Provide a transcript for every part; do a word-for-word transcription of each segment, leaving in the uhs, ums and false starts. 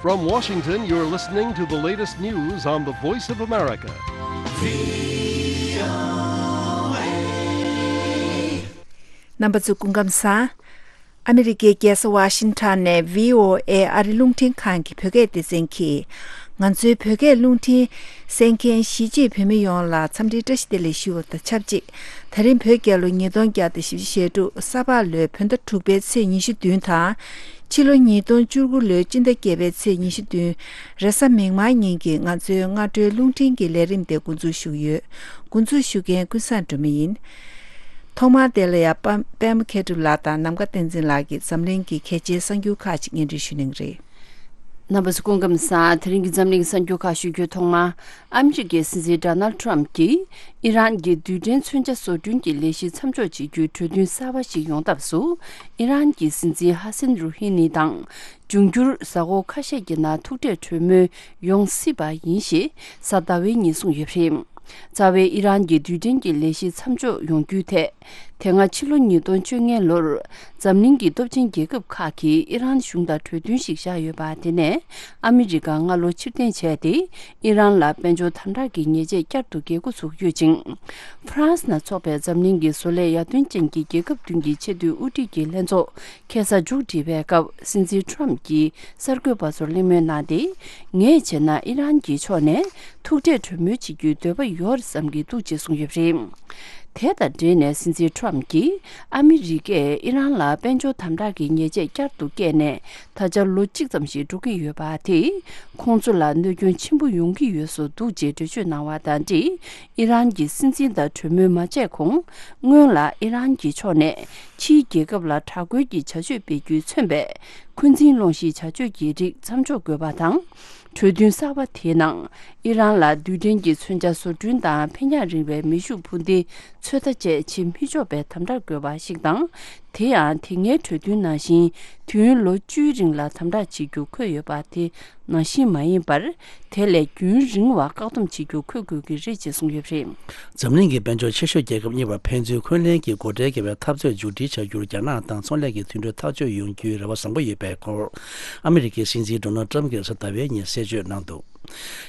From Washington, you're listening to the latest news on the Voice of America. རྣམ་པ་ཚོ་སྐུ་ཁམས་བཟང་། ཨ་མི་རི་ཀའི་རྒྱལ་ས་ཝ་ཤིང་ཊོན་ནས་བྷི་ཨོ་ཨེ་ཨ་རི་རླུང་འཕྲིན་ཁང་གི་བོད་སྐད་སྡེ་ཚན་གྱིས། ང་ཚོའི་བོད་སྐད་རླུང་འཕྲིན་གསན་མཁན་གཞིས་བྱེས་བོད་མི་ཡོངས་ལ་འཚམས་འདྲིའི་བཀྲ་ཤིས་བདེ་ལེགས་ཞུ་བ་དང་ཆབས་ཅིག་ད་རིང་བོད་རྒྱལ་ལོ་ཉིས་སྟོང་བརྒྱ་དང་བཞི་བཅུ་ཞེ་དྲུག་ས་ཕག་ལོའི་བོད་ཟླ་དྲུག་པའི་ཚེས་ཉི་ཤུ་བདུན་དང་། ཕྱི་ལོ་ཉིས་སྟོང་བཅུ་དགུ་ལོའི་སྤྱི་ཟླ་བརྒྱད་པའི་ཚེས་ཉི་ཤུ་བདུན་རེས་གཟའ་མིག་དམར་ཉིན་གྱི་ང་ཚོའི་སྔ་དྲོའི་རླུང་འཕྲིན་གྱི་ལས་རིམ་དེ་འགོ་འཛུགས་ཞུ་གི་ཡོད། འགོ་འཛུགས་ཞུ་མཁན་ཀུན་བཟང་སྒྲོལ་མ་ཡིན། ཐོག་མར་དེ་ལ་ཡ་པ་པད་མ་མཁས་གྲུབ་ལགས་དང་ནམ་མཁའ་བསྟན་འཛིན་ལགས་ཀྱིས་འཛམ་གླིང་གི་གལ་ཆེའི་གསར་འགྱུར་ཁག་ཅིག་སྙན་སྒྲོན་ཞུ་གནང་གི་རེད། རྣམ་པ་ཚོ་སྐུ་ཁམས་བཟང་། དེ་རིང་གི་འཛམ་གླིང་གསར་འགྱུར་ཁག་ཞུ་རྒྱུའི་ཐོག་མར། ཨ་མི་རི་ཀའི་སྲིད་འཛིན་ཌོ་ནལ་ཊམ་གྱིས་ཨི་རན་གྱི་རྡུལ་ཕྲན་མཚོན་ཆ་བཟོ་སྐྲུན་གྱི་ལས་གཞི་མཚམས་འཇོག་བྱེད་རྒྱུའི་གྲོས་མཐུན་གསར་པ་ཞིག་ཡོང་ཐབས་སུ། ཨི་རན་གྱི་སྲིད་འཛིན་ཧ་སན་རུ་ཧི་ནི་དང་། འབྱུང་འགྱུར་གཟའ་འཁོར་ཁ་ཤས་ཀྱི་ནང་ཐུག་འཕྲད་གྲོས་མོལ་ཡོང་སྲིད་པ་ཡིན་ཞེས་གཟའ་ཟླ་བའི་ཉིན་གསུངས་ཡོད་པ་རེད། རྩ་བའི་ཨི་རན་གྱི་རྡུལ་ཕྲན་གྱི་ལས་གཞི་མཚམས་འཇོག་ཡོང་རྒྱུའི་ཐད། དེ་སྔ་ཕྱི་ལོ་ཉིས་སྟོང་བཅོ་ལྔ་ལོར་འཛམ་གླིང་གི་སྟོབས་ཆེན་རྒྱལ་ཁབ་ཁག་གིས་ཨི་རན་གཞུང་དང་གྲོས་མཐུན་ཞིག་བཞག་ཡོད་པ། དེ་ནས་ཨ་མི་རི་ཀ་སྔ་ལོ་ཕྱིར་འཐེན་བྱས་ཏེ། ཨི་རན་ལ་དཔལ་འབྱོར་དམ་དྲག་གི་ཉེས་ཆད་བསྐྱར་དུ་འགེལ་འགོ་ཚུགས་ཡོད་ཅིང་། ཧྥ་རན་སི་ནང་འཚོགས་པའི་འཛམ་གླིང་གི་བཟོ་ལས་ཡར་ཐོན་ཅན་གྱི་རྒྱལ་ཁབ་བདུན་གྱི་ཆེས་མཐོའི་དབུ་ཁྲིད་ཀྱི་ལྷན་ཚོགས་ཁ་སང་མཇུག་བསྒྲིལ་བའི་སྐབས། སྲིད་འཛིན་ཊམ་གྱིས་གསར་འགོད་པ་ཚོར་གླེང་མོལ་གནང་སྟེ། ངས་བྱས་ན་ཨི་རན་གྱི་ཕྱོགས་ནས་ཐུག་འཕྲད་གྲོས་མོལ་བྱེད་རྒྱུའི་འདོད་པ་ཡོད་བསམ་གྱི་འདུག་ཅེས་གསུངས་ཡོད་པ་རེད། དེ་དང་འབྲེལ་ནས་སྲིད་འཛིན་ཊམ་གྱིས་ཨ་མི་རི་ཀས་ཨི་རན་ལ་དཔལ་འབྱོར་དམ་དྲག་གི་ཉེས་ཆད་བསྐྱར་དུ་བཀལ་ནས་ད་ཆ་ལོ་གཅིག་ཙམ་ཞིག་འགྲོ་གི་ཡོད་པ་དེས། ཁོང་ཚོ་ལ་གནོད་སྐྱོན་ཆེན་པོ་ཡོང་གི་ཡོད་བཟོ་འདུག་ཅེས་འགྲེལ་བརྗོད་གནང་བ་དང་འབྲེལ། ཨི་རན་གྱི་སྲིད་འཛིན་དང་གྲོས་མོལ་མ་བྱས་གོང་། སྔོན་ལ་ཨི་རན་གྱི་ཕྱོགས་ནས་ཕྱིའི་རྒྱལ་ཁབ་ལ་དྲག་རྒོལ་གྱི་བྱ་སྤྱོད་སྤེལ་རྒྱུས་མཚོན་པའི་འཁོན་འཛིན་སློང་གཞིའི་བྱ་སྤྱོད་ཀྱི་རིགས་མཚམས་འཇོག་དགོས་པ་དང་། གྲོས་མཐུན་གསར་པ་དེའི་ནང་། ཨི་རན་ལ་རྡུལ་ཕྲན་གྱི་མཚོན་ཆ་བཟོ་སྐྲུན་དང་འཕེན་ཡག་རིང་བའི་མེ་ཤུགས་འཕུར་མདེལ་ཚོད་ལྟ་བཅས་བྱེད་མི་ཆོག་པའི་དམ་དྲག་དགོས་པ་ཞིག་དང་། དེ་ཡང་དེ་སྔའི་གྲོས་མཐུན་ནང་བཞིན་དུས་ཡུན་ལོ་བཅུའི་རིང་ལ་དམ་དྲག་བྱེད་རྒྱུ་འཁོད་ཡོད་པ་དེ་ནང་བཞིན་མ་ཡིན་པར། དེ་ལས་རྒྱུན་རིང་བ་བཀག་སྡོམ་བྱེད་རྒྱུ་འཁོད་དགོས་ཀྱི་རེད་ཅེས་གསུངས་ཡོད་པ་རེད། འཛམ་གླིང་གི་དཔལ་འབྱོར་ཆེ་ཤོས་རྒྱལ་ཁབ་གཉིས་བར་ཕན་ཚུན་འཁོན་ལན་གྱི་སྒོ་ཁྲལ་བརྒལ་བའི་འཐབ་རྩོད་མཇུག་སྒྲིལ་བྱ་རྒྱུར་རྒྱ་ནག་དང་ཚོང་ལས་ཀྱི་མཐུན་གྲོས་ཐག་གཅོད་ཡོང་རྒྱུའི་རེ་བ་བཟང་པོ་ཡོད་པའི་སྐོར། ཨ་མི་རི་ཀའི་སྲིད་འཛིན་ཌོ་ནལ་ཊམ་གྱིས་གཟའ་ཟླ་བའི་ཉིན་གསལ་བརྗོད་གནང་འདུག་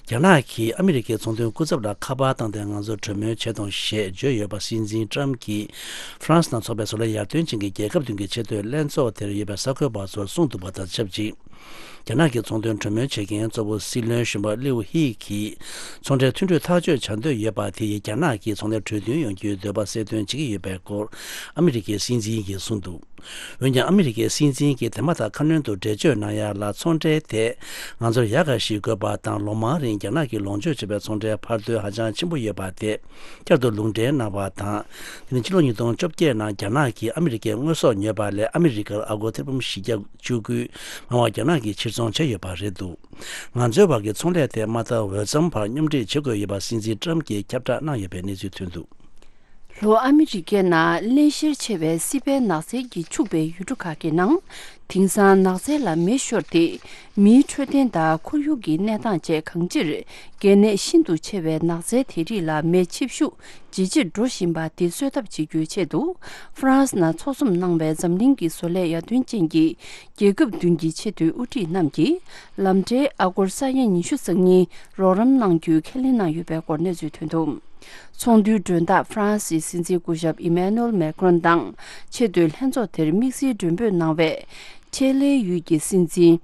རྒྱ་ནག་གིས་ཨ་མི་རི་ཀའི་ཚོང་དོན་སྐུ་ཚབ་ལ་ཁ་པར་བཏང་སྟེ་ང་ཚོར་གྲོས་མོལ་བྱེད་དང་ཞེས་བརྗོད་ཡོད་པ། སྲིད་འཛིན་ཊམ་གྱིས་ཧྥ་རན་སི་ནང་འཚོགས་པའི་བཟོ་ལས་ཡར་ཐོན་ཅན་གྱི་རྒྱལ་ཁབ་བདུན་གྱི་ཆེས་མཐོའི་ལྷན་ཚོགས་དེར་ཡོད་པའི་གསར་འགོད་པ་ཚོར་གསུངས་འདུག་པ་དང་ཆབས་ཅིག་རྒྱ་ནག་གི་ཚོང་དོན་གྲོས་མོལ་བྱེད་མཁན་གཙོ་བོ་སྲིད་བློན་གཞོན་པ་ལིའུ་ཧི་གིས། ཚོང་འབྲེལ་མཐུན་གྲོས་ཐག་གཅོད་བྱ་འདོད་ཡོད་པ་དེ་ཡིས་རྒྱ་ནག་གིས་ཚོང་ལས་གྲོས་མཐུན་ཡོང་རྒྱུའི་འདོད་པ་གསལ་སྟོན་བྱེད་ཀྱི་ཡོད་པའི་སྐོར། ཨ་མི་རི་ཀའི་སྲིད་འཛིན་གྱིས་གསུངས་འདུག་འོན་ཀྱང་། ཨ་མི་རི་ཀའི་སྲིད་འཛིན་གྱིས་དེ་མ་ཐག་ཁ་སྣོན་དུ་འགྲེལ་བརྗོད་གནང་ཡ་ལ། ཚོང་འབྲེལ་དེ་ང་ཚོར་ཡག་ག་ཞིག་དགོས་པ་དང་། ལོ་མང་རིང་རྒྱ་ནག་གིས་ལོངས་སྤྱོད་བྱས་པའི་ཚོང་འབྲེལ་འཕར་སྣོན་ཧ་ཅང་ཆེན་པོ་ཡོད་པ་དེ་བསྐྱར་དུ་ལུང་འདྲེན་གནང་བ་དང་། དེ་ནི་ཕྱི་ལོ་ཉིས་སྟོང་བཅོ་བརྒྱད་ནང་རྒྱ་ནག་གིས་ཨ་མི་རི་ཀའི་དངོས་ཟོག་ཉོས་པ་ལས་ཨ་མི་རི་ཀར་ཨ་སྒོར་ཐེར་འབུམ་བཞི་བརྒྱ་བཅུ་དགུ་མང་བ་རྒྱ་ནག་གིས་ཕྱིར་ཚོང་བྱས་ཡོད་པ་རེད་འདུག་ང་ཚོའི་བར་གྱི་ཚོང་ལས་དེ་མ་མཐའ་འོས་འཚམ་བར་སྙོམས་སྒྲིག་བྱེད་དགོས་ཡོད་པ་སྲིད་འཛིན་ཊམ་གྱིས་ཁྱབ་བསྒྲགས་གནང་ཡོད་པའི་གནས་ཚུལ་ཐོན་འདུག་ལྷོ་ཨ་མི་རི་ཀའི་ནང་བརླན་གཤེར་ཆེ་བའི་སྲིད་པའི་ནགས་ཚལ་གྱིས་ཕྱུག་པའི་ཡུལ་གྲུ་ཁག་གི་ནང་། དེང་སང་ནགས་ཚལ་ལ་མེ་ཤོར་ཏེ། མིའི་འཕྲོད་བསྟེན་དང་ཁོར་ཡུག་གི་གནས་སྟངས་བཅས་གང་ཅིར། གལ་གནད་ཤིན་ཏུ་ཆེ་བའི་ནགས་ཚལ་དེ་རིགས་ལ་མེ་ཆེ་ཤུགས་ཇེ་ཆེར་འགྲོ་བཞིན་པ་དེ་གསོད་ཐབས་བྱེད་རྒྱུའི་ཆེད་དུ། ཧྥ་རན་སི་ནང་འཚོགས་འཛོམས་གནང་བའི་འཛམ་གླིང་གི་བཟོ་ལས་ཡར་ཐོན་ཅན་གྱི་རྒྱལ་ཁབ་བདུན་གྱི་ཆེས་མཐོའི་དབུ་ཁྲིད་རྣམས་ཀྱིས། ལམ་འབྲས་ཨ་སྒོར་ས་ཡ་ཉི་ཤུ་རྩ་གཉིས་རོགས་རམ་གནང་རྒྱུའི་ཁས་ལེན་གནང་ཡོད་པའི་སྐོར་གནས་ཚུལ་ཐོན་འདུག་ཚོགས་འདུའི་མགྲོན་བདག་ཧྥ་རན་སིའི་སྲིད་འཛིན་སྐུ་ཞབས་ཨི་མེ་ནུ་ཨེལ་མེ་ཀྲོན་དང་ཆེས་མཐོའི་ལྷན་ཚོགས་དེར་དམིགས་བསལ་མགྲོན་འབོད་གནང་བའི་ཁྲེ་ལེ་ཡུལ་གྱི་སྲིད་འཛིན་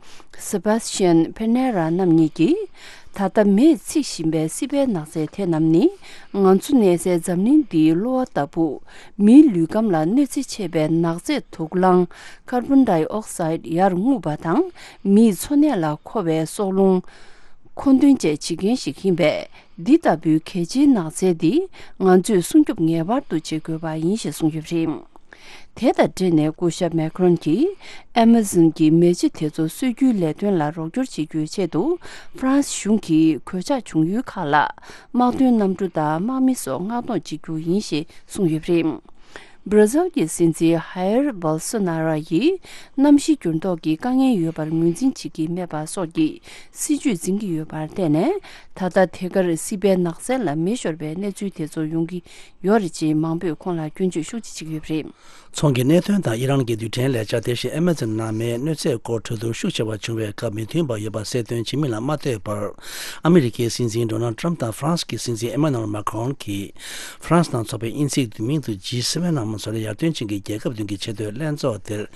སེ་བྷ་སི་ཅན་ཕེ་ནེ་ར་རྣམ་གཉིས་ཀྱིས། ད་ལྟ་མེས་འཚིག་བཞིན་པའི་སྲིད་པའི་ནགས་ཚལ་དེ་རྣམས་ནི། ང་ཚོ་གནས་སའི་འཛམ་གླིང་འདིའི་གློ་བ་ལྟ་བུ། མིའི་ལུས་ཁམས་ལ་གནོད་འཚེ་ཆེ་བའི་ནགས་ཚལ་དུག་རླངས་ཀར་བོན་ཌའི་ཨོག་སའིད་ཡར་རྔུབ་པ་དང་། མིའི་འཚོ་གནས་ལ་མཁོ་བའི་སྲོག་རླུང་མཁོ་འདོན་བཅས་བྱེད་མཁན་ཞིག་ཡིན་པས། འདི་ལྟ་བུའི་གལ་ཆེའི་ནགས་ཚལ་འདི་ང་ཚོས་སྲུང་སྐྱོབ་ངེས་པར་དུ་བྱེད་དགོས་པ་ཡིན་ཞེས་གསུངས་ཡོད་པ་རེད། དེ་དང་འབྲེལ་ནས་སྐུ་ཞབས་མེ་ཁྲོན་གྱིས་ཨེ་མ་ཟོན་གྱི་མེ་ལྕེ་དེ་ཚོ་གསོད་རྒྱུའི་ལས་དོན་ལ་རོགས་སྐྱོར་བྱེད་རྒྱུའི་ཆེད་དུ། ཧྥ་རན་སི་གཞུང་གིས་གོད་ཆག་བྱུང་ཡུལ་ཁག་ལ་དམག་དོན་གནམ་གྲུ་དང་དམག་མི་སོགས་མངགས་གཏོང་བྱེད་རྒྱུ་ཡིན་ཞེས་གསུངས་ཡོད་པ་རེད། བྷར་ཛིལ་གྱི་སྲིད་འཛིན་ཧའེར་བྷོལ་སོ་ན་རོ་ཡིས་གནམ་གཤིས་འགྱུར་ལྡོག་གི་དཀའ་ངལ་ཡོད་པར་ངོས་འཛིན་བྱེད་ཀྱི་མེད་པ་སོགས་ཀྱི་སྲིད་ཇུས་འཛིན་གྱི་ཡོད་པར་བརྟེན་ནས། ད་ལྟ་དེ་གར་སྲིད་པའི་ནགས་ཚལ་ལ་མེ་ཤོར་བའི་གནས་ཚུལ་དེ་ཚོ་ཡོང་གི་ཡོད་རེད་ཅེས་མང་པོས་ཁོང་ལ་སྐྱོན་བརྗོད་ཤུགས་ཆེ་བྱེད་ཀྱི་ཡོད་པ་རེད། ཚོང་གི་གནད་དོན་དང་ཨི་རན་གྱི་རྡུལ་ཕྲན་ལས་འཆར། དེ་བཞིན་ཨེ་མ་ཛོན་ནང་མེའི་གནོད་འཚེ་སྐོར་གྲོས་བསྡུར་ཤུགས་ཆེ་བ་བྱུང་བའི་སྐབས། མི་མཐུན་པ་ཡོད་པ་གསལ་སྟོན་བྱེད་མིན་ལ་མ་ལྟོས་པར། ཨ་མི་རི་ཀའི་སྲིད་འཛིན་ཌོ་ནལ་ཊམ་དང་ཧྥ་རན་སི་གི་སྲིད་འཛིན་ཨེ་མ་ནུ་ཨེལ་མཱ་ཁོན་གྱིས། ཧྥ་རན་སི་ནང་འཚོགས་པའི་དབྱིན་ཚིག་བསྡུས་མིང་དུ་ཇི་སེ་ཝེན་ནང་མ་ཚོར་ཡར་ཐོན་ཅན་གྱི་རྒྱལ་ཁབ་བདུན་གྱི་ཆེས་མཐོའི་ལྷན་ཚོགས་དེར།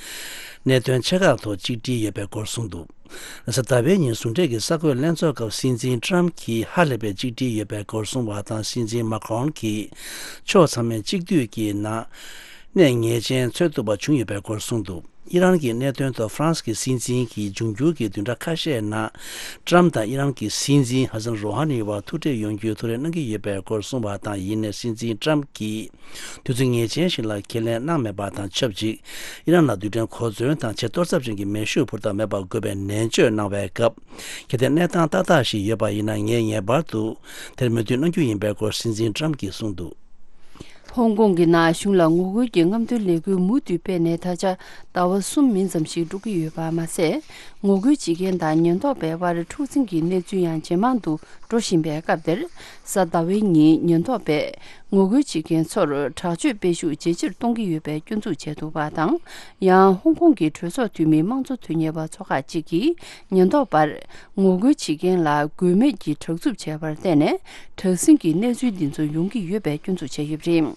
གནད་དོན་ཆེ་ཁག་ཐོག་གཅིག་སྒྲིལ་ཡོད་པའི་སྐོར་གསུངས་འདུག་གཟའ་ཟླ་བའི་ཉིན་ཟུང་འབྲེལ་གྱི་གསར་འགོད་ལྷན་ཚོགས་སྐབས། སྲིད་འཛིན་ཊམ་གྱིས་ཧ་ལས་པའི་གཅིག་སྒྲིལ་ཡོད་པའི་སྐོར་གསུངས་པ་དང་། སྲིད་འཛིན་མཱ་ཁོན་གྱིས་ཕྱོགས་ཚང་མས་གཅིག་སྡུད་ཀྱི་ནང་གནས་ངེས་ཅན་འཚོལ་ཐུབ་པ་བྱུང་ཡོད་པའི་སྐོར་གསུངས་འདུག་ཨི་རན་གྱི་གནད་དོན་ཐོག་ཧྥ་རན་སི་གི་སྲིད་འཛིན་གྱིས་འབྱུང་འགྱུར་གྱི་བདུན་ཕྲག་ཁ་ཤས་ནང་ཊམ་དང་ཨི་རན་གྱི་སྲིད་འཛིན་ཧ་སན་རོ་ཧ་ནི་བར་ཐུག་འཕྲད་ཡོང་རྒྱུའི་ཐུགས་རེ་གནང་གི་ཡོད་པའི་སྐོར་གསུངས་པ་དང་། ཡིན་ནའི་སྲིད་འཛིན་ཊམ་གྱིས། དུས་ཚོད་ངེས་ཅན་ཞིག་ལ་ཁས་ལེན་གནང་མེད་པ་དང་ཆབས་ཅིག་ཨི་རན་ལ་རྡུལ་ཕྲན་གོ་མཚོན་དང་ཆེས་གཏོར་ཚབས་ཅན་གྱི་མེ་ཤུགས་འཕུར་མདའ་མེད་པ་དགོས་པའི་ནན་བརྗོད་གནང་བའི་སྐབས། གལ་ཏེ་གནས་སྟངས་ཏག་ཏག་ཞིག་ཡོད་པ་ཡིན་ན། ངས་ངེས་པར་དུ་དེར་མོས་མཐུན་གནང་རྒྱུ་ཡིན་པའི་སྐོར་སྲིད་འཛིན་ཊམ་གྱིས་གསུངས་འདུག་ཧོང་ཀོང་གི་ནང་གཞུང་ལ་ངོ་རྒོལ་གྱི་རྔམ་སྟོན་ལས་འགུལ་མུ་མཐུད་སྤེལ་ནས་ད་ཆ་ཟླ་བ་གསུམ་མིན་ཙམ་ཞིག་འགྲོ་གི་ཡོད་པ་མ་ཟད། ངོ་རྒོལ་བྱེད་མཁན་དང་ཉེན་རྟོག་པའི་དབར་འཁྲུག་འཛིང་གི་གནས་ཚུལ་ཡང་ཇེ་མང་དུ་འགྲོ་བཞིན་པའི་སྐབས་དེར། གཟའ་ཟླ་བའི་ཉིན་ཉེན་རྟོག་པས་ངོ་རྒོལ་བྱེད་མཁན་ཚོར་དྲག་སྤྱོད་སྤེལ་ཤུགས་ཇེ་ཆེར་གཏོང་གི་ཡོད་པའི་སྐྱོན་འཛུགས་བྱས་འདུག་པ་དང་། ཡང་ཧོང་ཀོང་གི་གྲོས་ཚོགས་འཐུས་མི་དམངས་གཙོ་དོན་གཉེར་བ་ཚོ་ཁག་ཅིག་གིས་ཉེན་རྟོག་པར་ངོ་རྒོལ་བྱེད་མཁན་ལ་དགོས་མེད་ཀྱི་དྲག་རྩུབ་བྱས་པར་བརྟེན་ནས། དྲག་ཟིང་གི་གནས་ཚུལ་འདི་ཚོ་ཡོང་གི་ཡོད་པའི་སྐྱོན་འཛུགས་བྱས་ཡོད་པ་རེད།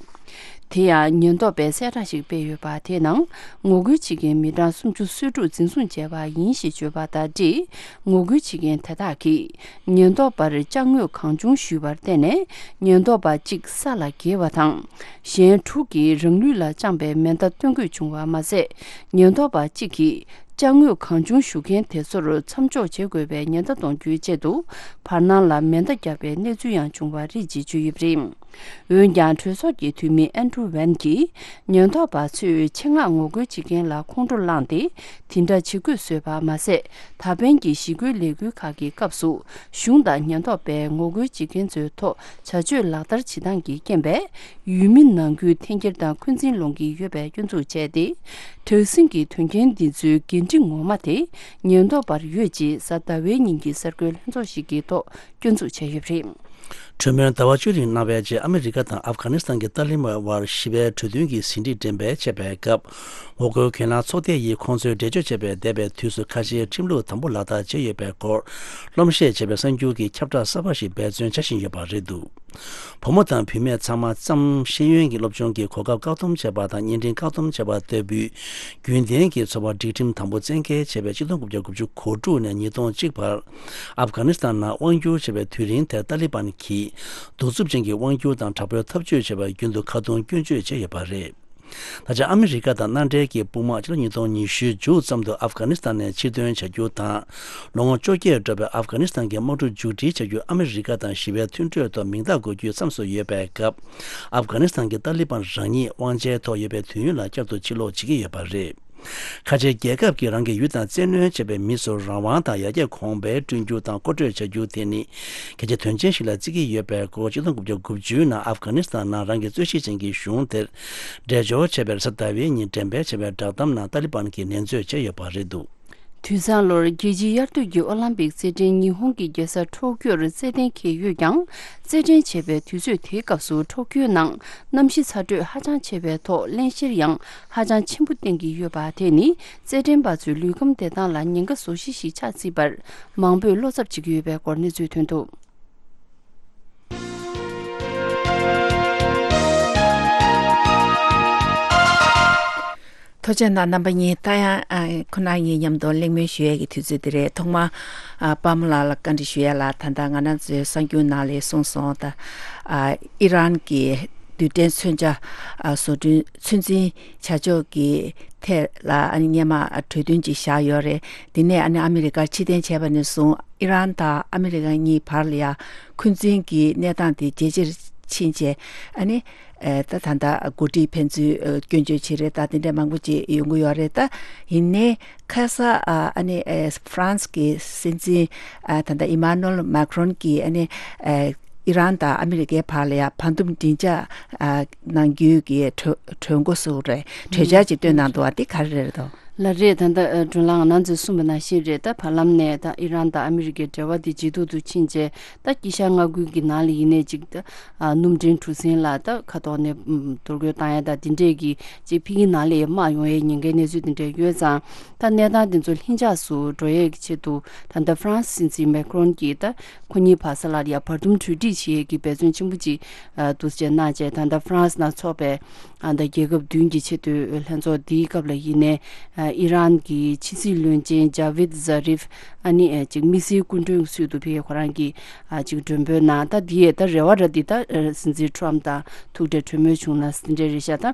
དེ་ཡང་ཉེན་རྟོག་པས་གསལ་བསྒྲགས་ཤིག་སྤེལ་ཡོད་པ་དེའི་ནང་། ངོ་རྒོལ་བྱེད་མཁན་མི་གྲངས་སུམ་ཅུ་སོ་དྲུག་འཛིན་བཟུང་བྱས་པ་ཡིན་ཞེས་བརྗོད་པ་དང་འབྲེལ། ངོ་རྒོལ་བྱེད་མཁན་དེ་དག་གིས་ཉེན་རྟོག་པར་ཅ་དངོས་གང་བྱུང་ཞུས་པར་བརྟེན་ནས། ཉེན་རྟོག་པ་གཅིག་ས་ལ་འགྱེལ་བ་དང་། གཞན་དྲུག་གིས་རང་ལུས་ལ་བཅངས་པའི་མེ་མདའ་སྟོན་དགོས་བྱུང་བ་མ་ཟད། ཉེན་རྟོག་པ་གཅིག་གིས་ཅ་དངོས་གང་བྱུང་ཞུ་མཁན་དེ་ཚོར་མཚམས་འཇོག་བྱེད་དགོས་པའི་ཉེན་བརྡ་གཏོང་རྒྱུའི་ཆེད་དུ། བར་སྣང་ལ་མེ་མདའ་བརྒྱབ་པའི་གནས་ཚུལ་ཡང་བྱུང་བ་རེད་ཅེས་བརྗོད་ཡོད་པ་རེད། འོན་ཀྱང་། གྲོས་ཚོགས་ཀྱི་འཐུས་མི་ཨན་ཌྲུ་ཝན་གྱིས། ཉེན་རྟོག་པ་ཚོས་ཆེད་མངགས་ངོ་རྒོལ་བྱེད་མཁན་ལ་ཁོང་ཁྲོ་བསླངས་ཏེ། དེ་འདྲ་བྱེད་དགོས་བཟོས་པ་མ་ཟད། ད་ཕན་གྱི་ཞི་རྒོལ་ལས་འགུལ་ཁག་གི་སྐབས་སུ། གཞུང་དང་ཉེན་རྟོག་པས་ངོ་རྒོལ་བྱེད་མཁན་ཚོའི་ཐོག་བྱ་སྤྱོད་ལག་བསྟར་བྱེད་སྟངས་ཀྱི་རྐྱེན་པས། ཡུལ་མི་ནང་ཁུལ་འཐེན་འཁྱེར་དང་འཁོན་འཛིན་སློང་གི་ཡོད་པའི་སྐྱོན་འཛུགས་བྱས་ཏེ། དྲག་ཟིང་གི་དོན་རྐྱེན་འདི་ཚོའི་འགན་འཁྲི་ངོ་མ་དེ་ཉེན་རྟོག་པར་ཡོད་ཅེས་གཟའ་ཟླ་བའི་ཉིན་གྱི་གསར་འགོད་ལྷན་ཚོགས་ཤིག་གི་ཐོག་སྐྱོན་འཛུགས་བྱས་ཡོད་པ་རེད། གྲོས་མོལ་ཟླ་བ་བཅུ་རིང་གནང་བའི་རྗེས། ཨ་མི་རི་ཀ་དང་ཨབ་གྷ་ནི་སི་ཐན་གྱི་ཏཱ་ལི་བན་དབར་ཞི་བའི་གྲོས་མཐུན་གྱི་ཟིན་བྲིས་འགྲེམས་སྤེལ་བྱས་པའི་སྐབས། ངོ་རྒོལ་གྱེན་ལངས་ཚོགས་སྡེ་ཡིས་ཁོང་ཚོའི་འགྲེལ་བརྗོད་བྱས་པའི་འདས་པའི་དུས་སུ་ཁ་ཆེའི་ཁྲིམས་ལུགས་དམ་པོ་ལག་བསྟར་བྱས་ཡོད་པའི་སྐོར། སློབ་བཤད་བྱས་པའི་གསར་འགྱུར་གྱི་ཁྱབ་བསྒྲགས་གསར་པ་ཞིག་འབད་བརྩོན་བྱ་བཞིན་ཡོད་པ་རེད་འདུག་བུ་མོ་དང་བུད་མེད་ཚང་མ་ཙམ་ཤེས་ཡོན་གྱི་སློབ་སྦྱོང་གི་གོ་སྐབས་བཀག་སྡོམ་བྱས་པ་དང་། བརྙན་འཕྲིན་བཀག་སྡོམ་བྱས་པ་ལྟ་བུའི་རྒྱུན་ལྡན་གྱི་འཚོ་བ་སྒྲིག་ཁྲིམས་དམ་པོ་བཙན་འགེལ་བྱས་པའི་ཆིག་སྟོང་དགུ་བརྒྱ་དགུ་བཅུ་གོ་དྲུག་ནས་ཉིས་སྟོང་གཅིག་བར། ཨབ་གྷ་ནི་སི་ཐན་ནང་དབང་བསྒྱུར་བྱས་པའི་དུས་རིང་དེར་ཏཱ་ལི་བན་གྱིས་གདུག་རྩུབ་ཅན་གྱི་དབང་སྒྱུར་དང་དྲག་པོའི་འཐབ་ཇུས་བྱས་པར་རྒྱུན་དུ་ཁ་རྡུང་སྐྱོན་བརྗོད་བྱས་ཡོད་པ་རེད། ད་ཆ་ཨ་མི་རི་ཀ་དང་མནའ་འབྲེལ་གྱི་དཔུང་དམག་ཕྱི་ལོ་ཉིས་སྟོང་ཉི་ཤུའི་མཇུག་ཙམ་དུ་ཨབ་གྷ་ནི་སི་ཐན་ནས་ཕྱིར་ཐོན་བྱ་རྒྱུ་དང་། ལོ་ངོ་བཅོ་བརྒྱད་འགྲོ་བའི་ཨབ་གྷ་ནི་སི་ཐན་གྱི་དམག་འཁྲུག་མཇུག་སྒྲིལ་བྱ་རྒྱུ། ཨ་མི་རི་ཀ་དང་ཞི་བའི་མཐུན་གྲོས་ཐོག་མིང་རྟགས་འགོད་རྒྱུའི་མཚམས་སུ་ཡོད་པའི་སྐབས། ཨབ་གྷ་ནི་སི་ཐན་གྱི་ཏཱ་ལི་བན་རང་ཉིད་དབང་ཆའི་ཐོག་ཡོད་པའི་དུས་ཡུན་ལ་བསྐྱར་དུ་ཕྱིར་ལོག་བྱེད་ཀྱི་ཡོད་པ་རེད། ཁ་ཆེའི་རྒྱལ་ཁབ་ཀྱིས་རང་གི་ཡུལ་དང་བཙན་གནོན་བྱས་པའི་མི་ཚོར་རང་དབང་དང་ཡར་རྒྱས་གོང་འཕེལ་བསྐྲུན་རྒྱུ་དང་མཁོ་སྤྲོད་བྱ་རྒྱུ་དེ་ནི་གལ་ཆེའི་དོན་ཆེན་ཞིག་ལ་བརྩི་གི་ཡོད་པའི་སྐོར། ཆིག་སྟོང་དགུ་བརྒྱ་དགུ་བཅུ་ནང་ཨབ་གྷ་ནི་སི་ཐན་ནང་རང་གི་རྩོད་གཞི་ཅན་གྱི་གཞུང་དེར་འགྲེལ་བརྗོད་བྱས་པའི་གཟའ་ཟླ་བའི་ཉིན་འགྲེམས་སྤེལ་བྱས་པའི་བསྒྲགས་གཏམ་ནང་ཏཱ་ལི་བན་གྱིས་ནན་བརྗོད་བྱས་ཡོད་པ་རེད་འདུག་དུས་བཟང་ལོར་རྒྱལ་སྤྱིའི་དབྱར་དུས་ཀྱི་ཨོ་ལམ་པིག་རྩེད་འགྲན་ཉི་ཧོང་གི་རྒྱལ་ས་ཊོ་ཀྱོར་རྩེད་གཏན་འཁེལ་ཡོད་ཀྱང་། རྩེད་འགྲན་བྱེད་པའི་དུས་ཚོད་དེའི་སྐབས་སུ་ཊོ་ཀྱོའི་ནང་གནམ་གཤིས་ཚ་དྲོད་ཧ་ཅང་ཆེ་བའི་ཐོག་བརླན་གཤེར་ཡང་ཧ་ཅང་ཆེན་པོ་བསྟན་གྱི་ཡོད་པ། དེ་ནི་རྩེད་འགྲན་པ་ཚོའི་ལུས་ཁམས་བདེ་ཐང་ལ་ཉེན་ཁ་བཟོ་གཞི་ཞིག་ཆགས་སྲིད་པར་མང་པོས་བློ་འཚབ་བྱེད་ཀྱི་ཡོད་པའི་སྐོར་གནས་ཚུལ་ཐོན་འདུག་ཐུགས་རྗེ་གནང་རྣམ་པ་གཉིས། ད་ཡང་ཨ་ཁོ་ན་གཉིས་མཉམ་དུ་གླེང་མོལ་ཞུ་ཡས་ཀྱི་དུས་ཚོད་འདི་རེད། ཐོག་མར་ཨ་པདྨ་ལགས་ལ་བཀའ་འདྲི་ཞུ་ཡས་ལ། ད་ལྟ་ང་རང་ཚོའི་གསར་འགྱུར་ནང་ལ་གསུངས་སོང་། ད་ཨ་ཨི་རན་གྱི་རྡུལ་ཕྲན་མཚོན་ཆ་ཨ་བཟོ་སྐྲུན་ཚོད་འཛིན་བྱ་ཕྱོགས་ཀྱི་ཐད་ལ་ཨ་ནི་སྔོན་མ་གྲོས་མཐུན་ཅིག་བཞག་ཡོད་རེད། དེ་ནས་ཨ་ནི་ཨ་མི་རི་ཀར་ཕྱིར་འཐེན་བྱས་པ་ནས་བཟུང་ཨི་རན་དང་ཨ་མི་རི་ཀ་གཉིས་བར་ལ་ཡང་འཁོན་འཛིན་གྱི་གནས་སྟངས་དེ་ཇེ་ཆེར་ཕྱིན་བྱས། ཨ་ནི་ཨེ་ད་ད་ལྟ་འགོ་ཁྲིད་ཕན་ཚུན་ཨེ་སྐྱོན་བརྗོད་བྱེད་རེས་ད་དེ་འདྲ་མང་པོ་ཅིག་ཡོང་གི་ཡོད་རེད། ད་ཡིན་ནའི་ཁ་ས་ཨ་ཨ་ནི་ཨེ་ཧྥ་རན་སི་གི་སྲིད་འཛིན་ཨ་ད་ལྟ་ཨི་མ་ནུ་ཨེལ་མཱ་ཁྲོན་གྱིས་ཨ་ནི་ཨེ་ ཨི་རན་དང་ཨ་མི་རི་ཀའི་བར་ལ་ཡ་བར་འདུམ་མགྲིན་ཚབ་ཨ་གནང་རྒྱུའི་གི་གྲོས་གྲོས་འགོ་བཙུགས་རེད། གྲོས་འཆར་ཅིག་བཏོན་གནང་འདུག་བ། དེ་ག་རེ་རེད་དོ། ལགས་རེད། ད་ལྟ་ཨ་སྒྲོལ་ལགས་ང་རང་ཚོས་གསུངས་པ་ནང་བཞིན་རེད། ད་བར་ལམ་ནས་ད་ཨི་རན་དང་ཨ་མི་རི་ཀའི་འབྲེལ་བ་དེ་ཇེ་སྡུག་ཏུ་ཕྱིན་རྗེས། ད་དཀྱིལ་ཤར་མངའ་ཁུལ་གྱི་ནང་ལ་ཡིན་ནའི་ཅིག་ད་ཨ་སྣུམ་འདྲེན་གྲུ་གཟིངས་ལ་ད་ཁ་ཐོག་ནས་ཨམ་འདོར་རྒོལ་བཏང་ཡ་ད་དེ་འདྲས་ཀྱི་ཅིག་ཕ་གིའི་ནང་ལ་ཡ་དམག་ཡོང་ཡའི་ཉེན་ཁའི་གནས་ཚུལ་དེ་འདྲས་ཡོད་ཙང་། ད་གནས་སྟངས་དེ་ཚོ་ལྷིང་འཇགས་སུ་འགྲོ་ཡས་ཀྱི་ཆེད་དུ་ད་ལྟ་ཧྥ་རན་སི་སྲིད་འཛིན་མེ་ཁ་རོན་གྱིས་ད་ཁོ་གཉིས་བར་ས་ལ་ཡ་བར་འདུམ་གྲོས་འགྲིག་བྱེད་ཡས་ཀྱི་འབད་བརྩོན་ཆེན་པོ་ཅིག་ཨ་འདུག་སེ་གནང་བྱས། ད་ལྟ་ཧྥ་རན་སི་ནང་འཚོགས་པའི་ཨ་ད་རྒྱལ་ཁབ་བདུན་གྱི་ཆེས་མཐོའི་ལྷན་ཚོགས་འདིའི་སྐབས་ལ་ཡིན་ནའི་ཨ་ཨི་རན་གྱི་ཕྱི་སྲིད་བློན་ཆེན་ཇ་ཝིད་ཛ་རིབ། ཨ་ནི་ཨ་ཅིག་དམིགས་བསལ་སྐུ་མགྲོན་ཚུལ་དུ་ཕེབས། ཁོ་རང་གིས་ཨ་ཅིག་མགྲོན་འབོད་གནང་། ད་འདི་ཡས་ད་རེ་བ་ར་འདི་ད་ཨ་སྲིད་འཛིན་ཁྲོམ་དང་ཐུག་འཕྲད་གྲོས་མོལ་བྱུང་ན་འདི་འདྲ་རེད་ཤག་ད་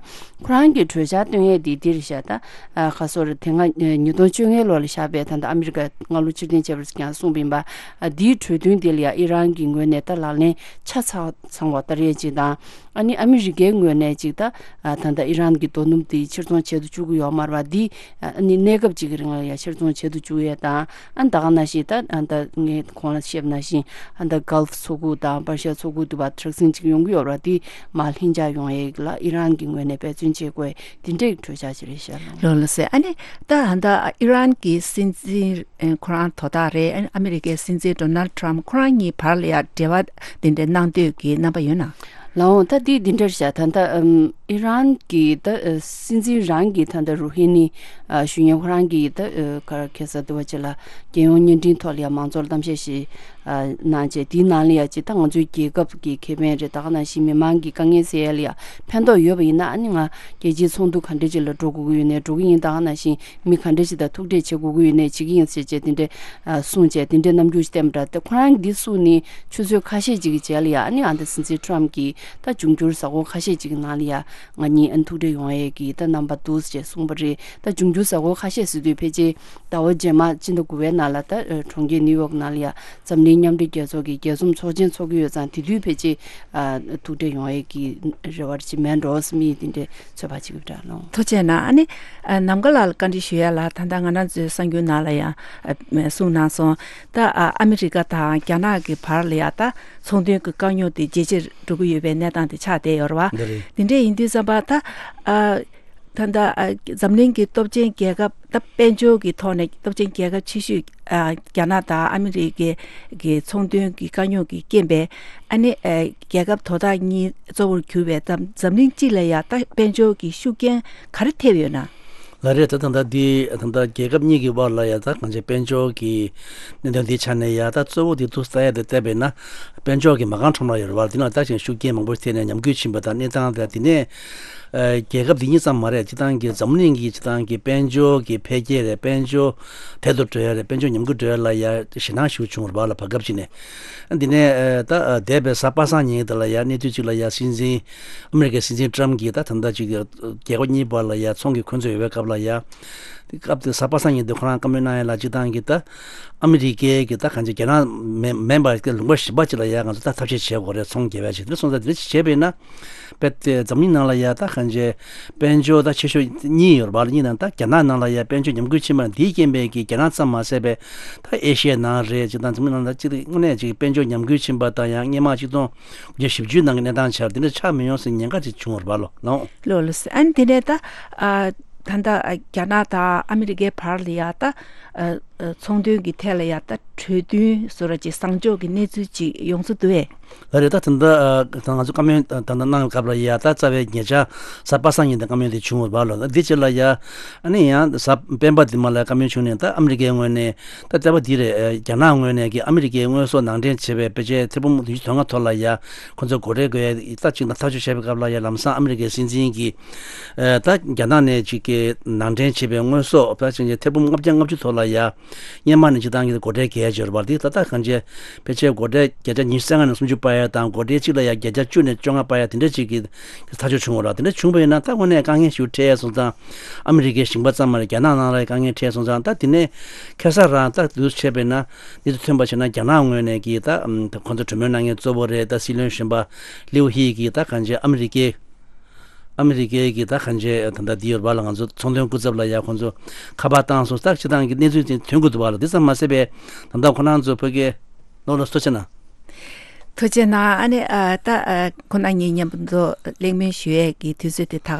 ཁོ་རང་གིས་གྲོས་འཆར་བཏོན་ཡས་འདི་འདི་རེད་ཤག་ད་ཨ་ཁ་སོར་དེ་སྔ་ཨ་ཉིས་སྟོང་བཅོ་ལྔའི་ལོ་ལ་བཞག་པའི་ད་ལྟ་ཨ་མི་རི་ཀ་སྔ་ལོ་ཕྱིར་འཐེན་བྱས་པར་ཀྱང་གསུངས་པ་ཡིན་པ། ཨ་འདིའི་གྲོས་མཐུན་འདི་ལ་ཡང་ཨི་རན་གྱི་ངོས་ནས་ད་ལག་ལེན་ཆ་ཚང་ཚང་བ་ལྟར་ཡས་ཅིག་དང་། ཨ་ནི་ཨ་མི་རི་ཀའི་ངོས་ནས་ཅིག་ད་ཨ་ད་ལྟ་ཨི་རན་གྱི་རྡོ་སྣུམ་དེ་ཕྱིར་ཚོང་བྱེད་དུ་བཅུག་གི་ཡོད་མ་རེད་པ། འདི་ཨ་ནི་གནས་སྐབས་ཅིག་གི་རིང་ལ་ཡང་ཕྱིར་ཚོང་བྱེད་དུ་བཅུག་ཡས་དང་། ཨ་ད་ག་ནང་བཞིན་ད་ཨ་ད་ངས་གོང་ལ་བཤད་པ་ནང་བཞིན་ཨ་ད་གྷལ་ཕ་མཚོ་ཁུག་དང་པར་ཤ་མཚོ་ཁུག་དུ་བ་དྲག་ཟིང་ཅིག་ཡོང་གི་ཡོད་རེད་པ། འདི་མར་ལྷིང་འཇགས་ཡོང་ཡས་ལ་ཨི་རན་གྱི་ངོས་ནས་འབད་བརྩོན་བྱེད་དགོས། འདི་འདྲའི་གྲོས་འཆར་ཅིག་རེད་ཤག་ལགས། ལགས་ལགས་སེ། ཨ་ནི་ད་ཨ་ད་ཨི་རན་གྱི་སྲིད་འཛིན་ཨ་ཁོ་རང་དོ་བདག་རེད། ཨ་ནི་ཨ་མི་རི་ཀའི་སྲིད་འཛིན་ཌོ་ནལ་ཊམ་ཁོ་རང་གཉིས་བར་ལ་ཡ་འབྲེལ་བ་དེ་འདྲ་གནང་འདོད་ཀྱི་རྣམ་པ་ཡོད་ན། ལགས་འོང་། ད་འདི་འདི་འདྲར་བཞག་ད་ལྟ་ཨམ་ཨི་རན་གྱི་ད་ཨ་སྲིད་འཛིན་རང་གི་ད་ལྟ་རུ་ཧི་ནི་ཨ་ཞུ་མཁན་ཁོ་རང་གིས་ད་ཨ་ག་རེ་ཁ་སང་དུ་བ་ཅིག་ལ་རྒྱལ་ཡོངས་བརྙན་འཕྲིན་ཐོག་ལ་ཡ་མང་ཚོགས་ལ་གཏམ་བཤད་ཞིག་ཨ་གནང་བྱས། དེའི་ནང་ལ་ཡ་ཅིག་ད་ང་ཚོའི་རྒྱལ་ཁབ་ཀྱི་ཁེ་ཕན་རེད། ད་ག་ནང་བཞིན་མི་མང་གི་དཀའ་ངལ་སེལ་ཡ་ལ་ཡ་ཕན་ཐོགས་ཡོད་པ་ཡིན་ན། ཨ་ནི་ང་རྒྱལ་སྤྱིའི་ཚོགས་འདུ་ག་འདྲ་ཅིག་ལ་འགྲོ་དགོས་ཀྱི་ཡོད་ནའི་འགྲོ་གི་ཡིན། ད་ག་ནང་བཞིན་མི་ག་འདྲ་ཅིག་དང་ཐུག་འཕྲད་བྱེད་དགོས་ཀྱི་ཡོད་ནའི་བྱེད་ཀྱི་ཡིན་ཟེར་བྱས་དེ་འདྲ་ཨ་གསུངས་བྱས། དེ་འདྲའི་རྣམ་འགྱུར་ཞིག་བསྟན་པ་འདྲ། ད་ཁོ་རང་གིས་འདི་གསུངས་ནས་ཆུ་ཚོད་ཁ་ཤས་ཅིག་གི་རྗེས་ལ་ཡ་ཨ་ནི་ཨ་ད་སྲིད་འཛིན་ཁྲོམ་གྱིས་ད་འབྱུང་འགྱུར་གཟའ་འཁོར་ཁ་ཤས་ཅིག་གི་ནང་ལ་ཡ་ང་གཉིས་ཨ་ཐུག་འཕྲད་ཡོང་ཡས་ཀྱི་ད་རྣམ་པ་འདུག་ཟེར་གསུངས་པ་རེད། ད་འབྱུང་འགྱུར་གཟའ་འཁོར་ཁ་ཤས་ཟེར་དུས་ཕལ་ཆེར་ཟླ་བ་རྗེས་མ་སྤྱི་ཟླ་དགུ་པའི་ནང་ལ་ད་ཨ་གྲོང་ཁྱེར་ནིའུ་ཡོག་ནང་ལ་ཡ་འཛམ་གླིང་མཉམ་འབྲེལ་རྒྱལ་ཚོགས་ཀྱི་རྒྱལ་འཛོམས་ཚོགས་ཆེན་འཚོགས་ཀྱི་ཡོད་ཙང་། དེ་དུས་ཕལ་ཆེར་ཨ་ཐུག་འཕྲད་ཡོང་ཡས་ཀྱི་རེ་བ་ཅིག་མེད་འགྲོ་བསམ་ཡས་དེ་འདྲའི་ཚོད་དཔག་བྱེད་ཀྱི་ཡོད་ལགས། ཐུགས་རྗེ་གནང་། ཨ་ནི་ཨ་ནམ་མཁའ་ལགས་ལ་བཀའ་འདྲི་ཞུ་ཡ་ལ། ད་ལྟ་ང་རང་ཚོའི་གསར་འགྱུར་ནང་ལ་ཡང་ཨ་གསུངས་གནང་སོང་། ད་ཨ་ཨ་མི་རི་ཀ་དང་རྒྱ་ནག་གི་བར་ལ་ཡ་ད་ཚོང་དོན་གྱི་དཀའ་རྙོག་དེ་ཇེ་ཆེར་འགྲོ་གི་ཡོད་པའི་གནས་སྟངས་དེ་ཆགས་བསྡད་ཡོད་རེད་བ། འདི་རེད། དེ་འདྲ་ཡིན་དུས་ཙམ་པ་ད་ཨ་ད་ལྟ་ཨ་འཛམ་གླིང་གི་སྟོབས་ཆེན་རྒྱལ་ཁབ། ད་དཔལ་འབྱོར་གྱི་ཐོག་ནས་སྟོབས་ཆེན་རྒྱལ་ཁབ་ཆེ་ཤོས་ཨ་རྒྱ་ནག་དང་ཨ་མི་རི་ཀའི་གི་ཚོང་དོན་གྱི་དཀའ་རྙོག་གི་རྐྱེན་པས། ཨ་ནི་ཨ་རྒྱལ་ཁབ་དོ་བདག་གཉིས་གཙོ་བོར་གྱུར་པའི་འཛམ་འཛམ་གླིང་སྤྱི་ལ་ཡ་ད་དཔལ་འབྱོར་གྱི་ཤུགས་རྐྱེན་ག་རེ་ཐེབས་ཡོད་ན། ལགས་རེད། ད་ད་ལྟ་འདི་ད་ལྟ་རྒྱལ་ཁབ་གཉིས་ཀྱི་བར་ལ་ཡ་ད་གང་ཅི་དཔལ་འབྱོར་གྱི་གནད་དོན་འདི་ཆ་ནས་ཡ་ད་གཙོ་བོ་འདི་ཐུག་ས་ཡ་དེ་བལྟས་པས་ན་དཔལ་འབྱོར་གྱི་མ་རྐང་ཁྲོམ་ར་ཡོད་རེད་བ། འདི་ནང་ད་ཅིག་ཤུགས་རྐྱེན་མང་པོ་ཐེབས་ནས་ཉམས་རྒུད་ཕྱིན་པ་དང་། གནས་སྟངས་དེ་དེ་ནས་ཨ་རྒྱལ་ཁབ་འདི་གཉིས་ཙམ་མ་རེད། སྤྱིར་བཏང་གི་འཛམ་གླིང་གི་སྤྱིར་བཏང་གི་དཔལ་འབྱོར་གྱི་འཕེལ་རྒྱས་རེད། དཔལ་འབྱོར་དལ་དུ་འགྲོ་ཡ་རེད། དཔལ་འབྱོར་ཉམས་རྒུད་འགྲོ་ཡ་ལ་ཡ་ཞེད་སྣང་ཞིག་བྱུང་བ་རེད་བ་ལ། བར་སྐབས་ཅིག་ནས་འདི་ནས་ཨ་ད་ཨ་འདས་པའི་གཟའ་པ་སངས་ཉིན་དེ་ལ་ཡ་གནས་ཚུལ་ཅིག་ལ་ཡ་སྲིད་འཛིན་ཨ་མི་རི་ཀའི་སྲིད་འཛིན་ཊམ་གྱིས་ད་ད་ལྟ་ཅིག་རྒྱལ་ཁབ་གཉིས་བར་ལ་ཡ་ཚོང་གི་འཁོན་རྩོད་ཡོད་པའི་སྐབས་ལ་ཡ། དེ་སྐབས་དེ་གཟའ་པ་སངས་ཉིན་དེ་ཁོ་རང་བཀའ་མོལ་གནང་ཡ་ལ་སྤྱིར་བཏང་གི་ད་ཨ་མི་རི་ཀའི་གི་ད་གང་ཅི་རྒྱ་ནག་མིན་མིན་པ་གི་ལུང་པ་གཞན་པ་ཅིག་ལ་ཡ་ང་ཚོ་ད་ཐབས་ཤེས་བྱེད་དགོས་རེད། ཚོང་རྒྱག་ཡ་ཅིག་དེ་སོང་ཙང་དེ་འདྲ་ཅིག་བྱས་པས་ན། དཔེ་དེ་འཛམ་གླིང་ནང་ལ་ཡ་ད་གང་ཅི་དཔལ་འབྱོར་ད་ཆེ་ཤོས་གཉིས་ཡོད་རེད་བ་ལ། གཉིས་ནང་ད་རྒྱ་ནག་ནང་ལ་ཡ་དཔལ་འབྱོར་ཉམས་རྒུད་ཕྱིན་པ་འདིའི་རྐྱེན་པས་ཀྱི་རྒྱ་ནག་ཙམ་མ་ཟད་པའི་ད་ཨེ་ཤི་ཡའི་ནང་རེད། སྤྱིར་བཏང་འཛམ་གླིང་ནང་ད་ཅིག་དངོས་གནས་ཅིག་དཔལ་འབྱོར་ཉམས་རྒུད་ཕྱིན་པ་དང་། ཡང་སྔོན་མ་ཆིག་སྟོང་དགུ་བརྒྱ་བཞི་བཅུ་ནང་གི་གནས་སྟངས་ཆགས་དེ་འདྲ་ཆགས་མི་ཡོང་ཟེར་ཉེན་ཁ་ཅིག་བྱུང་བ་རེད་བ་ལ། ལགས་འོང་། ལགས་ལགས། ཨ་ནི་དེ་ནས་ད་ཨ་ད་ལྟ་ཨ་རྒྱ་ནག་དང་ཨ་མི་རི་ཀའི་བར་ལ་ཡ་ད་ཨ་ཨ་ཚོང་དོན་གྱི་ཐད་ལ་ཡ་ད་གྲོས་མཐུན་བཟོ་འདྲ་ཅིག་བཟང་ཕྱོགས་ཀྱི་གནས་ཚུལ་ཅིག་ཡོང་ས་འདུག་གས། ལགས་རེད། ད་ད་ལྟ་ཨ་ད་ང་ཚོ་བཀའ་མོལ་ད་ལྟ་གནང་བའི་སྐབས་ལ་ཡ་ད་རྩ་བའི་ཉེ་ཆར་གཟའ་པ་སངས་ཉིན་དེ་བཀའ་མོལ་དེ་བྱུང་བ་རེད་བ་ལ། འདི་རྗེས་ལ་ཡ་ཨ་ནི་ཡང་གཟའ་སྤེན་པ་དེ་མ་ལ་བཀའ་མོལ་བྱུང་ནས། ད་ཨ་མི་རི་ཀའི་ངོས་ནས་ད་ལྟ་བ་འདི་རེད། ཨ་རྒྱ་ནག་ངོས་ནས་ཀྱི་ཨ་མི་རི་ཀའི་དངོས་ཟོག་ནང་འདྲེན་བྱས་པའི་ཕལ་ཆེར་ཐེར་འབུམ་བདུན་ཅུ་དོན་ལྔ་ཐོག་ལ་ཡ་ཁོ་ཚོ་སྒོ་ཁྲལ་དགོས་ཡ་ད་ཅིག་ཐག་གཅོད་བྱས་པའི་སྐབས་ལ་ཡ་ལམ་སང་ཨ་མི་རི་ཀའི་སྲིད་འཛིན་གྱིས་ཨ་ད་རྒྱ་ནག་ནས་ཅིག་གི་ནང་འདྲེན་བྱས་པའི་དངོས་ཟོག་ད་ཅིག་ཐེར་འབུམ་ལྔ་བརྒྱ་ལྔ་བཅུ་ཐོག་ལ་ཡ་སྔོན་མ་ནས་སྤྱིར་བཏང་གི་སྒོ་ཁྲལ་བརྒལ་ཡ་ཅིག་ཡོད་རེད་བ། དེ་ད་ལྟ་གང་ཅི་ཕལ་ཆེར་སྒོ་ཁྲལ་བརྒྱ་ཆ་ཉི་ཤུ་རྩ་ལྔ་ནས་སུམ་ཅུ་སྤར་ཡ་དང་། སྒོ་ཁྲལ་གཅིག་ལ་ཡ་བརྒྱ་ཆ་བཅུ་ནས་བཅོ་ལྔ་སྤར་ཡ་དེ་འདྲ་ཅིག་གི་ཐག་གཅོད་བྱུང་བ་རེད། དེ་འདྲ་བྱུང་བ་ཡིན་ན་ད་དངོས་གནས་དཀའ་ངལ་ཞིག་འཕྲད་ཡ་སོང་ཙང་། ཨ་མི་རི་ཀའི་ཞིང་པ་ཙམ་མ་རེད། རྒྱ་ནག་ནང་ལ་ཡ་དཀའ་ངལ་འཕྲད་སོང་ཙང་། ད་དེ་ནས་ཁ་སང་རང་ད་དུས་བྱས་པས་ན་འདི་ཚོ་ཐོན་པ་བྱས་ན་རྒྱ་ནག་ངོས་ནས་ཀྱི་ད་ཨམ་ད་ཁོང་ཚོ་གྲོས་མོལ་གནང་མཁན་གཙོ་བོ་རེད། ད་སྲིད་བློན་གཞོན་པ་ལིའུ་ཧི་གིས་ད་གང་ཅི་ཨ་མི་རི་ཀའི་ཨ་མི་རི་ཀའི་གི་ད་གང་ཅི་ད་ལྟ་འདི་ཡོད་རེད་བ་ལ། ང་ཚོ་ཚོང་དོན་སྐུ་ཚབ་ལ་ཡ་ཁོང་ཚོ་ཁ་པར་བཏང་སོང་། ད་སྤྱིར་བཏང་གི་གནས་ཚུལ་དེ་ཐོན་གྱི་འདུག་བ་ལ། འདི་ཙམ་མ་ཟད་པའི་ད་ལྟ་ཁོ་རང་ཚོ་བོད་སྐད་ལོ་ལ་སོ་ཆེ་ན། ཐུགས་རྗེ་གནང་། ཨ་ནི་ཨ་ད་ཨ་ཁོ་ན་ངེད་མཉམ་དུ་གླེང་མོལ་ཞུ་ཡས་ཀྱི་དུས་ཚོད་དེ་ད་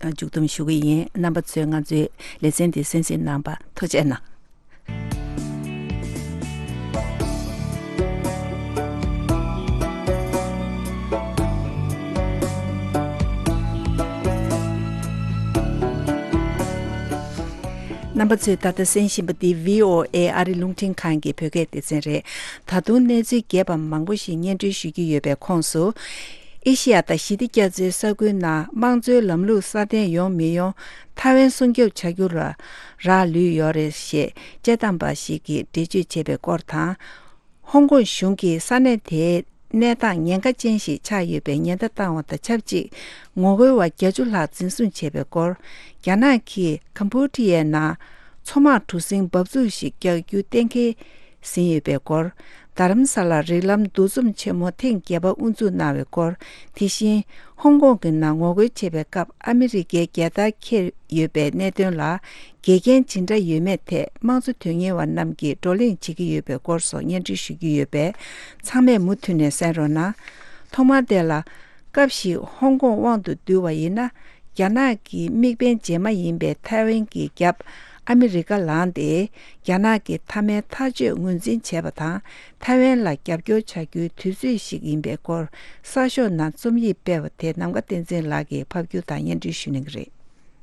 ག་མཇུག་བསྡོམས་ཞུ་གི་ཡིན། རྣམ་པ་ཚོས་ང་ཚོའི་ལེ་ཚན་འདི་གསན་གཟིགས་གནང་བ་ཐུགས་རྗེ་གནང་། རྣམ་པ་ཚོས་ད་ལྟ་གསན་བཞིན་པ་འདི་བྷི་ཨོ་ཨེ་ཨ་རི་རླུང་འཕྲིན་ཁང་གི་བོད་སྐད་སྡེ་ཚན་རེད། ད་དུང་གནས་ཚུལ་རྒྱས་པ་མང་པོ་ཞིག་སྙན་སྒྲོན་ཞུ་རྒྱུ་ཡོད་པའི་ཁོངས་སུ། ཨེ་ཤེ་ཡ་དང་ཞི་བདེ་རྒྱ་མཚོའི་ས་ཁུལ་ནང་དམངས་གཙོའི་ལམ་ལུགས་སྲ་བརྟན་ཡོང་མི་ཡོང་ཐའེ་ཝན་སྲུང་སྐྱོབ་བྱ་རྒྱུ་ལ་རག་ལུས་ཡོད་རེད་ཞེས་དཔྱད་གཏམ་པ་ཞིག་གིས་འགྲེལ་བརྗོད་བྱས་པའི་སྐོར་དང་། ཧོང་ཀོང་གཞུང་གིས་ས་གནས་དེའི་གནས་སྟངས་ཉེན་ཁ་ཅན་ཞིག་ཆགས་ཡོད་པའི་ཉེན་བརྡ་བཏང་བ་དང་ཆབས་ཅིག་ངོ་རྒོལ་བ་བརྒྱད་ཅུ་ལྷག་འཛིན་བཟུང་བྱས་པའི་སྐོར། རྒྱ་ནག་གིས་ཀམ་པུ་ཊི་ཡའི་ནང་མཚོ་དམག་གྲུ་གཟིངས་འབབ་ཚུགས་ཤིག་རྒྱག་རྒྱུ་གཏན་འཁེལ་ཟིན་ཡོད་པའི་སྐོར། རྡ་རམ་ས་ལར་རིགས་ལམ་འདུ་འཛོམས་ཆེན་མོ་ཐེངས་བརྒྱད་པ་དབུ་འཛུགས་གནང་བའི་སྐོར། དེ་བཞིན་ཧོང་ཀོང་གི་ནང་ངོ་རྒོལ་བྱེད་པའི་སྐབས་ཨ་མི་རི་ཀའི་རྒྱལ་དར་འཁྱེར་ཡོད་པའི་གནད་དོན་ལ། འགལ་རྐྱེན་ཇི་འདྲ་ཡོད་མེད་ཐད་དམངས་གཙོ་དོན་གཉེར་བ་རྣམས་ཀྱིས་བགྲོ་གླེང་བྱེད་ཀྱི་ཡོད་པའི་སྐོར་སོགས་སྙན་སྒྲོན་ཞུ་རྒྱུ་ཡོད་པས། ཚང་མས་མུ་མཐུད་ནས་གསན་རོགས་གནང་། ཐོག་མར་དེ་ལ། སྐབས་ཤིག་ཧོང་ཀོང་དབང་དུ་བསྡུས་པ་ཡིན་ན། རྒྱ་ནག་གི་དམིགས་འབེན་རྗེས་མ་ཡིན་པའི་ཐའེ་ཝན་གྱི་རྒྱབ་ཨ་མི་རི་ཀ་ལངས་ཏེ། རྒྱ་ནག་གི་མཐའ་མའི་ཐག་གཅོད་ངོས་འཛིན་བྱས་པ་དང་། ཐའེ་ཝན་ལ་རྒྱབ་སྐྱོར་བྱ་རྒྱུའི་དུས་ཚོད་ཞིག་ཡིན་པའི་སྐོར་གསར་ཤོག་ནང་རྩོམ་ཡིག་སྤེལ་བ་དེ་ནམ་མཁའ་བསྟན་འཛིན་ལགས་ཀྱིས་ཕབ་སྒྱུར་དང་སྙན་སྒྲོན་ཞུ་གནང་གི་རེད།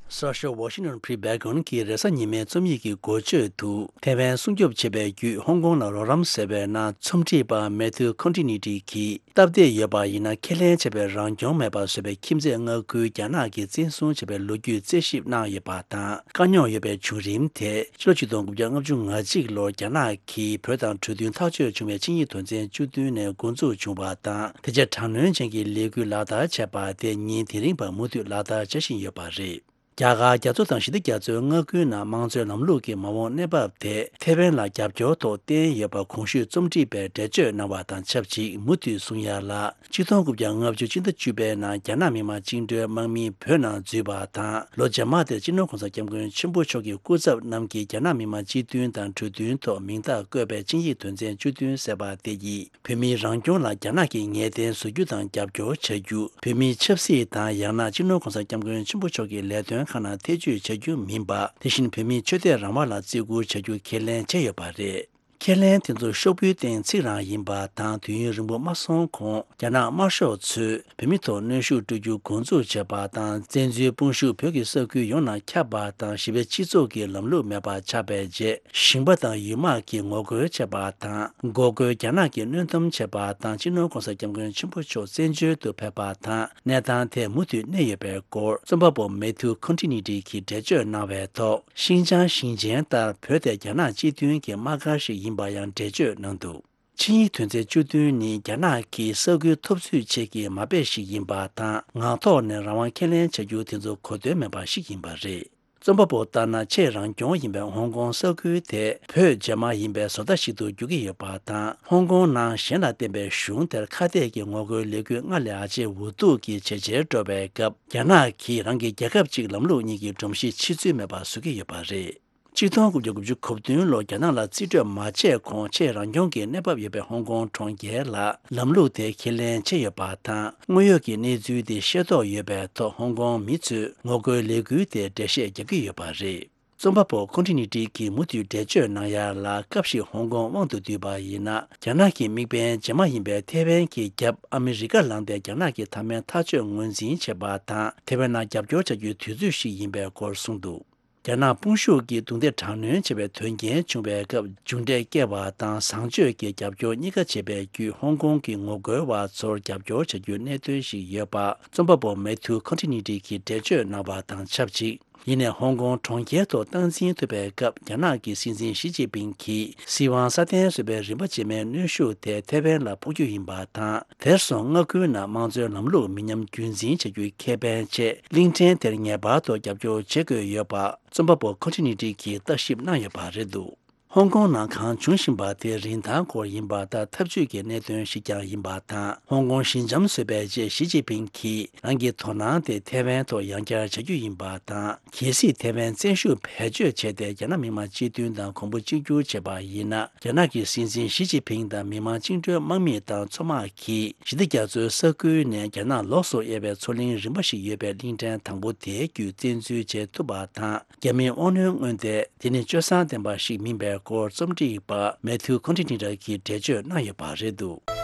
གསར་ཤོག་Washington Free Beacon གྱི་རེས་གཟའ་ཉི་མའི་རྩོམ་ཡིག་གི་འགོ་བརྗོད་དུ། ཐའེ་ཝན་སྲུང་སྐྱོབ་བྱེད་པའི་བརྒྱུད་ཧོང་ཀོང་ལ་རོགས་རམ་ཟེར་བའི་ནང་རྩོམ་སྒྲིག་པ་མེ་ཐིའུ་ཁོན་ཊི་ནི་ཏི་གིས། སྟབས་བདེ་ཡོད་པ་ཡིན་ན་ཁས་ལེན་བྱས་པའི་རང་སྐྱོང་མེད་པ་བཟོས་པའི་ཁྱིམ་མཚེས་མངའ་ཁུལ་རྒྱ་ནག་གིས་བཙན་བཟུང་བྱས་པའི་ལོ་རྒྱུས་རྩད་ཞིབ་གནང་ཡོད་པ་དང་། དཀའ་རྙོག་ཡོད་པའི་བྱུང་རིམ་དེ་ཕྱི་ལོ་ཆིག་སྟོང་དགུ་བརྒྱ་ལྔ་བཅུ་ང་གཅིག་ལོར་རྒྱ་ནག་གིས་བོད་དང་གྲོས་མཐུན་ཐག་གཅོད་བྱུང་བའི་ཆིངས་ཡིག་དོན་ཚན་བཅུ་བདུན་ནས་འགོ་འཛུགས་བྱུང་བ་དང་། དེ་རྗེས་དྲག་གནོན་ཅན་གྱི་ལས་འགུལ་ལག་བསྟར་བྱས་པ་དེ་ཉིད་དེ་རིང་བར་མུ་མཐུད་ལག་བསྟར་བྱ་བཞིན་ཡོད་པ་རེད། རྒྱ་གར་རྒྱ་མཚོ་དང་ཞི་བདེ་རྒྱ་མཚོའི་མངའ་ཁུལ་ནང་དམངས་གཙོའི་ལམ་ལུགས་ཀྱི་མ་འོངས་གནས་བབ་དེ་ཐའེ་ཝན་ལ་རྒྱབ་སྐྱོར་ཐོག་བརྟེན་ཡོད་པ་གོང་ཞུས་རྩོམ་སྒྲིག་པས་འགྲེལ་བརྗོད་གནང་བ་དང་ཆབས་ཅིག་མུ་མཐུད་གསུང་ཡ་ལ། ཆིག་སྟོང་དགུ་བརྒྱ་ལྔ་བཅུ་སྤྱི་ཟླ་བཅུ་པའི་ནང་རྒྱ་ནག་མི་དམངས་བཅིངས་འགྲོལ་དམག་མིས་བོད་ནང་འཛུལ་བ་དང་། ལོ་རྗེས་མ་དེར་སྤྱི་ནོར་གོང་ས་སྐྱབས་མགོན་ཆེན་པོ་མཆོག་གི་སྐུ་ཚབ་རྣམས་ཀྱིས་རྒྱ་ནག་མི་དམངས་སྤྱི་མཐུན་དང་གྲོས་མཐུན་ཐོག་མིང་རྟགས་བཀོད་པའི་ཆིངས་ཡིག་དོན་ཚན་བཅུ་བདུན་ཟེར་བ་དེ་ཡིས། བོད་མིའི་རང་སྐྱོང་ལ་རྒྱ་ནག་གིས་ངེས་གཏན་བཟོ་རྒྱུ་དང་རྒྱབ་སྐྱོར་བྱ་རྒྱུ། བོད་མིའི་ཆབ་སྲིད་དང་ཡང་ན་སྤྱི་ནོར་གོང་ས་སྐྱབས་མགོན་ཆེན་པོ་མཆོག་གི་ལས་དོན་ཁག་ནང་ཐེ་ཇུས་བྱ་རྒྱུ་མིན་པ། དེ་བཞིན་བོད་མིའི་ཆོས་དད་རང་དབང་ལ་བརྩི་བཀུར་བྱ་རྒྱུ་ཁས་ལེན་བྱས་ཡོད་པ་རེད། ཁས་ལེན་དེ་ཚོ་ཤོག་བུའི་སྟེང་ཚིག་རང་ཡིན་པ་དང་། དུས་ཡུན་རིང་པོ་མ་སོང་གོང་རྒྱ་ནག་དམར་ཤོག་ཚོས་བོད་མི་ཐོག་གནོན་ཤུགས་སྤྲོད་རྒྱུ་འགོ་འཛུགས་བྱས་པ་དང་། བཙན་འཛུལ་དཔུང་ཤུགས་བོད་ཀྱི་ས་ཁུལ་ཡོངས་ནང་ཁྱབ་པ་དང་། ཞི་བའི་སྤྱི་ཚོགས་ཀྱི་ལམ་ལུགས་མེད་པ་ཆགས་པའི་རྗེས། ཞིང་པ་དང་ཡུལ་དམག་གིས་ངོ་རྒོལ་བྱས་པ་དང་། འགོག་རྒོལ་རྒྱ་ནག་གིས་གནོན་སྡོམ་བྱས་པ་དང་། སྤྱི་ནོར་གོང་ས་སྐྱབས་མགོན་ཆེན་པོ་མཆོག་བཙན་བྱོལ་དུ་ཕེབས་པ་དང་། གནས་སྟངས་ཐད་མུ་མཐུད་གནས་ཡོད་པའི་སྐོར། རྩོམ་པ་པོ་མེ་ཐིའུ་ཁོན་ཊི་ནི་ཏི་གིས་འགྲེལ་བརྗོད་གནང་བའི་ཐོག་ཤིན་ཅང་ཞིང་ཆེན་ལྟར་བོད་དེ་རྒྱ་ནག་སྤྱི་མཐུན་གྱི་དམག་སྒར་ཞིག་ཡིན་པ་ཡང་འགྲེལ་བརྗོད་གནང་འདུག་ཆིངས་ཡིག་དོན་ཚན་བཅུ་བདུན་ནི་རྒྱ་ནག་གིས་ས་ཁུལ་འཐབ་རྩོད་ཆེད་ཀྱི་མ་དཔེ་ཞིག་ཡིན་པ་དང་། ངག་ཐོག་ནས་རང་དབང་ཁས་ལེན་བྱ་རྒྱུ་དེ་ཚོ་གོ་དོན་མེད་པ་ཞིག་ཡིན་པ་རེད། རྩོམ་པ་པོ་ལྟར་ན། ཆེས་རང་སྐྱོང་ཡིན་པའི་ཧོང་ཀོང་ས་ཁུལ་དེ་བོད་རྗེས་མ་ཡིན་པའི་བཟོ་ལྟ་ཞིག་ཏུ་འགྱུར་གྱི་ཡོད་པ་དང་། ཧོང་ཀོང་ནང་གཞན་ལ་བརྟེན་པའི་གཞུང་དེར་ཁ་གཏད་ཀྱི་ངོ་རྒོལ་ལས་འགུལ་སྔར་ལས་ཨ་ཅེ་འུ་ཐུག་གིས་ཇེ་ཆེར་འགྲོ་བའི་སྐབས། རྒྱ་ནག་གིས་རང་གི་རྒྱལ་ཁབ་གཅིག་ལམ་ལུགས་གཉིས་ཀྱི་སྒྲོམ་གཞི་ཕྱེ་ཚུལ་མེད་པ་བཟོ་གི་ཡོད་པ་རེད། ཆིག་སྟོང་དགུ་བརྒྱ་དགུ་བཅུ་གོ་བདུན་ལོར་རྒྱ་ནག་ལ་རྩིས་སྤྲོད་མ་བྱས་གོང་ཆེས་རང་སྐྱོང་གི་གནས་བབ་ཡོད་པའི་ཧོང་ཀོང་གྲོང་ཁྱེར་ལ་ལམ་ལུགས་དེ་ཁས་ལེན་བྱས་ཡོད་པ་དང་། དངོས་ཡོད་ཀྱི་གནས་ཚུལ་དེ་ཤེས་རྟོགས་ཡོད་པའི་ཐོག་ཧོང་ཀོང་མི་ཚོས་ངོ་རྒོལ་ལས་འགུལ་དེ་འགྲེལ་བཤད་རྒྱག་གི་ཡོད་པ་རེད། རྩོམ་པ་པོ་ཁོན་ཊི་ནི་ཏི་གིས་མུ་མཐུད་འགྲེལ་བརྗོད་གནང་ཡ་ལ། སྐབས་ཤིག་ཧོང་ཀོང་དབང་དུ་བསྡུས་པ་ཡིན་ན། རྒྱ་ནག་གི་དམིགས་འབེན་རྗེས་མ་ཡིན་པའི་ཐའེ་ཝན་གྱི་རྒྱབ་ཨ་མི་རི་ཀ་ལངས་ཏེ་རྒྱ་ནག་གི་མཐའ་མའི་ཐག་གཅོད་ངོས་འཛིན་བྱེད་པ་དང་། ཐའེ་ཝན་ནང་རྒྱབ་སྐྱོར་བྱ་རྒྱུའི་དུས་ཚོད་ཞིག་ཡིན་པའི་སྐོར་གསུངས་འདུག་རྒྱ་ནག་དཔུང་ཤུགས་ཀྱིས་རྡུང་རྡེག་དྲག་གནོན་བྱས་པའི་དོན་རྐྱེན་བྱུང་བའི་སྐབས། མཇུག་འབྲས་བསྐྱལ་བ་དང་། བཟང་སྤྱོད་ཀྱི་རྒྱབ་སྐྱོར་གཉིས་ཀ་བྱས་པའི་བརྒྱུད། ཧོང་ཀོང་གི་ངོ་རྒོལ་བ་ཚོར་རྒྱབ་སྐྱོར་བྱ་རྒྱུའི་གནད་དོན་ཞིག་ཡོད་པ། རྩོམ་པ་པོ་མེ་ཐིའུ་ཁོན་ཊི་ནི་ཏི་གིས་འགྲེལ་བརྗོད་གནང་བ་དང་ཆབས་ཅིག་ཡིན་ནའི། ཧོང་ཀོང་གྲོང་ཁྱེར་ཐོག་སྟངས་འཛིན་ཐུབ་པའི་སྐབས། རྒྱ་ནག་གི་སྲིད་འཛིན་ཞི་ཅིན་ཕིང་གིས་སྲིད་དབང་སྲ་བརྟན་བཟོ་བའི་རིམ་པ་རྗེས་མའི་གནོན་ཤུགས་དེ་ཐའེ་ཝན་ལ་ཕོག་རྒྱུ་ཡིན་པ་དང་། དེར་སོང་མངའ་ཁུལ་ནང་དམངས་གཙོའི་ལམ་ལུགས་མི་ཉམས་རྒྱུན་འཛིན་བྱ་རྒྱུའི་ཁེ་ཕན་ཆེད། གླིང་ཕྲན་དེར་ངེས་པར་དུ་རྒྱབ་སྐྱོར་བྱེད་དགོས་ཡོད་པ། རྩོམ་པ་པོ་ཁོན་ཊི་ནི་ཏི་གིས་བརྟག་ཞིབ་གནང་ཡོད་པ་རེད་འདུག་ཧོང་ཀོང་ནང་གང་བྱུང་བཞིན་པ་དེ་རིན་ཐང་སྐོར་ཡིན་པ་དང་འཐབ་ཇུས་ཀྱི་གནད་དོན་ཞིག་ཀྱང་ཡིན་པ་དང་། ཧོང་ཀོང་ཞི་འཇམ་བཟོས་པའི་རྗེས་ཞི་ཅིན་ཕིང་གིས་རང་གི་དོ་སྣང་དེ་ཐའེ་ཝན་ཐོག་ཡང་བསྐྱར་བྱ་རྒྱུ་ཡིན་པ་དང་། གལ་སྲིད་ཐའེ་ཝན་བཙན་ཤུགས་བེད་སྤྱོད་བྱས་ཏེ་རྒྱ་ནག་མི་དམངས་སྤྱི་མཐུན་དང་གོང་བུ་གཅིག་གྱུར་བྱས་པ་ཡིན་ན། རྒྱ་ནག་གི་སྲིད་འཛིན་ཞི་ཅིན་ཕིང་དང་མི་དམངས་བཅིངས་འགྲོལ་དམག་མི་དང་མཚོ་དམག་གིས་ཞི་བདེ་རྒྱ་མཚོའི་ས་ཁུལ་ནས་རྒྱ་ནག་ལོགས་སུ་གཡར་བའི་མཚོ་གླིང་རིམ་པ་ཞིག་ཡོད་པའི་གླིང་ཕྲན་དང་པོ་དེའི་བརྒྱུད་བཙན་འཛུལ་བྱེད་ཐུབ་པ་དང་། རྒྱ་མིའི་དབང་གནོད་མངོན་ཏེ། དེ་ནི་སྤྱོད་བཟང་ལྡན་པ་ཞིག་མིན་པའི་སྐོར་རྩོམ་སྒྲིག་པ་མེ་ཐིའུ་ཁོན་ཊི་ནི་ཊར་གྱིས་འགྲེལ་བརྗོད་གནང་ཡོད་པ་རེད་འདུག།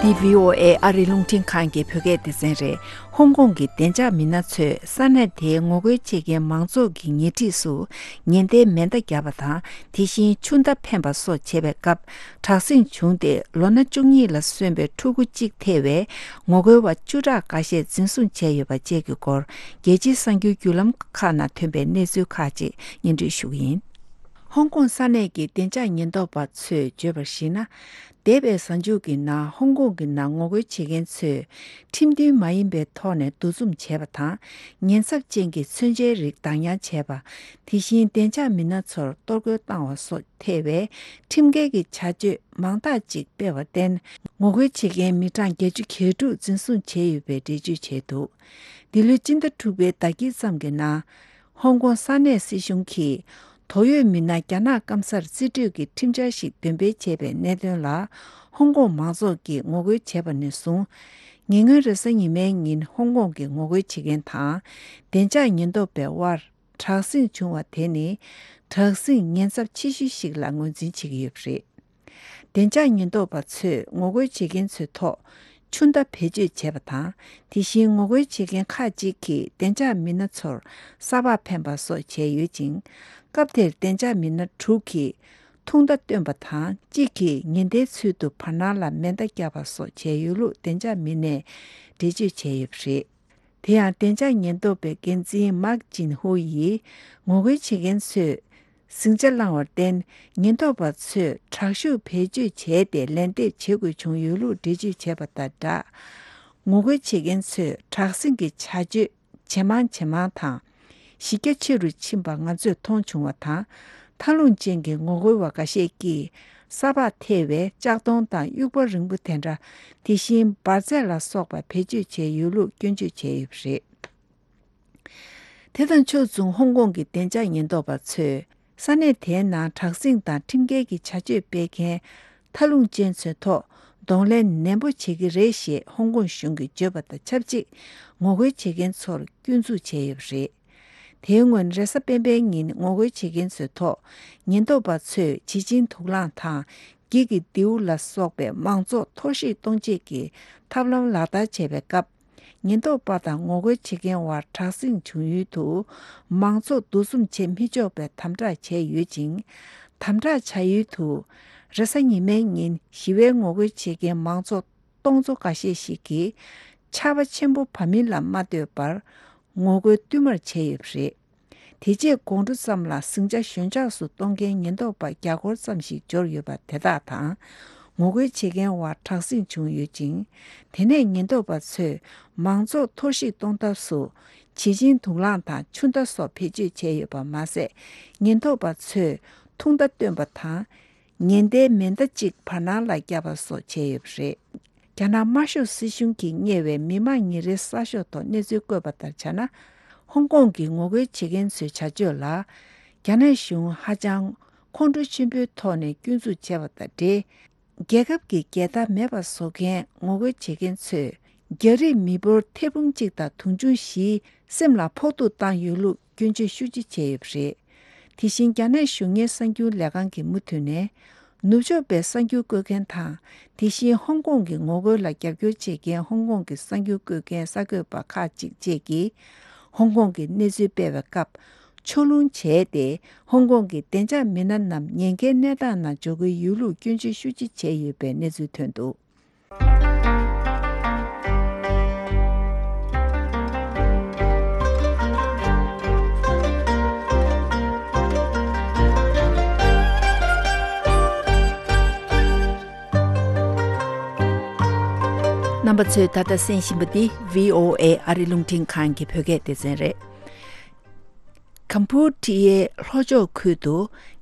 འདི་བྷི་ཨོ་ཨེ་ཨ་རིའི་རླུང་འཕྲིན་ཁང་གི་བོད་སྐད་སྡེ་ཚན་རེད། ཧོང་ཀོང་གི་བདེ་འཇགས་མི་སྣ་ཚོས་ས་གནས་དེའི་ངོ་རྒོལ་བྱེད་མཁན་མང་ཚོགས་ཀྱི་ཉེ་འཁྲིས་སུ་ཉེན་བརྡའི་མེ་མདའ་བརྒྱབ་པ་དང་། དེ་བཞིན་ཆུ་མདའ་འཕེན་པ་སོགས་བྱེད་པའི་སྐབས་དྲག་ཟིང་བྱུང་སྟེ། ལོ་ན་བཅུ་གཉིས་ལ་སོན་པའི་ཕྲུ་གུ་གཅིག་ཐེ་བའི་ངོ་རྒོལ་བ་བཅུ་ཕྲག་འགའ་ཤས་འཛིན་བཟུང་བྱས་ཡོད་པ་བཅས་ཀྱི་སྐོར། རྒྱལ་སྤྱིའི་གསར་འགྱུར་བརྒྱུད་ལམ་ཁག་ནང་ཐོན་པའི་གནས་ཚུལ་ཁག་ཅིག་སྙན་སྒྲོན་ཞུ་གི་ཡིན། ཧོང་ཀོང་ས་གནས་ཀྱི་བདེ་འཇགས་ཉེན་རྟོག་པ་ཚོས་བརྗོད་པར་གཞིགས་ན། འདས་པའི་གཟའ་མཇུག་གི་ནང་ཧོང་ཀོང་གི་ནང་ངོ་རྒོལ་བྱེད་མཁན་ཚོས་ཁྲིམས་མཐུན་མ་ཡིན་པའི་ཐོག་ནས་འདུ་འཛོམས་བྱས་པ་དང་། ཉེན་ཚབས་ཅན་གྱི་མཚོན་ཆའི་རིགས་བདག་ཉར་བྱས་པ། དེ་བཞིན་བདེ་འཇགས་མི་སྣ་ཚོར་གཏོར་རྒོལ་བཏང་བ་སོགས་ཐེ་བའི་ཁྲིམས་འགལ་གྱི་བྱ་སྤྱོད་མང་དག་ཅིག་སྤེལ་བར་བརྟེན། ངོ་རྒོལ་བྱེད་མཁན་མི་གྲངས་བརྒྱད་ཅུ་གྱ་དྲུག་འཛིན་བཟུང་བྱས་ཡོད་པའི་འགྲེལ་བརྗོད་བྱས་འདུག། འདི་ལོའི་སྤྱི་ཟླ་དྲུག་པའི་ཟླ་དཀྱིལ་ཙམ་གྱི་ནང་། ཧོང་ཀོང་ས་གནས་སྲིད་གཞུང་གིས་དོགས་ཡོད་མི་སྣ་རྒྱ་ནག་སྐམ་སར་རྩིས་སྤྲོད་ཀྱི་ཁྲིམས་འཆར་ཞིག་འདོན་སྤེལ་བྱས་པའི་གནད་དོན་ལ། ཧོང་ཀོང་མང་ཚོགས་ཀྱིས་ངོ་རྒོལ་བྱས་པ་ནས་བཟུང་། ཉེ་སྔོན་རེས་གཟའ་ཉི་མའི་ཉིན་ཧོང་ཀོང་གི་ངོ་རྒོལ་བྱེད་མཁན་དང་། བདེ་འཇགས་ཉེན་རྟོག་པའི་དབར་དྲག་ཟིང་བྱུང་བ་དེ་ནི། དྲག་ཟིང་ཉེན་ཚབས་ཆེ་ཤོས་ཤིག་ལ་ངོས་འཛིན་བྱེད་ཀྱི་ཡོད་པ་རེད། བདེ་འཇགས་ཉེན་རྟོག་པ་ཚོས་ངོ་རྒོལ་བྱེད་མཁན་ཚོའི་ཐོག་ཆུ་མདའ་བེད་སྤྱོད་བྱས་པ་དང་། དེ་བཞིན་ངོ་རྒོལ་བྱེད་མཁན་ཁག་ཅིག་གིས་བདེ་འཇགས་མི་སྣ་ཚོར་ས་ཕག་འཕེན་པ་སོགས་བྱས་ཡོད་ཅིང་། སྐབས་དེར་བདེ་འཇགས་མི་སྣ་དྲུག་གིས་ཐུང་མདའ་བཏོན་པ་དང་། གཅིག་གིས་ཉེན་བརྡའི་ཚུལ་དུ་བར་སྣང་ལ་མེ་མདའ་བརྒྱབ་པ་སོགས་བྱས་ཡོད་ལུགས་བདེ་འཇགས་མི་སྣས་འགྲེལ་བརྗོད་བྱས་ཡོད་པ་རེད། དེ་ཡང་བདེ་འཇགས་ཉེན་རྟོག་པའི་འགན་འཛིན་མཱག་ཅིན་ཧུ་ཡིས། ངོ་རྒོལ་བྱེད་མཁན་ཚོས་ཟིང་ཆ་བསླངས་བར་བརྟེན། ཉེན་རྟོག་པ་ཚོས་དྲག་ཤུགས་བེད་སྤྱོད་བྱས་ཏེ། ལན་འདེབས་བྱེད་དགོས་བྱུང་ཡོད་ལུགས་འགྲེལ་བརྗོད་བྱས་པ་དང་སྦྲགས། ངོ་རྒོལ་བྱེད་མཁན་ཚོས་དྲག་ཟིང་གི་བྱ་སྤྱོད་ཇེ་མང་ཇེ་མང་དང་། གཞི་རྒྱ་ཆེ་རུ་ཕྱིན་པ་ང་ཚོས་མཐོང་བྱུང་བ་དང་། མཐའ་ལྷུང་ཅན་གྱི་ངོ་རྒོལ་བ་འགའ་ཤས་ཀྱིས་ས་ཕག་ཐེ་བའི་ལྕགས་མདོང་དང་དབྱུག་པ་རིང་པོ་དེ་འདྲ། དེ་བཞིན་འབར་རྫས་ལ་སོགས་པ་བེད་སྤྱོད་བྱས་ཡོད་ལུགས་སྐྱོན་བརྗོད་བྱས་ཡོད་པ་རེད། དེ་དང་ཕྱོགས་མཚུངས་ཧོང་ཀོང་གི་བདེ་འཇགས་ཉེན་རྟོག་པ་ཚོས་ས་གནས་དེའི་ནང་དྲག་ཟིང་དང་ཁྲིམས་འགལ་གྱི་བྱ་སྤྱོད་སྤེལ་མཁན་མཐའ་ལྷུང་ཅན་ཚོའི་ཐོག་གདོང་ལེན་ནན་པོ་བྱེད་ཀྱི་རེད་ཞེས་ཧོང་ཀོང་གཞུང་གིས་བརྗོད་པ་དང་ཆབས་ཅིག་ངོ་རྒོལ་བྱེད་མཁན་ཚོར་སྐྱོན་འཛུགས་བྱས་ཡོད་པ་རེད། དེའི་སྔོན་རེས་གཟའ་སྤེན་པའི་ཉིན་ངོ་རྒོལ་བྱེད་མཁན་ཚོའི་ཐོག་ཉེན་རྟོག་པ་ཚོས་བྱི་ཆིན་དུག་རླངས་དང་། འགྱིག་གི་མདེའུ་ལ་སོགས་པའི་མང་ཚོགས་འཐོར་བཤིག་གཏོང་ཆེད་ཀྱི་ཐབས་ལམ་ལག་བསྟར་བྱས་པའི་སྐབས། ཉེན་རྟོག་པ་དང་ངོ་རྒོལ་བྱེད་མཁན་བར་དྲག་ཟིང་བྱུང་ཡུལ་དུ། མང་ཚོགས་འདུ་འཛོམས་བྱེད་མི་ཆོག་པའི་དམ་དྲག་བྱས་ཡོད་ཅིང་། དམ་དྲག་བྱ་ཡུལ་དུ། རེས་གཟའ་ཉི་མའི་ཉིན་ཞི་བའི་ངོ་རྒོལ་བྱེད་མཁན་མང་ཚོགས་སྟོང་ཚོ་འགའ་ཤས་ཤིག་གིས། ཆར་པ་ཆེན་པོ་བབས་མིན་ལ་མ་ལྟོས་པར། ངོ་རྒོལ་བསྟུད་མར་བྱས་ཡོད་པ་རེད། དེ་རྗེས་དགོང་དྲོ་ཙམ་ལ་ཟིང་ཆ་ཞོད་འཇགས་སུ་གཏོང་མཁན་ཉེན་རྟོག་པ་བརྒྱ་སྐོར་ཙམ་ཞིག་འབྱོར་ཡོད་པ་དེ་དག་དང་། ངོ་རྒོལ་བྱེད་མཁན་བར་དྲག་ཟིང་བྱུང་ཡོད་ཅིང་། དེ་ནས་ཉེན་རྟོག་པ་ཚོས་མང་ཚོགས་འཐོར་བཤིག་གཏོང་ཐབས་སུ། བྱི་ཆིན་དུག་རླངས་དང་ཆུ་མདའ་སོགས་བེད་སྤྱོད་བྱས་ཡོད་པ་མ་ཟད། ཉེན་རྟོག་པ་ཚོས་ཐུང་མདའ་བཏོན་པ་དང་། ཉེན་བརྡའི་མེ་མདའ་གཅིག་བར་སྣང་ལ་བརྒྱབ་པ་སོགས་བྱས་ཡོད་པ་རེད། རྒྱ་ནག་དམར་ཤོག་སྲིད་གཞུང་གིས་གཉེར་བའི་མི་དམངས་ཉིན་རེའི་གསར་ཤོག་ཐོག་གནས་ཚུལ་བཀོད་པ་ལྟར་བྱས་ན། ཧོང་ཀོང་གི་ངོ་རྒོལ་བྱེད་མཁན་ཚོའི་བྱ་སྤྱོད་ལ། རྒྱ་ནག་གཞུང་ཧ་ཅང་ཁོང་ཁྲོ་ཆེན་པོའི་ཐོག་ནས་སྐྱོན་འཛུགས་བྱས་པ་དང་འབྲེལ། རྒྱལ་ཁབ་ཀྱི་རྒྱལ་དར་མེད་པར་བཟོ་མཁན་ངོ་རྒོལ་བྱེད་མཁན་ཚོས། རྒྱ་རིགས་མི་འབོར་ཐེར་འབུམ་གཅིག་དང་དུང་ཕྱུར་བཞིའི་སེམས་ལ་ཕོག་ཐུག་བཏང་ཡོད་ལུགས་སྐྱོན་བརྗོད་ཤུགས་ཆེ་བྱས་ཡོད་པ་རེད། དེ་བཞིན་རྒྱ་ནག་གཞུང་གཉེར་གསར་འགྱུར་ལས་ཁང་གིས་མུ་མཐུད་ནས། ནུབ་ཕྱོགས་པའི་གསར་འགྱུར་བཀོད་མཁན་དང་། དེ་བཞིན་ཧོང་ཀོང་གི་ངོ་རྒོལ་ལ་རྒྱབ་སྐྱོར་བྱེད་མཁན་ཧོང་ཀོང་གི་གསར་འགྱུར་བཀོད་མཁན་གསར་འགོད་པ་ཁག་ཅིག་བཅས་ཀྱིས། ཧོང་ཀོང་གི་གནས་ཚུལ་སྤེལ་བའི་སྐབས། ཕྱོགས་ལྷུང་བྱས་ཏེ། ཧོང་ཀོང་གི་བདེ་འཇགས་མི་སྣ་རྣམས་ཉེན་ཁའི་གནས་སྟངས་ནང་འཇོག་གི་ཡོད་ལུགས་སྐྱོན་བརྗོད་ཤུགས་ཆེ་བྱས་ཡོད་པའི་གནས་ཚུལ་ཐོན་འདུག། པ་ཚོས་ད་ལྟ་གསན་བཞིན་པ་འདི་བྷི་ཨོ་ཨེ་ཨ་རི་རླུང་འཕྲིན་ཁང་གི་བོད་སྐད་སྡེ་ཚན་རེད། ཀམ་པུ་ཊི་ཡའི་ལྷོ་ཕྱོགས་ཁུལ་དུ་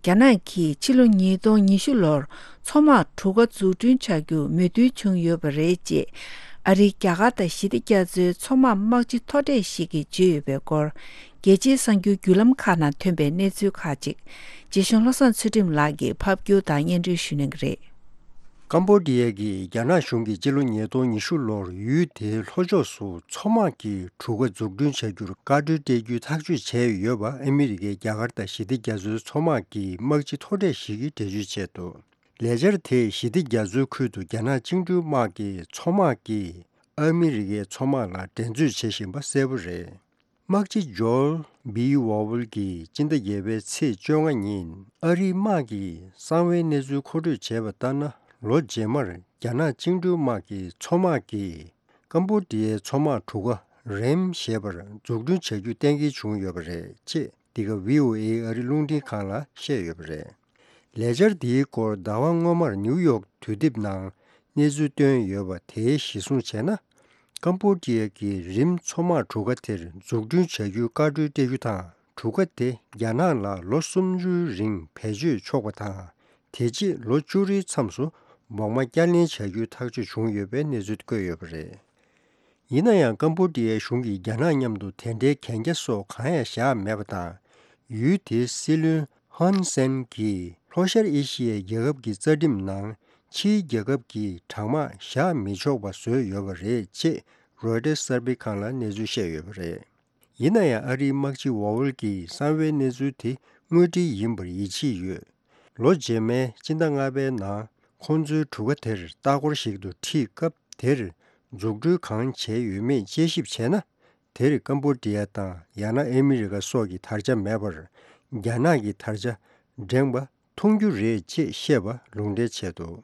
རྒྱ་ནག་གིས་ཕྱི་ལོ་ཉིས་སྟོང་ཉི་ཤུ་ལོར་མཚོ་དམག་གྲུ་ཁ་འཛུགས་སྐྲུན་བྱ་རྒྱུར་མོས་མཐུན་བྱུང་ཡོད་པ་རེད་ཅེས་ཨ་རིའི་རྒྱ་གར་དང་ཞི་བདེ་རྒྱ་མཚོའི་མཚོ་དམག་དམག་སྤྱི་མཐོ་གྲས་ཤིག་གིས་བརྗོད་ཡོད་པའི་སྐོར། རྒྱལ་སྤྱིའི་གསར་འགྱུར་བརྒྱུད་ལམ་ཁག་ནང་ཐོན་པའི་གནས་ཚུལ་ཁག་ཅིག་རྗེ་གཞུང་བློ་བཟང་ཚུལ་ཁྲིམས་ལགས་ཀྱིས་ཕབ་སྒྱུར་དང་སྙན་སྒྲོན་ཞུ་གནང་གི་རེད། ཀམ་པོ་ཌི་ཡ་གིས་རྒྱ་ནག་གཞུང་གིས་སྤྱི་ལོ་ཉིས་སྟོང་ཉི་ཤུ་ལོར་ཡུལ་དེའི་ལྷོ་ཕྱོགས་སུ་མཚོ་དམག་གི་གྲུ་ཁ་འཛུགས་སྐྲུན་བྱ་རྒྱུར་བཀའ་འཁྲོལ་སྤྲད་རྒྱུའི་ཐག་གཅོད་བྱས་ཡོད་པ་ཨ་མི་རི་ཀའི་རྒྱ་གར་དང་ཞི་བདེ་རྒྱ་མཚོའི་མཚོ་དམག་གི་དམག་སྤྱི་མཐོ་གྲས་ཤིག་གིས་འགྲེལ་བརྗོད་བྱས་འདུག་ལས་འཆར་དེས་ཞི་བདེ་རྒྱ་མཚོའི་ཁུལ་དུ་རྒྱ་ནག་བཅིངས་འགྲོལ་དམག་གི་མཚོ་དམག་གིས་ཨ་མི་རི་ཀའི་མཚོ་དམག་ལ་འགྲན་རྩོད་བྱེད་བཞིན་པ་གསལ་པོ་རེད། དམག་སྤྱི་ཇོར་བྷི་ཝོ་ཝལ་གྱིས་སྤྱི་ཟླ་བརྒྱད་པའི་ཚེས་བཅོ་ལྔ་ཉིན་ཨ་རིའི་དམག་གི་གསང་བའི་གནས་ཚུལ་མཁོ་སྤྲོད་བྱས་པ་ལྟར་ན། ལོ་རྗེས་མར་རྒྱ་ནག་བཅིངས་འགྲོལ་དམག་གི་མཚོ་དམག་གིས་ཀམ་པོ་ཌི་ཡའི་མཚོ་དམག་གྲུ་ཁ་རེམ་ཞེས་པར་འཛུགས་སྐྲུན་བྱ་རྒྱུ་གཏན་འཁེལ་བྱུང་ཡོད་པ་རེད་ཅེས་འདི་ག་བྷི་ཨོ་ཨེ་ཨ་རི་རླུང་འཕྲིན་ཁང་ལ་བཤད་ཡོད་པ་རེད། ལས་འཆར་འདིའི་སྐོར་ཟླ་བ་སྔོན་མར་ནིའུ་ཡོག་དུས་དེབ་ནང་གནས་ཚུལ་བཏོན་ཡོད་པ་དེའི་གཞིར་བཟུང་བྱས་ན། ཀམ་པོ་ཌི་ཡ་གིས་རིམ་མཚོ་དམག་གྲུ་ཁ་དེར་འཛུགས་སྐྲུན་བྱ་རྒྱུའི་བཀའ་འཁྲོལ་སྤྲད་རྒྱུ་དང་། གྲུ་ཁ་དེ་རྒྱ་ནག་ལ་ལོ་སུམ་ཅུའི་རིང་བེད་སྤྱོད་ཆོག་པ་དང་། དེ་རྗེས་ལོ་བཅུ་རེའི་མཚམས་སུ་བོགས་མ་བསྐྱར་ལེན་བྱ་རྒྱུའི་ཐག་གཅོད་བྱུང་ཡོད་པའི་གནས་ཚུལ་བཀོད་ཡོད་པ་རེད། ཡིན་ན་ཡང་ཀམ་པོ་ཌི་ཡའི་གཞུང་གིས་རྒྱ་ནག་མཉམ་དུ་དེ་འདྲའི་གན་རྒྱ་སོགས་གང་ཡང་བཞག་མེད་པ་དང་། ཡུལ་དེའི་སྲིད་བློན་ཧན་སན་གྱིས་ལྷོ་ཤར་ཨེ་ཤི་ཡའི་རྒྱལ་ཁབ་ཀྱི་རྩ་ཁྲིམས་ནང་ཕྱིའི་རྒྱལ་ཁབ་ཀྱིས་དྲག་དམག་བཞག་མི་ཆོག་པ་བཟོས་ཡོད་པ་རེད་ཅེས་རོའི་ཊར་གསར་སྤེལ་ཁང་ལ་གནས་ཚུལ་བཤད་ཡོད་པ་རེད། ཡིན་ན་ཡང་ཨ་རིའི་དམག་སྤྱི་ཝོ་ཝལ་གྱིས་གསང་བའི་གནས་ཚུལ་དེ་དངོས་འབྲེལ་ཡིན་པར་ཡིད་ཆེས་ཡོད། ལོ་རྗེས་མའི་སྤྱི་ཟླ་ལྔ་པའི་ནང་ཁོང་ཚོའི་གྲུ་ཁ་དེར་ལྟ་སྐོར་ཞིག་ཏུ་ཁྲིད་སྐབས་དེར་འཛུགས་སྐྲུན་གང་བྱས་ཡོད་མེད་དཔྱད་ཞིབ་བྱས་ན། དེར་ཀམ་པོ་ཌི་ཡ་དང་ཡང་ན་ཨ་མི་རི་ཀ་སོགས་ཀྱི་དར་ཆ་མེད་པར། རྒྱ་ནག་གི་དར་ཆ་བསྒྲེངས་པ་མཐོང་རྒྱུ་རེད་ཅེས་བཤད་པ་ལུང་འདྲེན་བྱས་འདུག་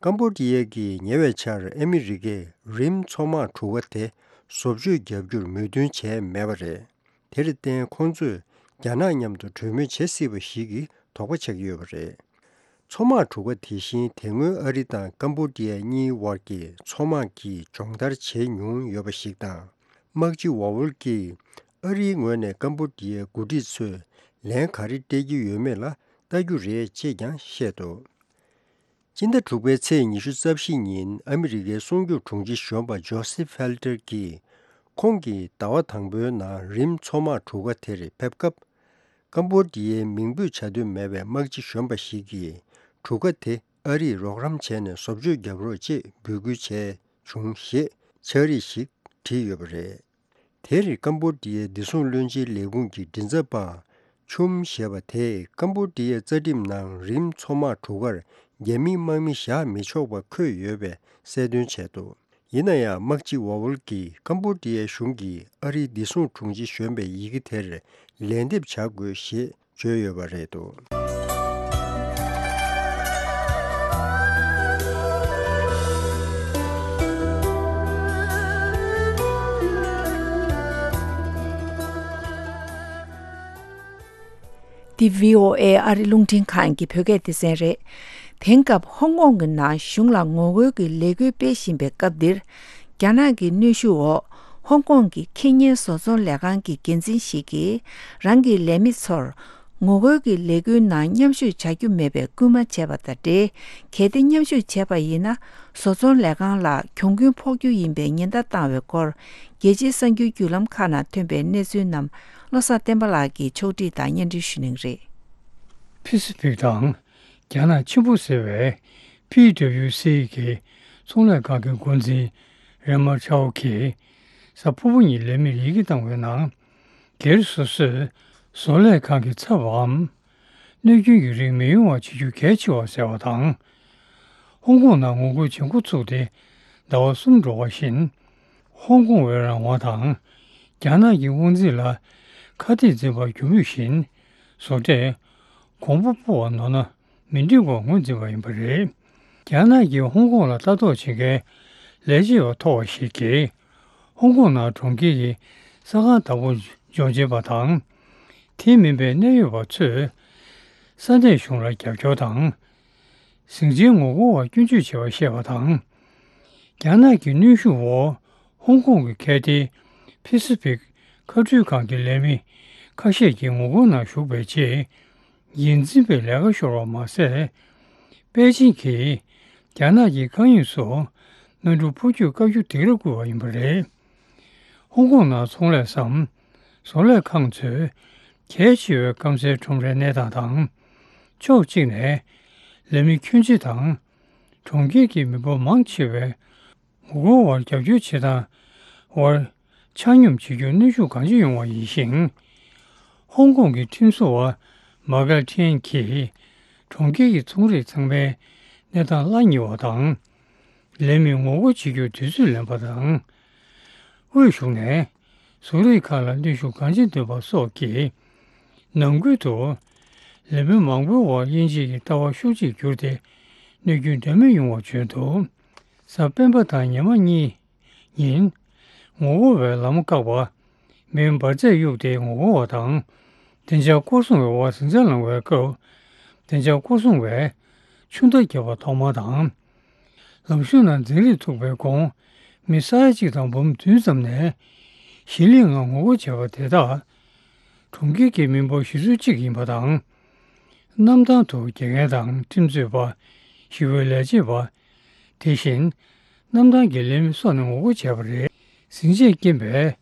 ཀམ་པོ་ཌི་ཡ་གིས་ཉེ་བའི་ཆར་ཨ་མི་རི་ཀས་རིམ་མཚོ་དམག་གྲུ་ཁ་དེ་བཟོ་བཅོས་བརྒྱབ་རྒྱུར་མོས་མཐུན་བྱས་མེད་པ་རེད། དེར་བརྟེན་ཁོང་ཚོས་རྒྱ་ནག་མཉམ་དུ་གྲོས་མོལ་བྱེད་སྲིད་པ་ཞིག་གི་དོགས་པ་ཆགས་ཀྱི་ཡོད་པ་རེད། མཚོ་དམག་གྲུ་ཁ་དེ་བཞིན་དེ་སྔོན་ཨ་རི་དང་ཀམ་པོ་ཌི་ཡ་གཉིས་དབར་གྱི་མཚོ་དམག་གི་སྦྱོང་བརྡར་བྱས་མྱོང་ཡོད་པ་ཞིག་དང་། དམག་སྤྱི་ཝ་ཝལ་གྱིས་ཨ་རིའི་ངོས་ནས་ཀམ་པོ་ཌི་ཡའི་འགོ་ཁྲིད་ཚོས་ལན་ག་རེ་སྤྲད་ཀྱི་ཡོད་མེད་ལ་ལྟ་རྒྱུ་རེད་ཅེས་ཀྱང་བཤད་འདུག་སྤྱི་ཟླ་དྲུག་པའི་ཚེས་ཉི་ཤུ་རྩ་བཞི་ཉིན་ཨ་མི་རི་ཀའི་སྲུང་སྐྱོབ་དྲུང་ཆེ་གཞོན་པ་ཇོ་སེ་ཕེལ་ཏེར་གྱིས་ཁོང་གིས་ཟླ་བ་དང་པོའི་ནང་རིམ་མཚོ་དམག་གྲུ་ཁ་དེར་ཕེབས་སྐབས། ཀམ་པོ་ཌི་ཡའི་མིང་འབོད་བྱ་འདོད་མེད་པའི་དམག་སྤྱི་གཞོན་པ་ཞིག་གིས་གྲུ་ཁ་དེ་ཨ་རིས་རོགས་རམ་བྱས་ནས་བཟོ་བཅོས་བརྒྱབ་རོགས་ཅེས་འབོད་སྐུལ་བྱས་བྱུང་ཞེས་ཕྱག་བྲིས་ཤིག་བྲིས་ཡོད་པ་རེད། དེར་ཀམ་པོ་ཌི་ཡའི་བདེ་སྲུང་བློན་ཆེན་ལས་ཁུངས་ཀྱི་མགྲིན་ཚབ་པ་ཆུམ་ཞེས་པ་དེས་ཀམ་པོ་ཌི་ཡའི་རྩ་ཁྲིམས་ནང་རིམ་མཚོ་དམག་གྲུ་ཁར་རྒྱ་མིའི་དམག་མི་བཞག་མི་ཆོག་པ་འཁོད་ཡོད་པའི་གསལ་སྟོན་བྱས་འདུག་ཡིན་ན་ཡང་དམག་སྤྱི་ཝ་ཝལ་གྱིས་ཀམ་པོ་ཌི་ཡའི་གཞུང་གིས་ཨ་རིའི་བདེ་སྲུང་དྲུང་ཆེ་གཞོན་པའི་ཡི་གེ་དེར་ལན་འདེབས་བྱ་དགོས་ཞེས་བརྗོད་ཡོད་པ་རེད་འདུག་འདི་བྷི་ཨོ་ཨེ་ཨ་རི་རླུང་འཕྲིན་ཁང་གི་བོད་སྐད་སྡེ་ཚན་རེད། དེང་སྐབས་ཧོང་ཀོང་གི་ནང་གཞུང་ལ་ངོ་རྒོལ་གྱི་ལས་འགུལ་སྤེལ་བཞིན་པའི་སྐབས་འདིར། རྒྱ་ནག་གི་གནོན་ཤུགས་འོག་ཧོང་ཀོང་གི་ཁེ་ཉེན་བཟོ་ཚོང་ལས་ཁང་གི་འགན་འཛིན་ཞིག་གིས་རང་གི་ལས་མི་ཚོར་ངོ་རྒོལ་གྱི་ལས་འགུལ་ནང་མཉམ་ཞུགས་བྱ་རྒྱུ་མེད་པའི་སྐུལ་མ་བྱས་པ་དང་འབྲེལ། གལ་ཏེ་མཉམ་ཞུགས་བྱས་པ་ཡིན་ན་བཟོ་ཚོང་ལས་ཁང་ལ་གྱོང་གུན་ཕོག་རྒྱུ་ཡིན་པའི་ཉེན་བརྡ་བཏང་བའི་སྐོར། རྒྱལ་སྤྱིའི་གསར་འགྱུར་བརྒྱུད་ལམ་ཁག་ནང་ཐོན་པའི་གནས་ཚུལ་རྣམས་བློ་བཟང་བསྟན་པ་ལགས་ཀྱིས་ཕྱོགས་སྒྲིག་དང་སྙན་སྒྲོན་ཞུ་གནང་གི་རེད། ཕི་སི་ཕིག་དང་རྒྱ་ནག་ཆེན་པོ་ཟེར་བའི་པི་དབྱུ་སི་གི་ཚོང་ལས་ཁང་གི་འགོ་འཛིན་རེ་མ་ཆའོ་གིས་གཟའ་ཕུར་བུ་ཉིན་ལས་མིར་ཡི་གེ་བཏང་བའི་ནང་། སྒེར་སོ་སོས་བཟོ་ལས་ཁང་གི་ཚབ་བམ། གནོད་སྐྱོན་གྱི་རིགས་མི་ཡོང་བ་བྱེད་རྒྱུ་གལ་ཆེ་བ་ཟེར་བ་དང་། ཧོང་ཀོང་ནང་ངོ་རྒོལ་བྱེད་འགོ་ཚུགས་ཏེ་ཟླ་བ་གསུམ་འགྲོ་བ་བཞིན། ཧོང་ཀོང་བའི་རང་དབང་དང་། རྒྱ་ནག་གི་དབང་འཛིན་ལ་ཁ་གཏད་འཛིན་པར་རྒྱུ་མུས་བཞིན། བཟོ་གྲྭས་གོང་བུ་སྤོ་བ་ནོར་ན་མི་འགྲིག་པར་ངོས་འཛིན་པ་ཡིན་པ་རེད། རྒྱ་ནག་གིས་ཧོང་ཀོང་ལ་ལྟ་རྟོག་བྱེད་མཁན་ལས་བྱེད་པ་མཐོ་བ་ཞིག་གིས། ཧོང་ཀོང་ནང་གྲོང་ཁྱེར་གྱི་ས་ཁང་བདག་པོ་འཇོག་བྱེད་པ་དང་། དེ་མིན་པའི་གནད་ཡོད་པ་ཚོས་ས་གནས་གཞུང་ལ་རྒྱབ་སྐྱོར་དང་། ཟིང་ཆའི་ངོ་རྒོལ་བར་སྐྱོན་བརྗོད་བྱས་པ་བཤད་པ་དང་། རྒྱ་ནག་གི་གནོན་ཤུགས་འོག་ཧོང་ཀོང་གི་ཁེ་ཏེ་ཕི་སི་ཕིག་མཁའ་འགྲུལ་ཁང་གི་ལས་མི་ཁ་ཤས་ཀྱིས་ངོ་རྒོལ་ནང་ཞུགས་པའི་རྗེས། འགན་འཛིན་པས་ལས་ཀ་ཤོར་བ་མ་ཟད། པེ་ཅིང་གིས་རྒྱ་ནག་གི་མཁའ་དབྱིངས་སུ་གནམ་གྲུ་འཕུར་སྐྱོད་བཀག་རྒྱུ་དེ་རུ་བསྐུལ་བ་ཡིན་པ་རེད། ཧོང་ཀོང་ནང་ཚོང་ལས་སམ། བཟོ་ལས་ཁང་ཚོས་གལ་ཆེ་བའི་སྐམ་སའི་ཁྲོམ་རའི་གནས་སྟངས་དང་། ཕྱོགས་གཅིག་ནས་ལས་མི་ཁྱོན་ཆེ་དང་། གྲོང་ཁྱེར་གྱི་མི་འབོར་མང་ཆེ་བས་ངོ་རྒོལ་བར་རྒྱབ་སྐྱོར་བྱེད་སྟངས་བར་ཆ་སྙོམས་བྱེད་རྒྱུར་གནོན་ཤུགས་གང་ཆེ་ཡོང་བ་ཡིན་ཞིང་། ཧོང་ཀོང་གི་ཁྲིམས་བཟོ་བ་མཱ་ཀལ་ཁྲེན་གྱིས་གྲོང་ཁྱེར་གྱི་ཚོང་རིགས་ཚང་མའི་གནས་སྟངས་གླ་ཉེ་བ་དང་། ལས་མི་ངོ་རྒོལ་བྱེད་རྒྱུར་དུས་ཚོད་ལེན་པ་དང་། དབུས་གཞུང་ནས་བཟོ་རིགས་ཁག་ལ་གནོན་ཤུགས་གང་ཆེ་འདོན་པ་སོགས་ཀྱིས། ནང་ཁུལ་དུ་ལས་མི་མང་པོའི་འོག་དབྱིན་ཇི་ཡི་ལྟ་བ་ཤུགས་ཆེར་གྱུར་ཏེ། གནོད་སྐྱོན་འདྲ་མིན་ཡོང་བ་བྱུང་འདུག། གཟའ་སྤེན་པ་དང་ཉི་མ་གཉིས་ཉིན། ངོ་རྒོལ་བས་ལམ་བཀག་པ། མེའི་འབར་རྫས་གཡུགས་ཏེ་ངོ་རྒོལ་བ་དང་། བདེ་འཇགས་སྐོར་སྲུང་བའི་འོག་ཟིང་ཆ་ལངས་པའི་སྐབས། བདེ་འཇགས་སྐོར་སྲུང་བས་ཆུ་མདའ་བརྒྱབ་པ་ཐོག་མ་དང་། ལམ་གཞུང་ནང་འཛིང་རེས་ཐུག་པའི་གོང་། མི་ས་ཡ་གཅིག་དང་འབུམ་བདུན་ཙམ་ནས་ཞི་ལྷག་ངང་ངོ་རྒོལ་བྱས་པ་དེ་དག་གྲོང་ཁྱེར་གྱི་མི་འབོར་བཞི་ཚོད་གཅིག་ཡིན་པ་དང་། གནམ་ཐང་དུ་དགེ་རྒན་དང་ཁྲིམས་རྩོད་པ། ཞི་བའི་ལས་བྱེད་པ། དེ་བཞིན་གནམ་ཐང་གི་ལས་མི་སོགས་ནས་ངོ་རྒོལ་བྱས་པ་རེད། ཟིང་ཆས་རྐྱེན་པས་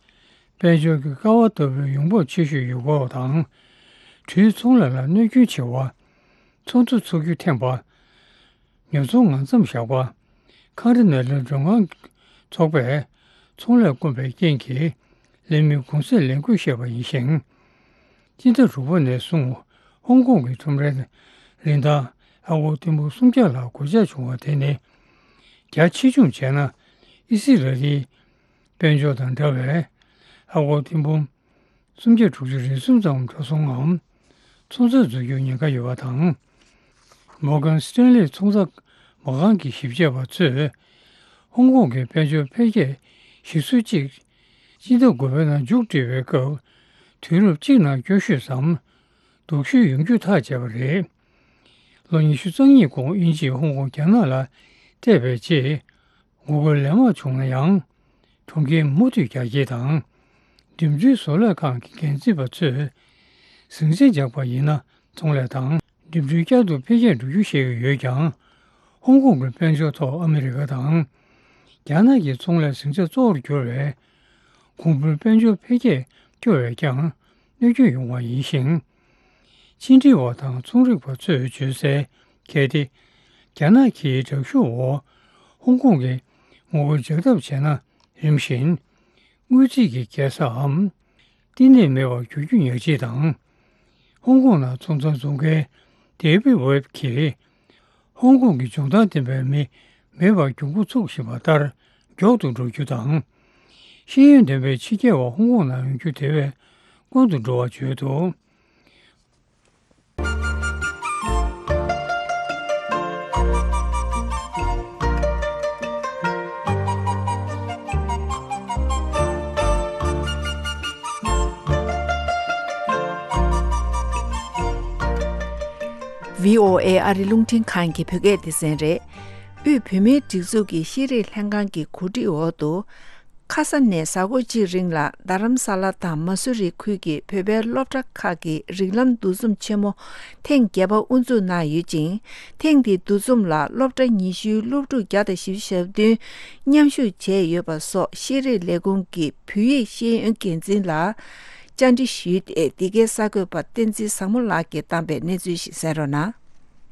དཔལ་འབྱོར་གྱི་ཀ་བ་ལྟ་བུའི་ཡོང་འབབ་ཆེ་ཤོས་ཡུལ་སྐོར་དང་། གྲུའི་ཚོང་ལས་ལ་གནོད་སྐྱོན་ཆེ་བ། ཚོང་ཚོགས་ཚུགས་རྒྱུ་འཐེན་པ། ཉོ་ཚོང་ངང་མཚམས་བཞག་པ། ཁང་ར་ནང་ལ་མགྲོན་ཁང་ཚོགས་པས་ཚོང་ལས་སྐོམ་པའི་རྐྱེན་གྱིས་ལས་མི་གུང་སེང་ལས་འགུལ་བཤད་པ་ཡིན་ཞིང་། སྤྱི་ཟླ་དྲུག་པ་ནས་བཟུང་ཧོང་ཀོང་གི་ཁྲོམ་རའི་རིན་ཐང་ཨ་སྒོར་ཐེར་འབུམ་སུམ་བརྒྱ་ལ་གོད་ཆག་བྱུང་བ་དེ་ནི། རྒྱ་ཆེ་ཆུང་བྱས་ན་ཨི་སི་ར་ཨེལ་དཔལ་འབྱོར་དང་འདྲ་བའི་ཨ་སྒོར་ཐེར་འབུམ་སུམ་བརྒྱ་དྲུག་ཅུ་རེ་གསུམ་ཙམ་འགྲོ་སོང་ངམ། ཚོང་རྫས་འཛུགས་རྒྱུར་ཉེན་ཁ་ཡོད་པ་དང་། མོར་གན་སི་ཏན་ལི་ཚོང་རྫས་མ་རྐང་གི་ཞིབ་དཔྱད་པ་ཚོས། ཧོང་ཀོང་གི་དཔལ་འབྱོར་འཕེལ་རྒྱས་གཞི་སྲོལ་གཅིག་སྤྱི་ཟླ་དགུ་པའི་ནང་མཇུག་སྒྲིལ་བའི་སྐབས། དུས་རབས་གཅིག་ནང་སྐྱོ་ཤོས་སམ། སྡུག་ཤོས་ཡོང་རྒྱུ་ཐག་བཅད་པ་རེད། ལོ་ཉི་ཤུ་རྩ་གཉིས་གོང་དབྱིན་ཇིས་ཧོང་ཀོང་རྒྱ་ནག་ལ་སྤྲད་པའི་རྗེས། ངོ་རྒོལ་ལན་མང་བྱུང་ན་ཡང་། གྲོང་ཁྱེར་མུ་མཐུད་རྒྱ་སྐྱེད་དང་། འགྲིམ་འགྲུལ་བཟོ་ལས་ཁང་གི་འགན་འཛིན་པ་ཚོས། ཟིང་ཆ་འཇགས་པ་ཡིན་ན་ཚོང་ལས་དང་། འགྲིམ་འགྲུལ་བསྐྱར་དུ་འཕེལ་རྒྱས་འགྲོ་རྒྱུ་ཤེས་ཀྱི་ཡོད་ཀྱང་། ཧོང་ཀོང་གི་དཔལ་འབྱོར་ཐོག་ཨ་མི་རི་ཀ་དང་། རྒྱ་ནག་གི་ཚོང་ལས་ཟིང་ཆ་གཙོ་བོར་གྱུར་བའི། གོང་བུའི་དཔལ་འབྱོར་འཕེལ་རྒྱས་སྐྱོ་བས་ཀྱང་གནོད་སྐྱོན་ཡོང་བ་ཡིན་ཞིང་། ཕྱི་འབྲེལ་བ་དང་ཚོང་རིག་པ་ཚོས་བརྗོད་གསལ། གལ་ཏེ། རྒྱ་ནག་གིས་དྲག་ཤུགས་འོག་ཧོང་ཀོང་གི་ངོ་རྒོལ་འཇགས་ཐབས་བྱས་ན། རིམ་བཞིན། དངུལ་རྩིས་ཀྱི་རྒྱལ་ས་འམ། བསྟི་གནས་མེད་པར་འགྱུར་རྒྱུ་ཉག་གཅིག་དང་། ཧོང་ཀོང་ནང་ཚོང་རྫས་བཟོ་མཁན་ཌེ་བིད་ཝེབ་ཀྱིས། ཧོང་ཀོང་གི་འཇོན་ཐང་ལྡན་པའི་མི་མེད་པར་གྱོང་གུན་འཚོགས་བཞིན་པ་ལྟར་མགྱོགས་སུ་འགྲོ་རྒྱུ་དང་། ཤེས་ཡོན་ལྡན་པའི་ཕྱི་རྒྱལ་བ་ཧོང་ཀོང་ནང་ཡོང་རྒྱུ་དེ་བས་དཀོན་དུ་འགྲོ་བར་བརྗོད་འདུག། ཝི་ཨོ་ཨེ་ཨ་རི་རླུང་འཕྲིན་ཁང་གི་བོད་སྐད་སྡེ་ཚན་རེད། དབུས་བོད་མིའི་སྒྲིག་འཛུགས་ཀྱི་ཤེས་རིག་ལྷན་ཁང་གི་གོ་སྒྲིག་འོག་ཏུ། ཁ་ས་ནས་གཟའ་འཁོར་གཅིག་རིང་ལ་རྡ་རམ་ས་ལ་དང་མ་སུ་རི་ཁུལ་གྱི་བོད་པའི་སློབ་གྲྭ་ཁག་གི་རིགས་ལམ་འདུ་འཛོམས་ཆེན་མོ་ཐེངས་བརྒྱད་པ་དབུ་འཛུགས་གནང་ཡོད་ཅིང་། ཐེངས་འདིའི་འདུ་འཛོམས་ལ་སློབ་གྲྭ་ཉི་ཤུའི་སློབ་ཕྲུག་བརྒྱ་དང་བཞི་བཅུ་ཞེ་བདུན་མཉམ་ཞུགས་བྱས་ཡོད་པ་སོགས་ཤེས་རིག་ལས་ཁུངས་ཀྱི་བོད་ཡིག་ཤེས་ཡོན་འགན་འཛིན་ལ་བཅར་འདྲི་ཞུས་ཏེ། འདི་གའི་གསར་འགོད་པ་བསྟན་འཛིན་བཟང་མོ་ལགས་ཀྱིས་བཏང་པའི་གནས་ཚུལ་ཞིག་གསན་རོགས་གནང་།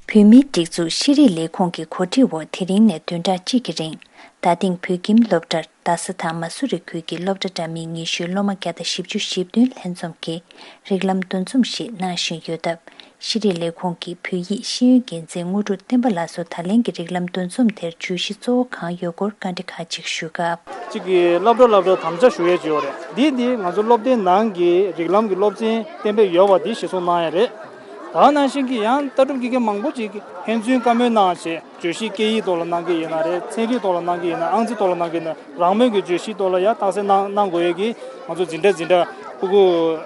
བོད་མིའི་སྒྲིག་འཛུགས་ཤེས་རིག་ལས་ཁུངས་ཀྱི་གོ་སྒྲིག་འོག་དེ་རིང་ནས་བདུན་ཕྲག་གཅིག་གི་རིང་རྡ་སྟེང་བོད་ཁྱིམ་སློབ་གྲྭར་རྡ་ས་དང་མ་སུ་རི་ཁུལ་གྱི་སློབ་གྲྭ་འདྲ་མིན་ཉི་ཤུའི་སློབ་མ་བརྒྱ་དང་བཞི་བཅུ་ཞེ་བདུན་ལྷན་འཛོམས་ཀྱིས་རིགས་ལམ་འདུ་འཛོམས་ཤིག་གནང་བཞིན་ཡོད་སྟབས། ཤེས་རིག་ལས་ཁུངས་ཀྱི་བོད་ཡིག་ཤེས་ཡོན་འགན་འཛིན་དངོས་གྲུབ་བསྟན་པ་ལགས་སུ་ད་ལན་གྱི་རིགས་ལམ་འདུ་འཛོམས་དེར་བརྗོད་གཞི་གཙོ་བོ་གང་ཡོད་སྐོར་བཀའ་འདྲི་ཁག་ཅིག་ཞུས་སྐབས། གཅིག་གིས་སློབ་གྲྭ་སློབ་གྲྭ་དམ་བཅའ་ཞུ་ཡས་ཅིག་ཡོད་རེད། འདི་འདི་ང་ཚོ་སློབ་སྡེའི་ནང་གི་རིགས་ལམ་གྱི་སློབ་ཚན་གཏན་འབེབས་ཡོད་པ་འདི་གཞིར་བཟུང་གནང་ཡས་རེད། ད་ནང་བཞིན་གྱི་ཡང་ལྟ་གྲུབ་དགེ་རྒན་མང་པོ་ཅིག་ཕན་ཚུན་བཀའ་མོལ་གནང་བྱས། བརྗོད་གཞི་སྐད་ཡིག་ཐོག་ལ་གནང་གི་ཡིན་ན་རེད། ཚན་རིག་ཐོག་ལ་གནང་གི་ཡིན་ན། ཨང་རྩིས་ཐོག་ལ་གནང་གི་ཡིན་ན། རང་མོས་ཀྱི་བརྗོད་གཞིའི་ཐོག་ལ་ཡང་རྟགས་གསལ་གནང་གནང་དགོས་ཡས་ཀྱི་ང་ཚོ་འཛིན་གྲྭ་འཛིན་གྲྭ་ཕྲུ་གུ་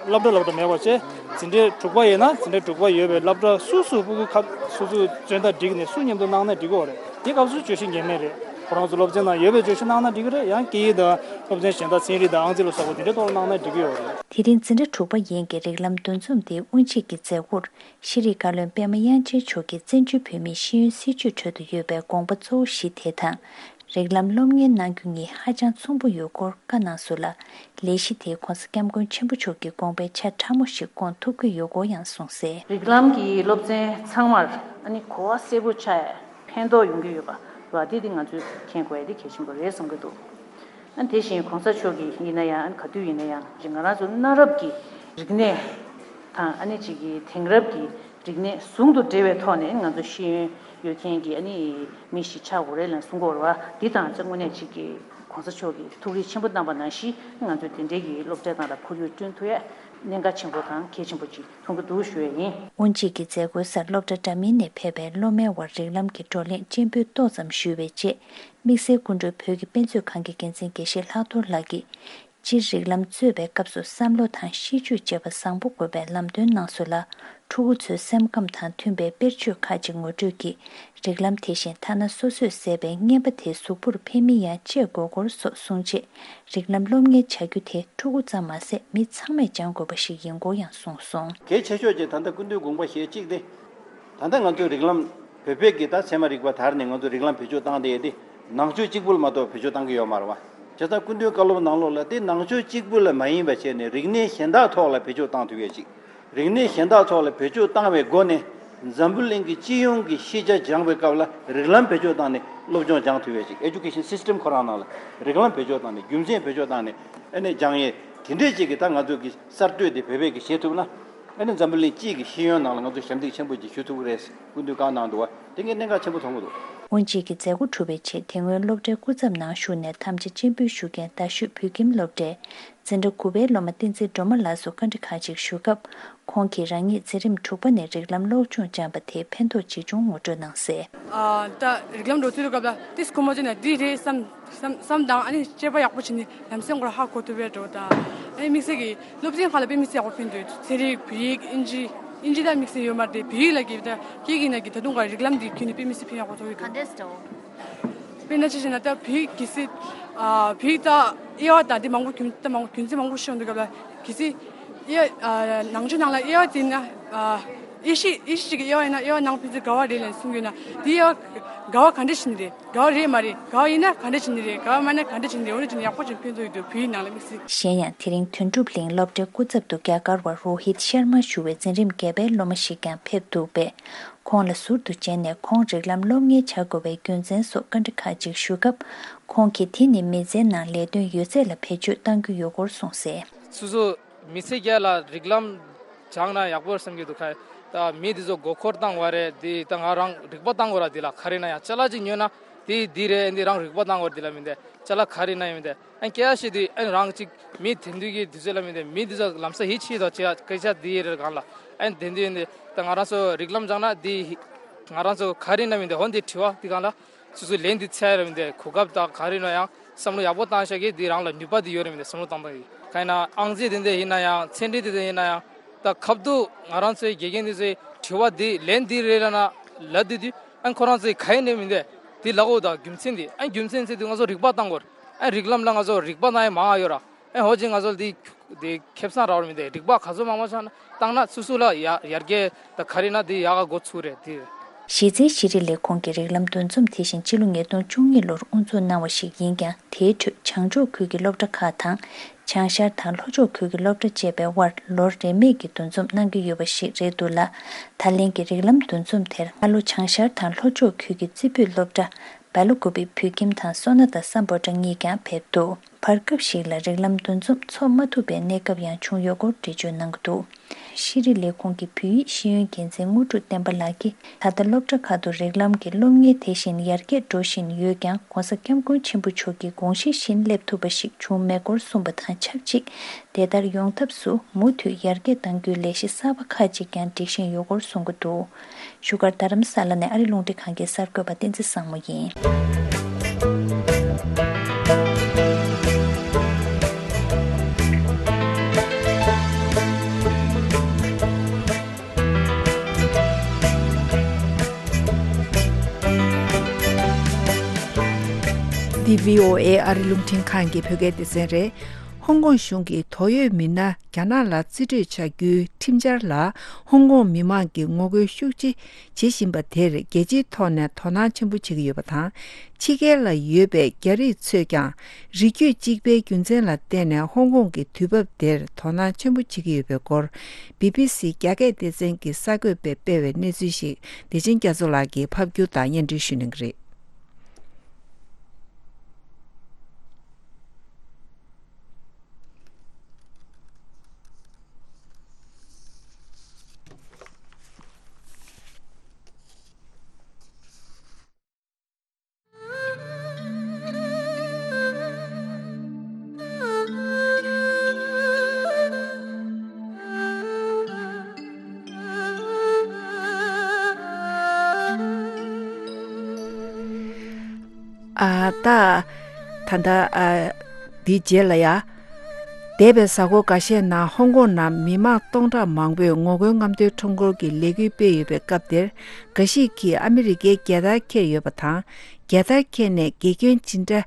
སློབ་གྲྭ་སློབ་གྲྭ་མེད་པ་བྱས། འཛིན་གྲྭ་དྲུག་པ་ཡིན་ན་འཛིན་གྲྭ་དྲུག་པ་ཡོད་པའི་སློབ་གྲྭ་སོ་སོ་ཕྲུ་གུ་ཁ་སོ་སོའི་མཚོན་རྟགས་བསྒྲིགས་ནས་སུ་མཉམ་དུ་གནང་ན་འགྲིག་གི་ཡོད་རེད། དེ་སྐབས་སུ་བརྗོད་གཞི་ངེས་མེད་རེད། ཁོ་རང་ཚོ་སློབ་ཚན་ནང་ཡོད་པའི་བརྗོད་གཞི་གནང་ན་འགྲིག་གི་རེད། ཡང་སྐད་ཡིག་དང་སློབ་ཚན་གཞན་དག་ཚན་རིག་དང་ཨང་རྩིས་ལ་སོགས་པ་དེ་འདྲའི་ཐོག་ལ་གནང་ན་འགྲིག་གི་ཡོད་རེད། དེ་རིང་འཛིན་གྲྭ་དྲུག་པ་ཡན་གྱི་རིགས་ལམ་འདུ་འཛོམས་དེ་དབུ་འབྱེད་ཀྱི་མཛད་སྒོར་ཤེས་རིག་བཀའ་བློན་པད་མ་དབྱངས་ཅན་མཆོག་གིས་བཙན་བྱོལ་བོད་མིའི་ཤེས་ཡོན་སྲིད་བྱུས་ཁྲོད་དུ་ཡོད་པའི་དགོངས་པ་གཙོ་བོ་བཞི་དེ་དང་། རིགས་ལམ་སློབ་གཉེར་གནང་རྒྱུ་གཉིས་ཧ་ཅང་མཚུངས་པོ་ཡོད་སྐོར་བཀའ་གནང་སོང་ལ། ལས་གཞི་དེས་༸གོང་ས་༸སྐྱབས་མགོན་ཆེན་པོ་མཆོག་གི་དགོངས་པའི་ཆ་ཕྲ་མོ་ཞིག་སྐོང་ཐུབ་ཀྱི་ཡོད་སྐོར་ཡང་གསུངས་གསལ། རིགས་ལམ་གྱི་སློབ་ཚན་ཚང་མར་ཨ་ནི་གོ་བ་གསལ་པོ་ཆགས་ཡ་ཕན་ཐོགས་ཡོང་གི་ཡོད་པ་རེད་བ། དེ་དེ་ང་ཚོས་མཁྱེན་དགོས་ཡ་དེ་གལ་ཆེན་པོ་རེད་བསམ་གྱི་འདུག་ཨ་དེ་བཞིན་༸གོང་ས་མཆོག་གིས་ཡིན་ན་ཡང་ཨ་ག་དུས་ཡིན་ན་ཡང་ང་རང་ཚོ་གནའ་རབས་ཀྱི་རིག་གནས་དང་ཨ་ནི་ཅིག་གི་དེང་རབས་ཀྱི་རིག་གནས་ཟུང་དུ་འབྲེལ་བའི་ཐོག་ནས་ང་ཚོ་ཤེས་ཡོན་ཡོད་མཁན་གྱི་ཨ་ནི་མི་ཞིག་ཆགས་དགོས་རེད་ལབ་གསུང་གི་ཡོད་རེད་བ། འདི་དང་ཨ་དངོས་གནས་ཅིག་གི་༸གོང་ས་མཆོག་གིས་ཐུགས་རེ་ཆེན་པོ་གནང་པ་ནང་བཞིན་ང་ཚོ་དེ་འབྲེལ་གྱི་སློབ་གྲྭ་ནང་ལ་ཁོར་ཡུག་བསྐྲུན་ཐུབ་ཡ་གནད་འགག་ཆེན་པོ་དང་གལ་ཆེན་པོ་ཅིག་མཐོང་གི་འདུག་ཞུ་ཡ་ཡིན། དབུ་འབྱེད་ཀྱི་མཛད་སྒོའི་སར་སློབ་གྲྭ་འདྲ་མིན་ནས་ཕེབས་པའི་སློབ་མའི་དབར་རིགས་ལམ་གྱི་བགྲོ་གླེང་སྤྱན་འབུལ་ཏོག་ཙམ་ཞུས་པའི་རྗེས། དམིགས་བསལ་སྐུ་མགྲོན་བོད་ཀྱི་དཔེ་མཛོད་ཁང་གི་འགན་འཛིན་དགེ་བཤེས་ལྷག་རྡོར་ལགས་ཀྱིས། སྤྱིར་རིགས་ལམ་རྩོད་པའི་སྐབས་སུ་བསམ་བློ་དང་ཤེས་སྤྱོད་བཅས་པ་བཟང་པོ་དགོས་པའི་ལམ་སྟོན་གནང་སོང་ལ། ཕྲུ་གུ་ཚོའི་སེམས་ཁམས་དང་མཐུན་པའི་དཔེར་བརྗོད་ཁག་ཅིག་ངོ་སྤྲོད་ཀྱིས། རིགས་ལམ་དེ་བཞིན་ཐ་ན་སོ་སོས་བཟས་པའི་རྔན་པ་དེ་གཟུགས་པོར་ཕན་མིན་ཡང་དཔྱད་དགོས་སྐོར་སོགས་གསུངས་རྗེས། རིགས་ལམ་སློབ་གཉེར་བྱ་རྒྱུ་དེ་ཕྲུ་གུ་ཙམ་མ་ཟད་མི་ཚང་མས་སྦྱང་དགོས་པ་ཞིག་ཡིན་སྐོར་ཡང་གསུངས་སོང་། གལ་ཆེ་ཤོས་ཀྱི་ད་ལྟ་སྐུ་མདུན་དགོངས་པ་བཞེས་གཅིག་སྟེ། ད་ལྟ་ང་ཚོའི་རིགས་ལམ་བོད་པའི་གི་ད་ཚད་མ་རིག་པ་དར་ནས་ང་ཚོ་རིགས་ལམ་བེད་སྤྱོད་བཏང་བསྡད་དེ་ནང་ཆོས་གཅིག་པུ་ལ་མ་གཏོགས་བེད་སྤྱོད་བཏང་གི་ཡོད་མ་རེད་བ། བྱས་ཙང་སྐུ་མདུན་བཀའ་སློབ་ནང་ལོགས་ལ་དེ་ནང་ཆོས་གཅིག་པུ་ལ་མ་ཡིན་པ་བྱས་ནས་རིག་གནས་གཞན་དག་ཐོག་ལ་བེད་སྤྱོད་བཏང་ཐུབ་ཡས་ཅིག་རིག་གནས་གཞན་དག་ཐོག་ལ་བེད་སྤྱོད་བཏང་བའི་སྒོ་ནས་འཛམ་བུ་གླིང་གི་སྤྱི་ཡོངས་ཀྱི་ཤེས་བྱ་སྦྱང་བའི་སྐབས་ལ་རིགས་ལམ་བེད་སྤྱོད་བཏང་ནས་སློབ་སྦྱོང་སྦྱང་ཐུབ་ཡས་ཅིག Education system ཁོ་རང་ནང་ལ་རིགས་ལམ་བེད་སྤྱོད་བཏང་ནས་རྒྱུ་མཚན་བེད་སྤྱོད་བཏང་ནས་ཨ་ནས་སྦྱང་ཡས་དེ་འདྲས་ཅིག་གི་ད་ང་ཚོ་གི་གསར་གཏོད་དེ་བོད་པས་གི་བྱེད་ཐུབ་ན། ཨ་ནི་འཛམ་བུ་གླིང་སྤྱི་གི་ཤེས་ཡོན་ནང་ལ་ང་ཚོ་ཞབས་འདེགས་ཆེན་པོ་ཅིག་ཞུ་ཐུབ་ཀྱི་རེད། སྐུ་མདུན་བཀའ་གནང་འདུག་བ། དེ་ངས་གནད་འགག་ཆེན་པོ་མཐོང་གི་འདུག་དབུ་འབྱེད་ཀྱི་མཛད་སྒོ་གྲུབ་པའི་རྗེས་དེ་སྔོན་སློབ་གྲྭའི་སྐུ་ཚབ་ནང་ཞུགས་ནས་དམ་བཅའ་སྤྱན་འབུལ་ཞུ་མཁན་རྡ་ཤོད་བོད་ཁྱིམ་སློབ་གྲྭའི་འཛིན་གྲྭ་དགུ་པའི་སློབ་མ་བསྟན་འཛིན་སྒྲོལ་མ་ལགས་སུ་བཀའ་འདྲི་ཁག་ཅིག་ཞུ་སྐབས། ཁོང་གིས་རང་ཉིད་འཛིན་རིམ་དྲུག་པ་ནས་རིགས་ལམ་སློབ་སྦྱོང་སྦྱངས་པ་དེའི་ཕན་ཐོགས་ཇི་བྱུང་ངོ་སྤྲོད་གནང་གསལ། ཨ། ད་རིགས་ལམ་འགྲོ་ཚུལ་སྐབས་ལ་ཏིས་ཁོ་མོ་ཅི་ན་འདི་རེད་བསམ་བསམ་བསམ་དང་ཨ་ནི་དཔྱད་པ་ཡག་པོ་བྱས་ནས་ལམ་སེང་སྐོར་ཧ་གོ་ཐུབ་པའི་འགྲོ་དང་ཨ་ནི་དམིགས་བསལ་གྱི་སློབ་ཚན་ཁག་ལ་དཔེ་མི་སྲིད་ཡག་པོ་ཕན་འདུག་ཚན་རིག་བོད་ཡིག་ཨིན་ཇི་ཨིན་ཇི་ལ་དམིགས་བསལ་ཡོད་མ་རེད་དེ་བོད་ཡིག་ལ་གི་ད་སྐད་ཡིག་ན་གི་ད་དུང་ག་རིགས་ལམ་འདི་ཁྱོན་ནས་དཔེ་མི་སྲིད་ཕན་ཡག་པོ་ཐོག་གི་འདུག་དཔེར་ན་ཅི་བྱས་ན་ད་བོད་ཡིག་གི་སྲིད་ཨ་བོད་ཡིག་ད་དབྱེ་བ་དང་འདི་མང་པོ་རྒྱུན་ད་མང་པོ་རྒྱུན་ཚན་མང་པོ་ཤེས་ཡོང་དུས་སྐབས་ལ་གི་སྲིད་དབྱེ་ཨ་ནང་ཆོས་ནང་ལ་དབྱེ་བ་དེ་ན་ཨ་དབྱེ་གཞི་དབྱེ་གཞི་གཅིག་གི་དབྱེ་བ་ཡིན་ན་དབྱེ་བ་ནང་ཕན་ཚུན་འགལ་བ་རེད་ལབ་གསུང་གི་ཡོད་ན་དེ་དབྱེ་བ་འགལ་བ་ག་འདྲ་ཞིག་ནི་རེད། དགའ་བ་རེད་མ་རེད། དགའ་བ་ཡིན་ན་ག་འདྲ་བྱེད་ནི་རེད། དགའ་བ་མ་ན་ག་འདྲ་བྱེད་ནི་རེད། འོ་ན་ཅི་ནི་ཡག་པོ་ཅིག་ཕན་ཐོགས་ཡོད་འདུག་བོད་ཡིག་ནང་ལ་དམིགས་བསལ། གཞན་ཡང་དེ་རིང་དོན་གྲུབ་གླིང་སློབ་གྲྭའི་སྐུ་ཚབ་ཏུ་རྒྱ་གར་བ་རོ་ཧིད་ཤར་མ་ཞུ་བའི་འཛིན་རིམ་བརྒྱད་པའི་སློབ་མ་ཞིག་ཀྱང་ཕེབས་འདུག་པས། ཁོང་ལ་ཟུར་དུ་མཇལ་ནས་ཁོང་རིགས་ལམ་སློབ་གཉེར་བྱ་དགོས་པའི་རྒྱུ་མཚན་སོགས་བཀའ་འདྲི་ཁག་ཅིག་ཞུ་སྐབས། ཁོང་གིས་དེ་ནི་མི་ཚེའི་ནང་ལས་དོན་ཡོད་ཚད་ལ་བེད་སྤྱོད་གཏང་རྒྱུ་ཡོད་སྐོར་གསུངས་གསལ། སོ་སོ་མི་ཚེ་རྒྱས་ལ་རིགས་ལམ་སྦྱངས་ན་ཡག་པོ་རེད་བསམ་གྱི་འདུག་ཁ། ད་མི་འདི་ཚོ་མགོ་འཁོར་བཏང་བ་རེད། འདི་ད་ང་རང་རིག་པ་བཏང་དགོས་ར། འདི་ལ་ག་རེ་ན་ཡང་ཅ་ལག་ཅིག་ཉོས་ན་འདི་འདི་རེད། འདི་རང་རིག་པ་བཏང་དགོས་ར། འདི་ལ་མི་འདི་ཅ་ལག་ག་རེ་ན་ཡང་མི་འདི་ཨན་སྐད་ཆ་བཤད་དུས་ཨན་རང་ཅིག་མི་དེང་དུས་ཀྱི་དུས་ཚོད་ལ་མི་འདི་མི་འདི་ཚོ་ལམ་སང་ཡིད་ཆེས་དང་བྱེད་སྐད་ཆ་འདི་རེད་གང་ལ་ཨན་དེང་དུས་འདི་ད་ང་རང་ཚོ་རིགས་ལམ་སྦྱངས་ན་འདི་ང་རང་ཚོ་ག་རེ་ན་མི་འདི་འོ་འདི་དྲི་བ་འདི་གང་ལ། སོ་སོའི་ལན་འདི་འཚོལ་རེད་མི་འདི་གོ་སྐབས་དང་ག་རེ་ན་ཡང་བསམ་བློ་ཡག་པོ་བཏང་ཤག་གི་འདི་རང་ལ་ནུས་པ་འདི་ཡོད་རེད་མི་འདི་བསམ་བློ་བཏང་བཏང་གི་གང་ཡིན་ན་ཨང་རྩིས་འདི་འདི་ཡིན་ན་ཡང་ཚན་རིག་འདི་འདི་ཡིན་ན་ཡང་ད་ཁབ་ཏུ་ང་རང་ཚོའི་དགེ་རྒན་འདི་ཚོའི་དྲི་བ་འདི་ལན་འདི་རེད་ལ་ན་ལབ་དུས་དུས་ཨན་ཁོ་རང་ཚོའི་ག་ཡིན་ནས་མི་འདི་འདི་ལབ་འོ་ད་རྒྱུ་མཚན་འདི་ཨན་རྒྱུ་མཚན་ཚེ་འདི་ང་ཚོ་རིག་པ་བཏང་དགོས་ཨན་རིགས་ལམ་ལ་ང་ཚོ་རིག་པ་བཏང་ཡ་མང་ང་ཡོད་ར། ཨེ་ཧོ་ཅིག་ང་ཚོ་འདི་འདི་ཁེ་བཟང་རག་མི་འདི་རིག་པ་ག་ཚོད་མང་མང་ཆགས་ན་བཏང་ན་སུ་སུ་ལ་ཡ་ཡར་རྒྱས་ད་ག་རེ་ན་འདི་ཡག་ག་འགོ་ཚུགས་རེད་འདི། གཞི་རྩའི་ཤེས་རིག་ལས་ཁུངས་ཀྱི་རིགས་ལམ་འདུ་འཛོམས་དེ་བཞིན་སྤྱི་ལོ་ཉིས་སྟོང་བཅུ་གཉིས་ལོར་དབུ་འཛུགས་གནང་བ་ཞིག་ཡིན་ཀྱང་དེའི་ཁྲོད་བྱང་ཕྱོགས་ཁུལ་གྱི་སློབ་གྲྭ་ཁག་དང་བྱང་ཤར་དང་ལྷོ་ཕྱོགས་ཁུལ་གྱི་སློབ་གྲྭ་བཅས་པའི་དབར་ལོ་རེ་མིག་གི་འདུ་འཛོམས་གནང་གི་ཡོད་པ་ཞིག་རེད་འདུག་ལ། ད་ལན་གྱི་རིགས་ལམ་འདུ་འཛོམས་དེར་ཨ་ལོ་བྱང་ཤར་དང་ལྷོ་ཕྱོགས་ཁུལ་གྱི་རྩེ་ཕུད་སློབ་གྲྭ་སྦེལ་ཀོབ་བོད་ཁྱིམ་དང་སོ་ན་ད་སམ་བྷོ་ཊ་གཉིས་ཀྱང་ཕེབས་འདུག་བར་སྐབས་ཤིག་ལ་རིགས་ལམ་འདུ་འཛོམས་འཚོགས་མ་ཐུབ་པའི་གནས་སྐབས་ཡང་བྱུང་ཡོད་སྐོར་འགྲེལ་བརྗོད་གནང་གི་འདུག་ཤེས་རིག་ལས་ཁུངས་ཀྱི་བོད་ཡིག་ཤེས་ཡོན་འགན་འཛིན་དངོས་གྲུབ་བསྟན་པ་ལགས་ཀྱིས་ད་ལྟ་སློབ་གྲྭ་ཁག་ཏུ་རིགས་ལམ་གྱི་སློབ་གཉེར་དེ་བཞིན་ཡར་རྒྱས་འགྲོ་བཞིན་ཡོད་ཀྱང་༸གོང་ས་༸སྐྱབས་མགོན་ཆེན་པོ་མཆོག་གི་དགོངས་གཞི་བཞིན་སླེབས་ཐུབ་པ་ཞིག་བྱུང་མེད་སྐོར་གསུངས་པ་དང་ཆབས་ཅིག་དེ་ལྟར་ཡོང་ཐབས་སུ་མུ་མཐུད་ཡར་རྒྱས་གཏང་རྒྱུའི་ལས་གཞི་གསར་པ་ཁག་ཅིག་ཀྱང་སྒྲིག་བཞིན་ཡོད་སྐོར་གསུང་གི་འདུག་བཞུགས་སྒར་རྡ་རམ་ས་ལ་ནས་ཨ་རི་རླུང་འཕྲིན་ཁང་གི་གསར་འགོད་པ་བསྟན་འཛིན་བཟང་མོ་ཡིན། འདི་བྷི་ཨོ་ཨེ་ཨ་རི་རླུང་འཕྲིན་ཁང་གི་བོད་སྐད་སྡེ་ཚན་རེད། ཧོང་ཀོང་གཞུང་གིས་དོགས་ཡོད་མི་སྣ་རྒྱ་ནག་ལ་རྩིས་སྤྲོད་བྱ་རྒྱུའི་ཁྲིམས་འཆར་ལ་ཧོང་ཀོང་མི་མང་གིས་ངོ་རྒོལ་ཤུགས་ཆེ་བྱེད་བཞིན་པ་དེར་རྒྱལ་སྤྱིའི་ཐོག་ནས་དོ་སྣང་ཆེན་པོ་བྱེད་ཀྱི་ཡོད་པ་དང་། ཕྱི་རྒྱལ་ལ་ཡོད་པའི་རྒྱ་རིགས་ཚོས་ཀྱང་རིགས་རྒྱུད་གཅིག་པའི་རྒྱུ་མཚན་ལ་བརྟེན་ནས་ཧོང་ཀོང་གི་དུས་བབ་དེར་དོ་སྣང་ཆེན་པོ་བྱེད་ཀྱི་ཡོད་པའི་སྐོར། བི་བི་སི་རྒྱ་སྐད་སྡེ་ཚན་གྱི་གསར་འགོད་པས་སྤེལ་བའི་གནས་ཚུལ་ཞིག་བདེ་ཆེན་རྒྱ་མཚོ་ལགས་ཀྱིས་ཕབ་སྒྱུར་དང་སྙན་སྒྲོན་ཞུ་གནང་གི་རེད། ཨ། ད། ད་ལྟ། ཨ། འདིའི་རྗེས་ལ་ཡ། འདས་པའི་གཟའ་འཁོར་འགའ་ཤས་ནང་ཧོང་ཀོང་ནང་མི་མང་སྟོང་ཕྲག་མང་པོས་ངོ་རྒོལ་རྔམ་སྟོན་ཁྲོམ་སྐོར་གྱི་ལས་འགུལ་སྤེལ་ཡོད་པའི་སྐབས་དེར། འགའ་ཞིག་གིས་ཨ་མི་རི་ཀའི་རྒྱལ་དར་འཁྱེར་ཡོད་པ་དང་། རྒྱལ་དར་འཁྱེར་ནས་དགེ་སྐྱོན་ཇི་འདྲ་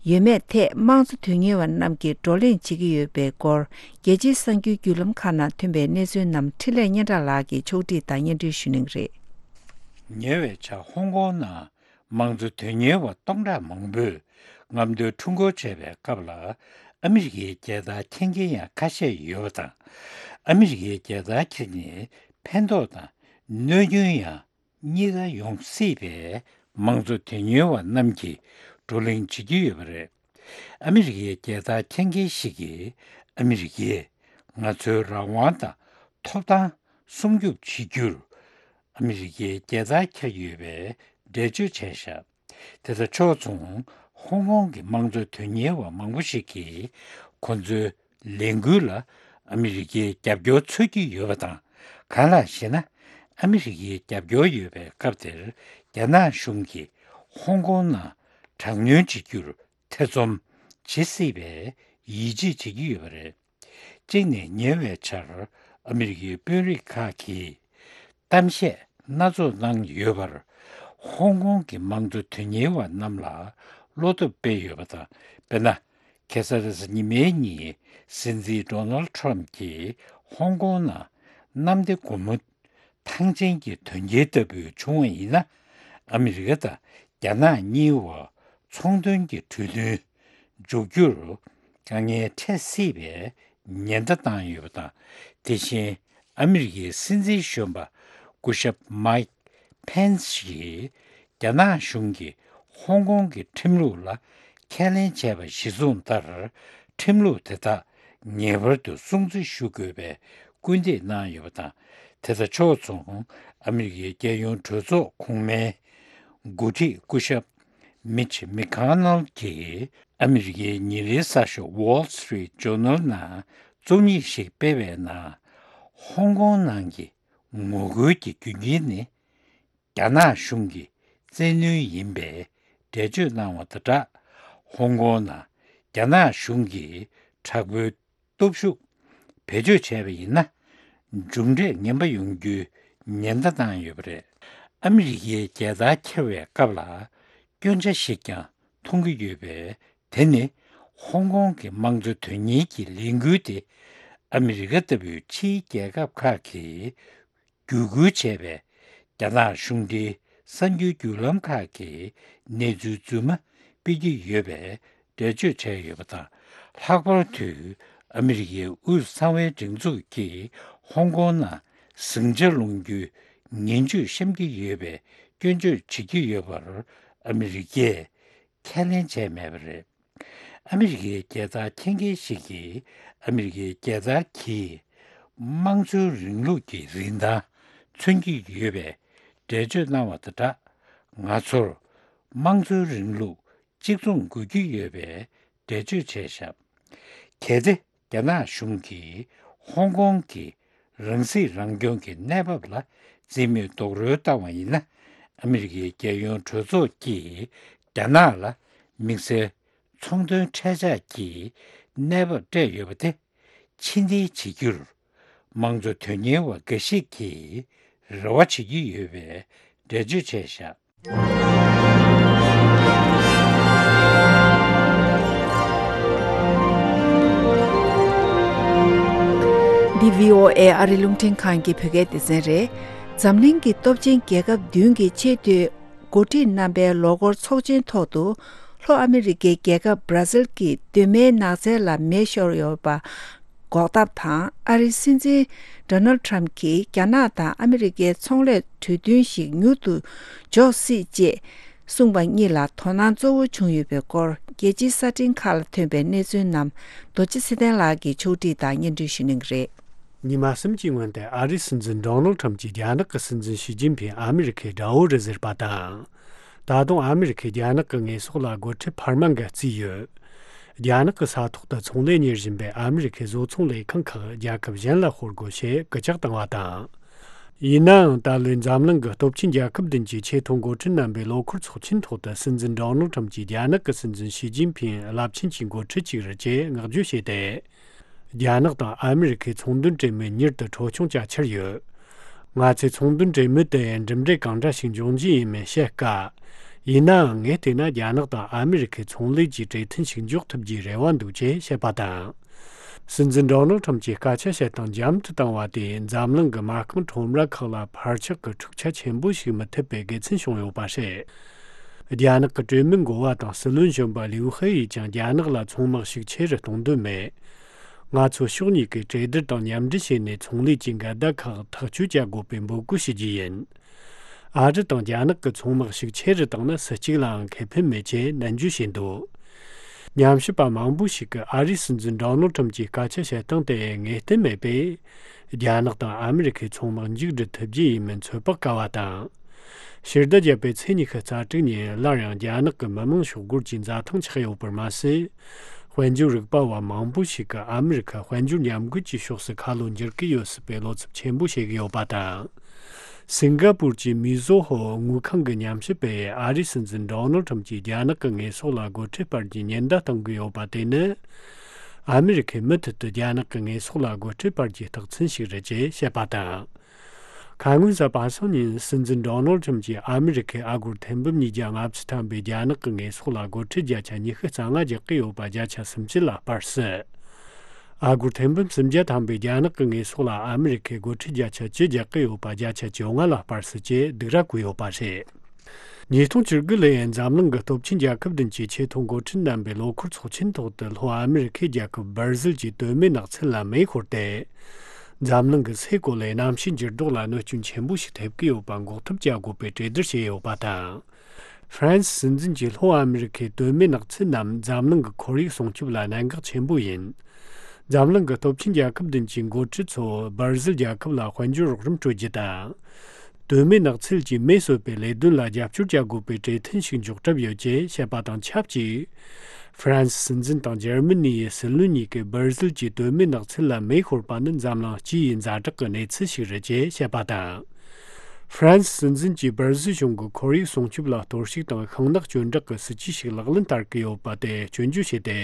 ཡོད་མེད་ཐད་དམངས་གཙོ་དོན་གཉེར་བ་རྣམས་ཀྱིས་བགྲོ་གླེང་བྱེད་ཀྱི་ཡོད་པའི་སྐོར། རྒྱལ་སྤྱིའི་གསར་འགྱུར་བརྒྱུད་ལམ་ཁག་ནང་ཐོན་པའི་གནས་ཚུལ་རྣམས་འཕྲིན་ལས་སྙན་གྲགས་ལགས་ཀྱིས་ཕྱོགས་སྒྲིག་དང་སྙན་སྒྲོན་ཞུ་གནང་གི་རེད། ཉེ་བའི་ཆར་ཧོང་ཀོང་ནང་དམངས་གཙོ་དོན་གཉེར་བ་སྟོང་ཕྲག་མང་པོས་རྔམ་སྟོན་ཁྲོམ་སྐོར་བྱས་པའི་སྐབས་ལ། ཨ་མི་རི་ཀའི་རྒྱལ་དར་འཁྱེར་མཁན་ཡང་ཁ་ཤས་ཡོད་པ་དང་། ཨ་མི་རི་ཀའི་རྒྱལ་དར་འཁྱེར་ནས་ཕན་ཐོགས་དང་གནོད་སྐྱོན་ཡང་གཉིས་ཀ་ཡོང་སྲིད་པས། དམངས་གཙོ་དོན་གཉེར་བ་རྣམས་ཀྱིས་བགྲོ་གླེང་བྱེད་ཀྱི་ཡོད་པ་རེད། ཨ་མི་རི་ཀའི་རྒྱལ་དར་འཁྱེར་མཁན་ཞིག་གིས། ཨ་མི་རི་ཀས་ང་ཚོའི་རང་དབང་དང་ཐོབ་ཐང་སྲུང་སྐྱོབ་བྱེད་རྒྱུར་ཨ་མི་རི་ཀའི་རྒྱལ་དར་འཁྱེར་ཡོད་པའི་འགྲེལ་བརྗོད་བྱས་ཤག་དེ་དང་ཕྱོགས་མཚུངས། ཧོང་ཀོང་གི་དམངས་གཙོ་དོན་གཉེར་བ་མང་པོ་ཞིག་གིས་ཁོ་ཚོའི་ལས་འགུལ་ལ་ཨ་མི་རི་ཀའི་རྒྱབ་སྐྱོར་འཚོལ་གྱི་ཡོད་པ་དང་། གང་ལགས་ཤེ་ན། ཨ་མི་རི་ཀའི་རྒྱབ་སྐྱོར་ཡོད་པའི་སྐབས་དེར། རྒྱ་ནག་གཞུང་གིས་ཧོང་ཀོང་ནང་དྲག་གནོན་བྱེད་རྒྱུར་ཐེ་ཚོམ་བྱེད་སྲིད་པའི་ཡིད་ཆེས་བྱེད་ཀྱི་ཡོད་པ་རེད། གཅིག་ནས། ཉེ་བའི་ཆར་ཨ་མི་རི་ཀའི་དཔོན་རིགས་ཁག་གིས་གཏམ་བཤད་སྣ་ཚོགས་གནང་ཡོད་པར། ཧོང་ཀོང་གི་དམངས་གཙོ་དོན་གཉེར་བ་རྣམས་ལ་བློ་སྟོབས་སྤེལ་ཡོད་པ་དང་། དཔེར་ན། ཁ་སང་རེས་གཟའ་ཉི་མའི་ཉིན་སྲིད་འཛིན་ཌོ་ནལ་ཁྲམ་གྱིས་ཧོང་ཀོང་ནང་གནམ་བདེ་སྒོ་མོ། ཐང་ཆེན་གྱི་དོན་རྐྱེན་ལྟ་བུ་བྱུང་བ་ཡིན་ན། ཨ་མི་རི་ཀ་དང་རྒྱ་ནག་གཉིས་བར་ཚོང་དོན་གྱི་གྲོས་མཐུན་འཇོག་རྒྱུར་དཀའ་ངལ་འཕྲད་སྲིད་པའི་ཉེན་བརྡ་བཏང་ཡོད་པ་དང་། དེ་བཞིན་ཨ་མི་རི་ཀའི་སྲིད་འཛིན་གཞོན་པ་སྐུ་ཞབས་མའིག་ཕེན་སི་ཡིས་རྒྱ་ནག་གཞུང་གིས་ཧོང་ཀོང་གི་ཁྲིམས་ལུགས་ལ་ཁས་ལེན་བྱས་པ་གཞིར་བཟུང་ལྟར། ཁྲིམས་ལུགས་དེ་དག་ངེས་པར་དུ་སྲུང་བརྩི་ཞུ་དགོས་པའི་སྐུལ་འདེད་གནང་ཡོད་པ་དང་། དེ་དང་ཕྱོགས་མཚུངས། ཨ་མི་རི་ཀའི་རྒྱལ་ཡོངས་གྲོས་ཚོགས་གོང་མའི་འགོ་ཁྲིད་སྐུ་ཞབས་མིཆ་མེ་ཁོ་ནལ་གྱིས་ཨ་མི་རི་ཀའི་ཉིན་རེའི་གསར་ཤོག་Wall Street Journal ནང་རྩོམ་ཡིག་ཞིག་སྤེལ་བའི་ནང་། ཧོང་ཀོང་ནང་གི་ངོ་རྒོལ་གྱི་རྒྱུ་རྐྱེན་ནི། རྒྱ་ནག་གཞུང་གི་བཙན་གནོན་ཡིན་པའི་འགྲེལ་བརྗོད་གནང་བ་དང་སྦྲགས། ཧོང་ཀོང་ནང་རྒྱ་ནག་གཞུང་གིས་དྲག་པོའི་སྟོབས་ཤུགས་བེད་སྤྱོད་བྱས་པ་ཡིན་ན། མཇུག་འབྲས་ངན་པ་ཡོང་རྒྱུའི་ཉེན་བརྡ་བཏང་ཡོད་པ་རེད། ཨ་མི་རི་ཀའི་རྒྱལ་དར་འཁྱེར་བའི་སྐབས་ལ་སྐྱོན་ཆ་ཞིག་ཀྱང་མཐོང་གི་ཡོད་པས། དེ་ནི་ཧོང་ཀོང་གི་དམངས་གཙོ་དོན་གཉེར་གྱི་ལས་འགུལ་དེ་ཨ་མི་རི་ཀ་ལྟ་བུའི་ཕྱིའི་རྒྱལ་ཁབ་ཁག་གིས་བརྒྱུད་སྐུལ་བྱས་པའི་རྒྱ་ནག་གཞུང་འབྲེལ་གསར་འགྱུར་བརྒྱུད་ལམ་ཁག་གིས་གནས་ཚུལ་རྫུན་མ་སྤེལ་གྱི་ཡོད་པའི་འགྲེལ་བརྗོད་བྱས་ཡོད་པ་དང་། ལྷག་པར་དུ་ཨ་མི་རི་ཀའི་དབུས་གཙང་བའི་སྒྲིག་འཛུགས་ཀྱིས་ཧོང་ཀོང་ནང་ཟིང་ཆ་སློང་རྒྱུའི་ངན་ཇུས་བཤམས་ཀྱི་ཡོད་པའི་སྐྱོན་བརྗོད་བྱེད་ཀྱི་ཡོད་པར་ཨ་མི་རི་ཀས་ཁས་ལེན་བྱས་མེད་པ་རེད། ཨ་མི་རི་ཀའི་རྒྱལ་དར་འཁྱེར་མཁན་ཞིག་གིས་ཨ་མི་རི་ཀའི་རྒྱལ་དར་གྱིས་དམངས་གཙོའི་རིང་ལུགས་ཀྱི་རིན་ཐང་མཚོན་གྱི་ཡོད་པའི་འགྲེལ་བརྗོད་གནང་བ་དང་སྦྲགས། ང་ཚོར་དམངས་གཙོའི་རིང་ལུགས་གཅིག་མཚུངས་དགོས་ཀྱི་ཡོད་པའི་འགྲེལ་བརྗོད་བྱས་བཞག་གལ་ཏེ་རྒྱ་ནག་གཞུང་གིས་ཧོང་ཀོང་གི་རང་སྲིད་རང་སྐྱོང་གི་གནས་བབ་ལ་རྩིས་མེད་རྡོག་རོལ་བཏང་བ་ཡིན་ན། ཨ་མི་རི་ཀའི་རྒྱལ་ཡོངས་གྲོས་ཚོགས་ཀྱིས་རྒྱ་ནག་ལ་དམིགས་བསལ་ཚོང་དོན་འཕྲལ་ཆག་གི་གནས་བབ་སྤྲད་ཡོད་པ་དེ་ཕྱིར་འཐེན་བྱེད་རྒྱུར་དམངས་གཙོ་དོན་གཉེར་བ་འགའ་ཞིག་གིས་རེ་བ་བྱེད་ཀྱི་ཡོད་པའི་འགྲེལ་བརྗོད་བྱས་བཞག་འདི་བྷི་ཨོ་ཨེ་ཨ་རི་རླུང་འཕྲིན་ཁང་གི་བོད་སྐད་སྡེ་ཚན་རེད། འཛམ་གླིང་གི་སྟོབས་ཆེན་རྒྱལ་ཁབ་བདུན་གྱི་ཆེས་མཐོའི་འགོ་ཁྲིད་རྣམ་པའི་ལོ་འཁོར་ཚོགས་ཆེན་ཐོག་ཏུ། ལྷོ་ཨ་མི་རི་ཀའི་རྒྱལ་ཁབ་བར་ཛིལ་གྱི་གདོད་མའི་ནགས་ཚལ་ལ་མེ་ཤོར་ཡོད་པ་འགོག་ཐབས་དང་། ཨ་རིའི་སྲིད་འཛིན་ཌོ་ནལ་ཁྲམ་གྱིས་རྒྱ་ནག་དང་ཨ་མི་རི་ཀའི་ཚོང་ལས་གྲོས་མཐུན་ཞིག་མྱུར་དུ་འཇོག་སྲིད་ཅེས་གསུངས་པ་གཉིས་ལ་དོ་སྣང་གཙོ་བོ་བྱུང་ཡོད་པའི་སྐོར། རྒྱལ་སྤྱིའི་གསར་འཕྲིན་ཁག་ལ་ཐོན་པའི་གནས་ཚུལ་རྣམས་རྡོ་རྗེ་ཚེ་བརྟན་ལགས་ཀྱིས་ཕྱོགས་སྒྲིག་དང་སྙན་སྒྲོན་ཞུ་གནང་གི་རེད། ཉི་མ་གསུམ་གྱི་སྔོན་དུ་ཨ་རིའི་སྲིད་འཛིན་ཌོ་ནལ་ཁྲམ་གྱིས་རྒྱ་ནག་གི་སྲིད་འཛིན་ཞི་ཅིན་ཕིང་ཨ་མི་རི་ཁའི་དགྲ་བོ་རེད་ཟེར་བ་དང་། ད་དུང་ཨ་མི་རི་ཁས་རྒྱ་ནག་གི་ངོས་ཕྱོགས་ལ་སྒོ་ཁྲལ་འཕར་མ་འགའ་བརྩིས་ཡོད། རྒྱ་ནག་གི་ས་ཐོག་ཏུ་ཚོང་ལས་གཉེར་བཞིན་པའི་ཨ་མི་རི་ཁའི་བཟོ་ཚོང་ལས་ཁང་ཁག་རྒྱལ་ཁབ་གཞན་ལ་ཤོར་དགོས་ཞེས་སྐུལ་ལྕག་བཏང་བ་དང་། ཡིན་ནའང་ད་ལོའི་འཛམ་གླིང་གི་སྟོབས་ཆེན་རྒྱལ་ཁབ་བདུན་གྱི་ཆེས་མཐོའི་འགོ་ཁྲིད་རྣམ་པའི་ལོ་འཁོར་ཚོགས་ཆེན་ཐོག་ཏུ་སྲིད་འཛིན་ཌོ་ནལ་ཁྲམ་གྱིས་རྒྱ་ནག་གི་སྲིད་འཛིན་ཞི་ཅིན་ཕིང་རླབས་ཆེན་གྱི་འགོ་ཁྲིད་ཅིག་རེད་ཅེས་བསྔགས་བརྗོད་བྱས་ཏེ། རྒྱ་ནག་དང་ཨ་མི་རི་ཁའི་ཚོང་དོན་གྲོས་མོལ་མྱུར་དུ་འཕྲོ་སྐྱོང་བྱ་འཆར་ཡོད། ང་ཚོས་ཚོང་དོན་གྲོས་མོལ་དེ་ཡང་གྲུབ་འབྲས་གང་འདྲ་ཞིག་འབྱུང་རྒྱུ་ཡིན་མིན་བཤད་དཀའ། ཡིན་ནའང་ངས་བལྟས་ན་རྒྱ་ནག་དང་ཨ་མི་རི་ཁའི་ཚོང་ལས་ཀྱི་གྲོས་མཐུན་ཞིག་འཇོག་ཐུབ་རྒྱུའི་རེ་བ་འདུག་ཅེས་བཤད་པ་དང་། སྲིད་འཛིན་ཌོ་ནལ་ཁྲམ་གྱིས་སྐད་ཆ་བཤད་སྟངས་འཇམ་དུ་བཏང་བ་དེས་འཛམ་གླིང་གི་མ་རྐང་ཁྲོམ་ར་ཁག་ལ་འཕར་ཆག་གི་འཁྲུག་ཆ་ཆེན་པོ་ཞིག་མི་ཐེབས་པའི་དགེ་མཚན་བྱུང་ཡོད་པ་རེད། རྒྱ་ནག་གི་གྲོས་མོལ་འགོ་བ་དང་སྲིད་བློན་གཞོན་པ་ལིའུ་ཧེ་ཡིས་ཀྱང་རྒྱ་ནག་ལ་ཚོང་དམག་ཤུགས་ཆེ་རུ་གཏོང་འདོད་མེད། ང་ཚོ་ཕྱོགས་གཉིས་ཀས་གྲོས་བསྡུར་དང་མཉམ་འབྲེལ་བྱས་ནས་ཚོང་ལས་ཀྱི་འགལ་ཟླ་ཁག་ཐག་གཅོད་བྱ་དགོས་པའི་འབོད་སྐུལ་ཞུ་རྒྱུ་ཡིན། ཨ་རི་དང་རྒྱ་ནག་གི་ཚོང་དམག་ཤུགས་ཆེ་རུ་བཏང་ན་སུ་གཅིག་ལའང་ཁེ་ཕན་མེད་ཅེས་ནན་བརྗོད་བྱས་འདུག་ཉམས་ཞིབ་པ་མང་པོ་ཞིག་གིས་ཨ་རིའི་སྲིད་འཛིན་ཌོ་ནལ་ཁྲམ་གྱི་སྐད་ཆ་བཤད་སྟངས་དེ་ངེས་གཏན་མེད་པས། རྒྱ་ནག་དང་ཨ་མི་རི་ཁའི་ཚོང་དམག་མཇུག་སྒྲིལ་ཐུབ་རྒྱུ་ཡིན་མིན་ཚོད་དཔག་དཀའ་བ་དང་། ཕྱི་ཟླ་བརྒྱད་པའི་ཚེས་ཉི་ཤུ་རྩ་དྲུག་ཉིན་སླར་ཡང་རྒྱ་ནག་གི་མི་དམངས་ཤོག་སྒོར་གྱི་འཛའ་ཐང་ཆགས་ཡོད་པར་མ་ཟད། དཔལ་འབྱོར་རིག་པ་བ་མང་པོ་ཞིག་གིས་ཨ་མི་རི་ཁ་དཔལ་འབྱོར་ཉམས་རྒུད་ཀྱི་ཕྱོགས་སུ་ཁ་ལོ་འགྱུར་གྱི་ཡོད་སྲིད་པའི་བློ་འཚབ་ཆེན་པོ་བྱེད་ཀྱི་ཡོད་པ་དང་། སིང་ག་པུར་གྱི་མི་ཛོ་ཧོ་དངུལ་ཁང་གི་ཉམས་ཞིབ་པས་ཨ་རིའི་སྲིད་འཛིན་ཌོ་ནལ་ཁྲམ་གྱིས་རྒྱ་ནག་གི་ངོས་ཕྱོགས་ལ་སྒོ་ཁྲལ་སྤར་རྒྱུའི་ཉེན་བརྡ་གཏོང་གི་ཡོད་པ་དེ་ནི། ཨ་མི་རི་ཁས་མུ་མཐུད་དུ་རྒྱ་ནག་གི་ངོས་ཕྱོགས་ལ་སྒོ་ཁྲལ་སྤར་རྒྱུའི་རྟགས་མཚན་ཞིག་རེད་ཅེས་བཤད་པ་དང་། ཁ་སྔོན་གཟའ་པ་སངས་ཉིན་སྲིད་འཛིན་ཌོ་ནལ་ཁྲམ་གྱིས་ཨ་མི་རི་ཁས་ཨ་སྒོར་ཐེར་འབུམ་ཉིས་བརྒྱ་ལྔ་བཅུ་ཐམ་པའི་རྒྱ་ནག་གི་ངོས་ཕྱོགས་ལ་སྒོ་ཁྲལ་བརྒྱ་ཆ་ཉི་ཤུ་རྩ་ལྔ་རྒྱག་གི་ཡོད་པ་བརྒྱ་ཆ་སུམ་ཅུ་ལ་སྤར་སྲིད། ཨ་སྒོར་ཐེར་འབུམ་སུམ་བརྒྱ་ཐམ་པའི་རྒྱ་ནག་གི་ངོས་ཕྱོགས་ལ་ཨ་མི་རི་ཁས་སྒོ་ཁྲལ་བརྒྱ་ཆ་བཅུ་རྒྱག་གི་ཡོད་པ་བརྒྱ་ཆ་བཅོ་ལྔ་ལ་སྤར་སྲིད་ཅེས་སྡིགས་ར་བསྐུལ་ཡོད་པ་རེད། ཉིས་སྟོང་བཅུ་དགུ་ལོའི་འཛམ་གླིང་གི་སྟོབས་ཆེན་རྒྱལ་ཁབ་བདུན་གྱི་ཆེས་མཐོའི་འགོ་ཁྲིད་རྣམ་པའི་ལོ་འཁོར་ཚོགས་ཆེན་ཐོག་ཏུ་ལྷོ་ཨ་མི་རི་ཁའི་རྒྱལ་ཁབ་སྦར་ཟིལ་གྱི་གདོད་མའི་ནགས་ཚལ་ལ་མེ་ཤོར་ཏེ། འཛམ་གླིང་གི་སའི་གོ་ལའི་གནམ་གཤིས་འགྱུར་ལྡོག་ལ་གནོད་སྐྱོན་ཆེན་པོ་ཞིག་ཐེབས་ཀྱི་ཡོད་པ་འགོག་ཐབས་བྱ་དགོས་པའི་གྲོས་བསྡུར་བྱས་ཡོད་པ་དང་། ཧྥ་རན་སི་སྲིད་འཛིན་གྱིས་ལྷོ་ཨ་མི་རི་ཁའི་གདོད་མའི་ནགས་ཚལ་རྣམས་འཛམ་གླིང་གི་ཁོར་ཡུག་སྲུང་སྐྱོབ་ལ་གནད་འགག་ཆེན་པོ་ཡིན། འཛམ་གླིང་གི་སྟོབས་ཆེན་རྒྱལ་ཁབ་བདུན་གྱི་འགོ་ཁྲིད་ཚོ་སྦར་ཟིལ་རྒྱལ་ཁབ་ལ་དཔལ་འབྱོར་རོགས་རམ་སྤྲོད་རྒྱུ་དང་། གདོད་མའི་ནགས་ཚལ་གྱི་མེ་གསོད་པའི་ལས་དོན་ལ་རྒྱབ་སྐྱོར་བྱ་དགོས་པའི་གྲོས་མཐུན་ཞིག་འཇོག་གྲབས་ཡོད་ཅེས་བཤད་པ་དང་ཆབས་ཅིག་ཧྥ་རན་སི་སྲིད་འཛིན་དང་འཇར་མ་ནི་ཡི་སྲིད་བློན་གཉིས་ཀས་སྦར་ཟིལ་གྱི་གདོད་མའི་ནགས་ཚལ་ལ་མེ་ཤོར་པ་ནི་འཛམ་གླིང་སྤྱི་ཡི་ཛ་དྲག་གི་གནས་ཚུལ་ཞིག་རེད་ཅེས་བཤད་པ་དང་། ཧྥ་རན་སི་སྲིད་འཛིན་གྱིས་སྦར་ཟིལ་གཞུང་གི་ཁོར་ཡུག་སྲུང་སྐྱོབ་ལ་གཏོར་བཤིག་དང་ཤིང་ནགས་གྱོན་བྲག་གི་སྲིད་ཇུས་ཤིག་ལག་ལེན་བསྟར་གྱི་ཡོད་པ་དེ་སྐྱོན་བརྗོད་བྱས་ཏེ།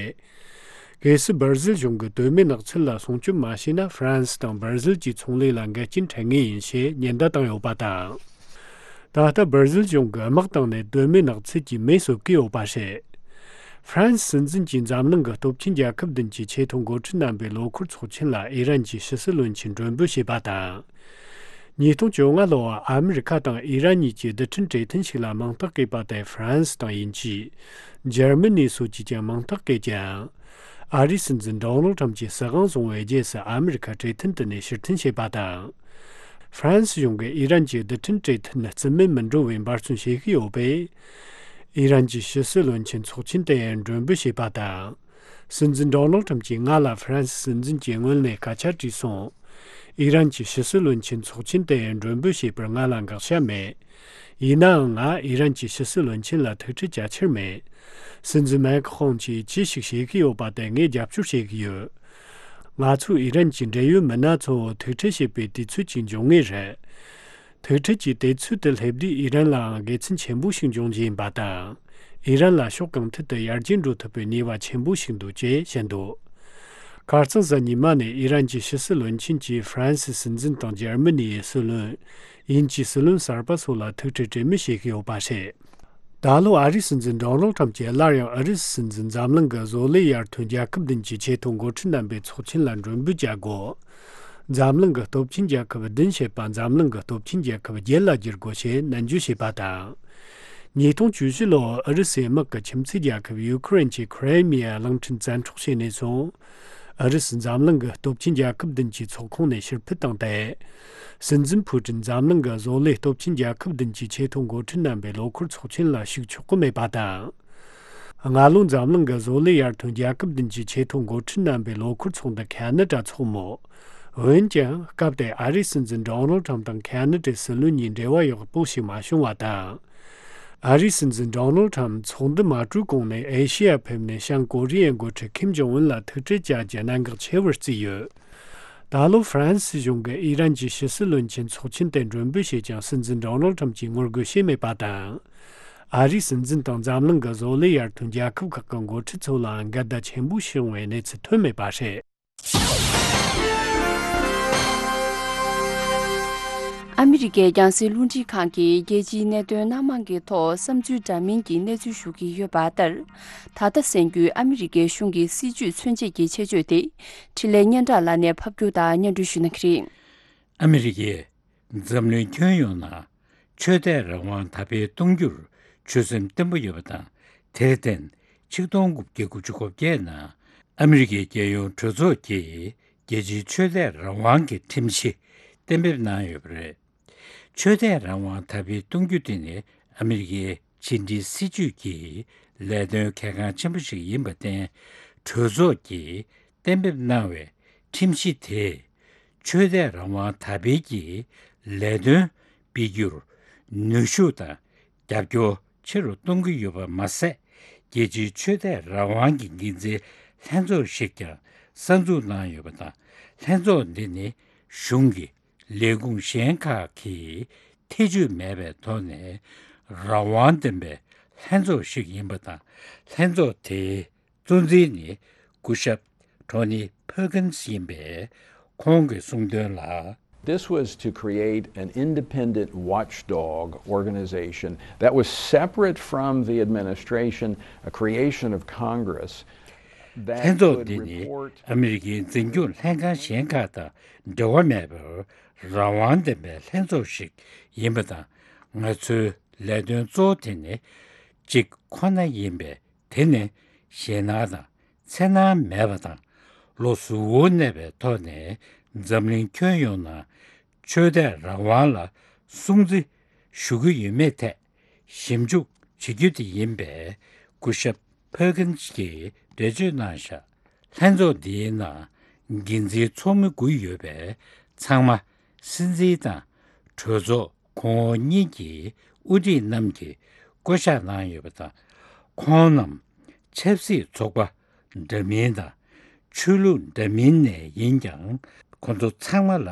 གལ་སྲིད་སྦར་ཟིལ་གཞུང་གིས་གདོད་མའི་ནགས་ཚལ་ལ་སྲུང་སྐྱོབ་མ་བྱས་ན། ཧྥ་རན་སི་དང་སྦར་ཟིལ་གྱི་ཚོང་ལས་ལ་འགལ་རྐྱེན་འཕྲད་ངེས་ཡིན་ཞེས་ཉེན་བརྡ་བཏང་ཡོད་པ་དང་། ད་ལྟ་སྦར་ཟིལ་གཞུང་གིས་དམག་བཏང་ནས་གདོད་མའི་ནགས་ཚལ་གྱི་མེ་གསོད་ཀྱི་ཡོད་པ་རེད། ཧྥ་རན་སི་སྲིད་འཛིན་གྱིས་འཛམ་གླིང་གི་སྟོབས་ཆེན་རྒྱལ་ཁབ་བདུན་གྱི་ཆེས་མཐོའི་འགོ་ཁྲིད་རྣམ་པའི་ལོ་འཁོར་ཚོགས་ཆེན་ལ་ཨི་རན་གྱི་ཕྱི་སྲིད་བློན་ཆེན་མགྲོན་འབོད་བྱས་པ་དང་། ཉིས་སྟོང་བཅོ་ལྔ་ལོར་ཨ་མི་རི་ཁ་དང་ཨི་རན་གཉིས་ཀྱི་རྡུལ་ཕྲན་གྲོས་མཐུན་ཞིག་ལ་མིང་རྟགས་བཀོད་པ་དེར་ཧྥ་རན་སི་དང་དབྱིན་ཇི། འཇར་མ་ནི་སོགས་ཀྱིས་ཀྱང་མིང་རྟགས་བཀོད་ཀྱང་། ཨ་རིའི་སྲིད་འཛིན་ཌོ་ནལ་ཁྲམ་གྱིས་སྲིད་དབང་བཟུང་བའི་རྗེས་སུ་ཨ་མི་རི་ཁ་གྲོས་མཐུན་དེ་ནས་ཕྱིར་འཐེན་བྱས་པ་དང་། ཧྥ་རན་སི་གཞུང་གིས་ཨི་རན་གྱི་རྡུལ་ཕྲན་གྲོས་མཐུན་རྩིས་མེད་མི་འགྲོ་བའི་འབད་བརྩོན་བྱེད་ཀྱི་ཡོད་པས། ཨི་རན་གྱི་ཕྱི་སྲིད་བློན་ཆེན་ཚོགས་ཆེན་དེ་མགྲོན་འབོད་བྱས་པ་དང་། སྲིད་འཛིན་ཌོ་ནལ་ཁྲམ་གྱིས་ང་ལ་ཧྥ་རན་སི་སྲིད་འཛིན་གྱི་ངོས་ནས་སྐད་ཆ་དྲིས་སོང་། ཨི་རན་གྱི་ཕྱི་སྲིད་བློན་ཆེན་ཚོགས་ཆེན་དེ་མགྲོན་འབོད་བྱས་པར་ང་ལ་དགག་བྱ་མེད། ཡིན་ནའང་ང་ཨི་རན་གྱི་ཕྱི་སྲིད་བློན་ཆེན་ལ་ཐུག་འཕྲད་བྱ་འཆར་མེད། སྲིད་འཛིན་མེག་ཁོང་གིས་ཅི་ཞིག་བྱེད་ཀྱི་ཡོད་པ་དེ་ངས་རྒྱབ་སྐྱོར་བྱེད་ཀྱི་ཡོད། ང་ཚོའི་ཨི་རན་གྱི་འབྲེལ་ཡོད་མི་སྣ་ཚོ་ཐུག་འཕྲད་བྱེད་པའི་དུས་ཚོད་ཅིག་འབྱུང་ངེས་རེད། ཐུག་འཕྲད་ཀྱི་དུས་ཚོད་དེ་སླེབས་དུས་ཨི་རན་ལའང་དགེ་མཚན་ཆེན་པོ་ཞིག་འབྱུང་རྒྱུ་ཡིན་པ་དང་། ཨི་རན་ལ་ཕྱོགས་གང་ཐད་དུ་ཡར་རྒྱས་འགྲོ་ཐུབ་པའི་ནུས་པ་ཆེན་པོ་ཞིག་འདུག་ཅེས་བཤད་འདུག་ཁ་རྩང་གཟའ་ཉི་མ་ནས་ཨི་རན་གྱི་ཕྱི་སྲིད་བློན་ཆེན་གྱིས་ཧྥ་རན་སིའི་སྲིད་འཛིན་དང་འཇར་མ་ནིའི་སྲིད་བློན། དབྱིན་ཇིའི་སྲིད་བློན་གསར་པ་སོགས་ལ་ཐུག་འཕྲད་གྲོས་མོལ་བྱེད་ཀྱི་ཡོད་པ་རེད། ད་ལོ་ཨ་རིའི་སྲིད་འཛིན་ཌོ་ནལ་ཁྲམ་གྱིས་སླར་ཡང་ཨུ་རུ་སུའི་སྲིད་འཛིན་འཛམ་གླིང་གི་བཟོ་ལས་ཡར་ཐོན་རྒྱལ་ཁབ་བདུན་གྱི་ཆེས་མཐོའི་འགོ་ཁྲིད་རྣམ་པའི་ཚོགས་ཆེན་ལ་མགྲོན་འབོད་བྱ་དགོས། འཛམ་གླིང་གི་སྟོབས་ཆེན་རྒྱལ་ཁབ་བདུན་བྱེད་པ་འཛམ་གླིང་གི་སྟོབས་ཆེན་རྒྱལ་ཁབ་བརྒྱད་ལ་བསྒྱུར་དགོས་ཞེས་ནན་བརྗོད་བྱས་པ་དང་། ཉིས་སྟོང་བཅུ་བཞི་ལོར་ཨུ་རུ་སུའི་དམག་གིས་ཁྱིམ་མཚེས་རྒྱལ་ཁབ་ཡུ་ཁུ་རེན་གྱི་ཁི་རེ་མི་ཡ་གླིང་ཕྲན་བཙན་འཕྲོག་བྱས་ནས་བཟུང་། ཨུ་རུ་སུ་འཛམ་གླིང་གི་སྟོབས་ཆེན་རྒྱལ་ཁབ་བདུན་གྱི་ཚོགས་ཁོངས་ནས་ཕྱིར་འཕུད་བཏང་སྟེ། སྲིད་འཛིན་ཕུ་ཀྲིན་འཛམ་གླིང་གི་བཟོ་ལས་སྟོབས་ཆེན་རྒྱལ་ཁབ་བདུན་གྱི་ཆེས་མཐོའི་འགོ་ཁྲིད་རྣམ་པའི་ལོ་འཁོར་ཚོགས་ཆེན་ལ་ཞུགས་ཆོག་གི་མེད་པ་དང་། སྔ་ལོ་འཛམ་གླིང་གི་བཟོ་ལས་ཡར་ཐོན་རྒྱལ་ཁབ་བདུན་གྱི་ཆེས་མཐོའི་འགོ་ཁྲིད་རྣམ་པའི་ལོ་འཁོར་ཚོགས་འདུ་ཁ་ན་ཌ་ཚོགས་མོ། འོན་ཀྱང་སྐབས་དེར་ཨ་རིའི་སྲིད་འཛིན་ཌོ་ནལ་ཁྲམ་དང་ཁ་ན་ཌའི་སྲིད་བློན་གཉིས་འབྲེལ་བ་ཡག་པོ་ཞིག་མ་བྱུང་བ་དང་། ཨ་རིའི་སྲིད་འཛིན་ཌོ་ནལ་ཁྲམ་ཚོགས་འདུ་མ་གྲོལ་གོང་ནས་ཨེ་ཤི་ཡར་ཕེབས་ནས་བྱང་ཀོ་རི་ཡའི་འགོ་ཁྲིད་ཁིམ་ཇོང་ཨུན་ལ་ཐུག་འཕྲད་བྱ་རྒྱུ་གནད་འགག་ཆེ་བར་བརྩིས་ཡོད། ད་ལོ་ཧྥ་རན་སི་གཞུང་གིས་ཨི་རན་གྱི་ཕྱི་སྲིད་བློན་ཆེན་ཚོགས་ཆེན་དེ་མགྲོན་འབོད་བྱས་ཀྱང་སྲིད་འཛིན་ཌོ་ནལ་ཁྲམ་གྱིས་ངོ་རྒོལ་བྱས་མེད་པ་དང་། ཨ་རིའི་སྲིད་འཛིན་དང་འཛམ་གླིང་གི་བཟོ་ལས་ཡར་ཐོན་རྒྱལ་ཁབ་ཁག་གི་འགོ་ཁྲིད་ཚོ་ལའང་འགལ་ཟླ་ཆེན་པོ་བྱུང་བའི་གནས་ཚུལ་ཐོན་མེད་པ་རེད། ཨ་མི་རི་ཀའི་རྒྱང་སྲིང་རླུང་འཕྲིན་ཁང་གིས་རྒྱལ་སྤྱིའི་གནད་དོན་སྣ་མང་གི་ཐོག་བསམ་ཚུལ་འདྲ་མིན་གྱི་གནས་ཚུལ་ཞུ་གི་ཡོད་པ་ལྟར། ད་ལྟ་གསན་རྒྱུའི་ཨ་མི་རི་ཀའི་གཞུང་གི་སྲིད་ཇུས་མཚོན་བྱེད་ཀྱི་ཆེད་བརྗོད་དེ། འཕྲིན་ལས་སྙན་གྲགས་ལགས་ནས་ཕབ་སྒྱུར་དང་སྙན་སྒྲོན་ཞུ་གནང་གི་རེད། ཨ་མི་རི་ཀས་འཛམ་གླིང་ཁྱོན་ཡོངས་ནང་ཆོས་དད་རང་དབང་དར་སྤེལ་གཏོང་རྒྱུར་ཆོད་སེམས་བརྟན་པོ་ཡོད་པ་དང་། དེར་བརྟེན། ཆིག་སྟོང་དགུ་བརྒྱ་དགུ་བཅུ་གོ་བརྒྱད་ནང་ཨ་མི་རི་ཀའི་རྒྱལ་ཡོངས་གྲོས་ཚོགས་ཀྱིས་རྒྱལ་སྤྱིའི་ཆོས་དད་རང་དབང་གི་ཁྲིམས་གཞི་གཏན་འབེབས་གནང་ཡོད་པ་རེད། ཆོས་དད་རང་དབང་དར་སྤེལ་གཏོང་རྒྱུ་དེ་ནི་ཨ་མི་རི་ཀའི་ཕྱི་འབྲེལ་སྲིད་ཇུས་ཀྱི་ལས་དོན་གལ་འགངས་ཆེན་པོ་ཞིག་ཡིན་པར་བརྟེན། གྲོས་ཚོགས་ཀྱིས་གཏན་འབེབས་གནང་བའི་ཁྲིམས་གཞི་དེས་ཆོས་དད་རང་དབང་དར་སྤེལ་གྱི་ལས་དོན་སྤེལ་རྒྱུར་ནུས་ཤུགས་དང་རྒྱབ་སྐྱོར་ཆེ་རུ་གཏོང་གི་ཡོད་པ་མ་ཟད། རྒྱལ་སྤྱིའི་ཆོས་དད་རང་དབང་གི་འགན་འཛིན་ལྷན་ཚོགས་ཤིག་ཀྱང་གསར་འཛུགས་གནང་ཡོད་པ་དང་། ལྷན་ཚོགས་འདི་ནི་གཞུང་གི་ལས་ཁུངས་གཞན་ཁག་གིས་ཐེ་བྱུས་མེད་པའི་ཐོག་ནས་རང་དབང་ལྡན་པའི་ལྷན་ཚོགས་ཤིག་ཡིན་པ་དང་། ལྷན་ཚོགས་དེའི་གཙོ་འཛིན་ནི་སྐུ་ཞབས་ཊོ་ནི་ཕར་ཀིན་སི་ཡིན་པས། ཁོང་གིས་གསུངས་དོན་ལ། This was to create an independent watchdog organization that was separate from the administration, a creation of Congress that ལྷན་ཚོགས་འདི་ནི་ཨ་མི་རི་ཀའི་འཛིན་སྐྱོང་ལྷན་ཁང་གཞན་ཁག་དང་འབྲེལ་བ་མེད་པར་རང་དབང་ལྡན་པའི་ལྷན་ཚོགས་ཤིག་ཡིན་པ་དང་། ང་ཚོའི་ལས་དོན་གཙོ་བོ་དེ་ནི་གཅིག་ཁོ་ན་ཡིན་པས། དེ་ནི་ཞེད་སྣང་དང་འཚེར་སྣང་མེད་པ་དང་། བློ་གཟུ་བོར་གནས་པའི་ཐོག་ནས་འཛམ་གླིང་ཁྱོན་ཡོངས་ནང་ཆོས་དད་རང་དབང་ལ་སྲུང་བརྩི་ཞུ་གི་ཡོད་མེད་ཐད་ཞིབ་འཇུག་བྱེད་རྒྱུ་དེ་ཡིན་པས། སྐུ་ཞབས་ཕར་ཀིན་སི་གིས་འགྲེལ་བརྗོད་གནང་བཞག་ལྷན་ཚོགས་འདིའི་ནང་འགན་འཛིན་ཚོགས་མི་དགུ་ཡོད་པས། ཚང་མ་སྲིད་འཛིན་དང་གྲོས་ཚོགས་གོང་འོག་གཉིས་ཀྱི་དབུ་ཁྲིད་རྣམས་ཀྱིས་བསྐོ་གཞག་གནང་ཡོད་པ་དང་། ཁོང་རྣམས་ཆབ་སྲིད་ཚོགས་པ་འདྲ་མིན་དང་ཆོས་ལུགས་འདྲ་མིན་ནས་ཡིན་ཀྱང་། ཁོང་ཚོ་ཚང་མ་ལ་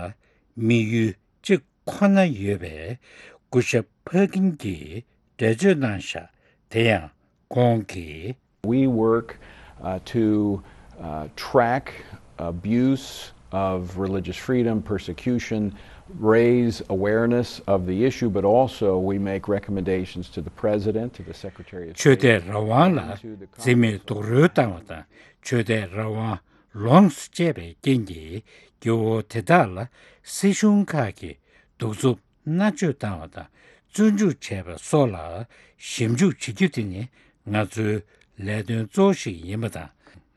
དམིགས་ཡུལ་གཅིག་ཁོ་ན་ཡོད་པས། སྐུ་ཞབས་ཕར་ཀིན་གྱིས་འགྲེལ་བརྗོད་གནང་བཞག་དེ་ཡང་ཁོང་གིས། We work, uh, to, uh, track abuse of religious freedom, persecution, raise awareness of the issue, but also we make recommendations to the President, to the Secretary of State, and to the Congress. ཆོས་དད་རང་དབང་ལ་བརྩི་མེད་རྡོག་རོལ་བཏང་བ་དང་། ཆོས་དད་རང་དབང་ལོངས་སུ་སྤྱད་པའི་རྐྱེན་གྱིས་སྐྱེ་བོ་དེ་དག་ལ་སྲིད་གཞུང་ཁག་གིས་གདུག་རྩུབ་མནར་གཅོད་བཏང་བ་དང་། བཙོན་འཇུག་བྱས་པ་སོགས་ལ་ཞིབ་འཇུག་བྱེད་རྒྱུ་དེ་ནི་ང་ཚོའི་ལས་དོན་གཙོ་བོ་ཞིག་ཡིན་པ་དང་།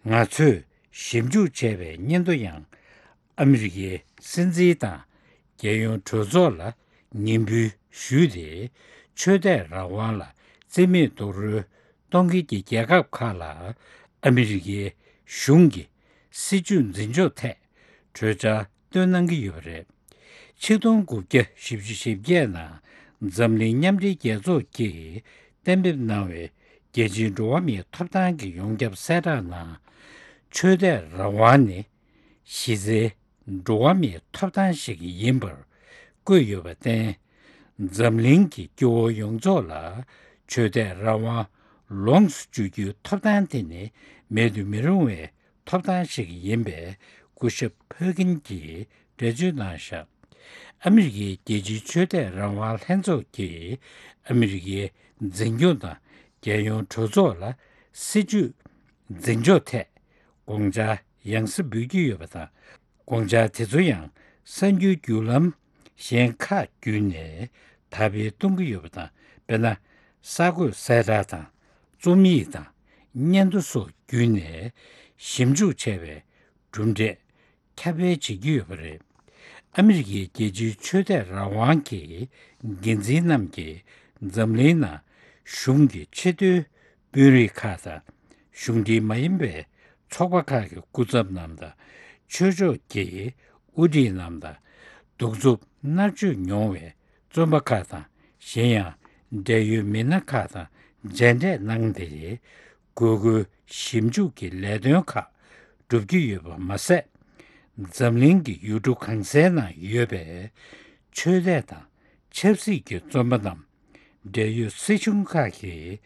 ང་ཚོས་ཞིབ་འཇུག་བྱས་པའི་སྙན་ཐོ་ཡང་ཨ་མི་རི་ཀའི་སྲིད་འཛིན་དང་རྒྱལ་ཡོངས་གྲོས་ཚོགས་ལ་ངེས་འབུལ་ཞུས་ཏེ། ཆོས་དད་རང་དབང་ལ་བརྩི་མེད་རྡོག་རོལ་གཏོང་མཁན་གྱི་རྒྱལ་ཁབ་ཁག་ལ་ཨ་མི་རི་ཀའི་གཞུང་གི་སྲིད་ཇུས་འཛིན་ཕྱོགས་ཐད་གྲོས་འཆར་བཏོན་གནང་གི་ཡོད་པ་རེད། ཆིག་སྟོང་དགུ་བརྒྱ་བཞི་བཅུ་ཞེ་བརྒྱད་ནང་འཛམ་གླིང་མཉམ་འབྲེལ་རྒྱལ་ཚོགས་ཀྱིས་གཏན་འབེབས་གནང་བའི་རྒྱལ་སྤྱིའི་འགྲོ་བ་མིའི་ཐོབ་ཐང་གི་ཡོངས་ཁྱབ་གསལ་བསྒྲགས་ནང་། ཆོས་དད་རང་དབང་ནི་གཞི་རྩའི་འགྲོ་བ་མིའི་ཐོབ་ཐང་ཞིག་ཡིན་པར་བཀོད་ཡོད་པར་བརྟེན། འཛམ་གླིང་གི་སྐྱེ་བོ་ཡོངས་རྫོགས་ལ་ཆོས་དད་རང་དབང་ལོངས་སུ་སྤྱོད་རྒྱུའི་ཐོབ་ཐང་དེ་ནི་མེད་དུ་མི་རུང་བའི་ཐོབ་ཐང་ཞིག་ཡིན་པའི་སྐུ་ཞབས་ཕར་ཀིན་གྱིས་འགྲེལ་བརྗོད་གནང་བཞག་ཨ་མི་རི་ཀའི་རྒྱལ་སྤྱིའི་ཆོས་དད་རང་དབང་ལྷན་ཚོགས་ཀྱིས་ཨ་མི་རི་ཀའི་འཛིན་སྐྱོང་དང་རྒྱལ་ཡོངས་གྲོས་ཚོགས་ལ་སྲིད་ཇུས་འཛིན་ཕྱོགས་ཐད་དགོངས་འཆར་ཡང་སེ་འབུལ་གྱི་ཡོད་པ་དང་། དགོངས་འཆར་དེ་ཚོ་ཡང་ གསར་འགྱུར་བརྒྱུད་ལམ་གཞན་ཁག་བརྒྱུད་ནས་དར་སྤེལ་གཏོང་གི་ཡོད་པ་དང་། དཔེར་ན། གསར་འགོད་གསལ་བསྒྲགས་དང་རྩོམ་ཡིག་དང་སྙན་ཐོ་སོགས་བརྒྱུད་ནས་ཞིབ་འཇུག་བྱས་པའི་གྲུབ་འབྲས་ཁྱབ་སྤེལ་བྱེད་ཀྱི་ཡོད་པ་རེད། ཨ་མི་རི་ཀའི་རྒྱལ་སྤྱིའི་ཆོས་དད་རང་དབང་གི་འགན་འཛིན་རྣམས་ཀྱིས་འཛམ་གླིང་ནང་གཞུང་གི་ཆེས་མཐོའི་དཔོན་རིགས་ཁག་དང་། གཞུང་འབྲེལ་མ་ཡིན་པའི་ཚོགས་པ་ཁག་གི་སྐུ་ཚབ་རྣམས་དང་། ཆོས་ཕྱོགས་ཀྱི་དབུ་ཁྲིད་རྣམས་དང་། གདུག་རྩུབ་མནར་གཅོད་མྱོང་བའི་བཙོན་པ་ཁག་དང་། གཞན་ཡང་འབྲེལ་ཡོད་མི་སྣ་ཁག་དང་མཇལ་འཕྲད་གནང་སྟེ། དགོས་མཁོའི་ཞིབ་འཇུག་གི་ལས་དོན་ཁག་སྒྲུབ་ཀྱི་ཡོད་པ་མ་ཟད། འཛམ་གླིང་གི་ཡུལ་གྲུ་གང་སའི་ནང་ཡོད་པའི་ཆོས་དད་དང་ཆབ་སྲིད་ཀྱི་བཙོན་པ་རྣམས་འབྲེལ་ཡོད་སྲིད་གཞུང་ཁག་གིས་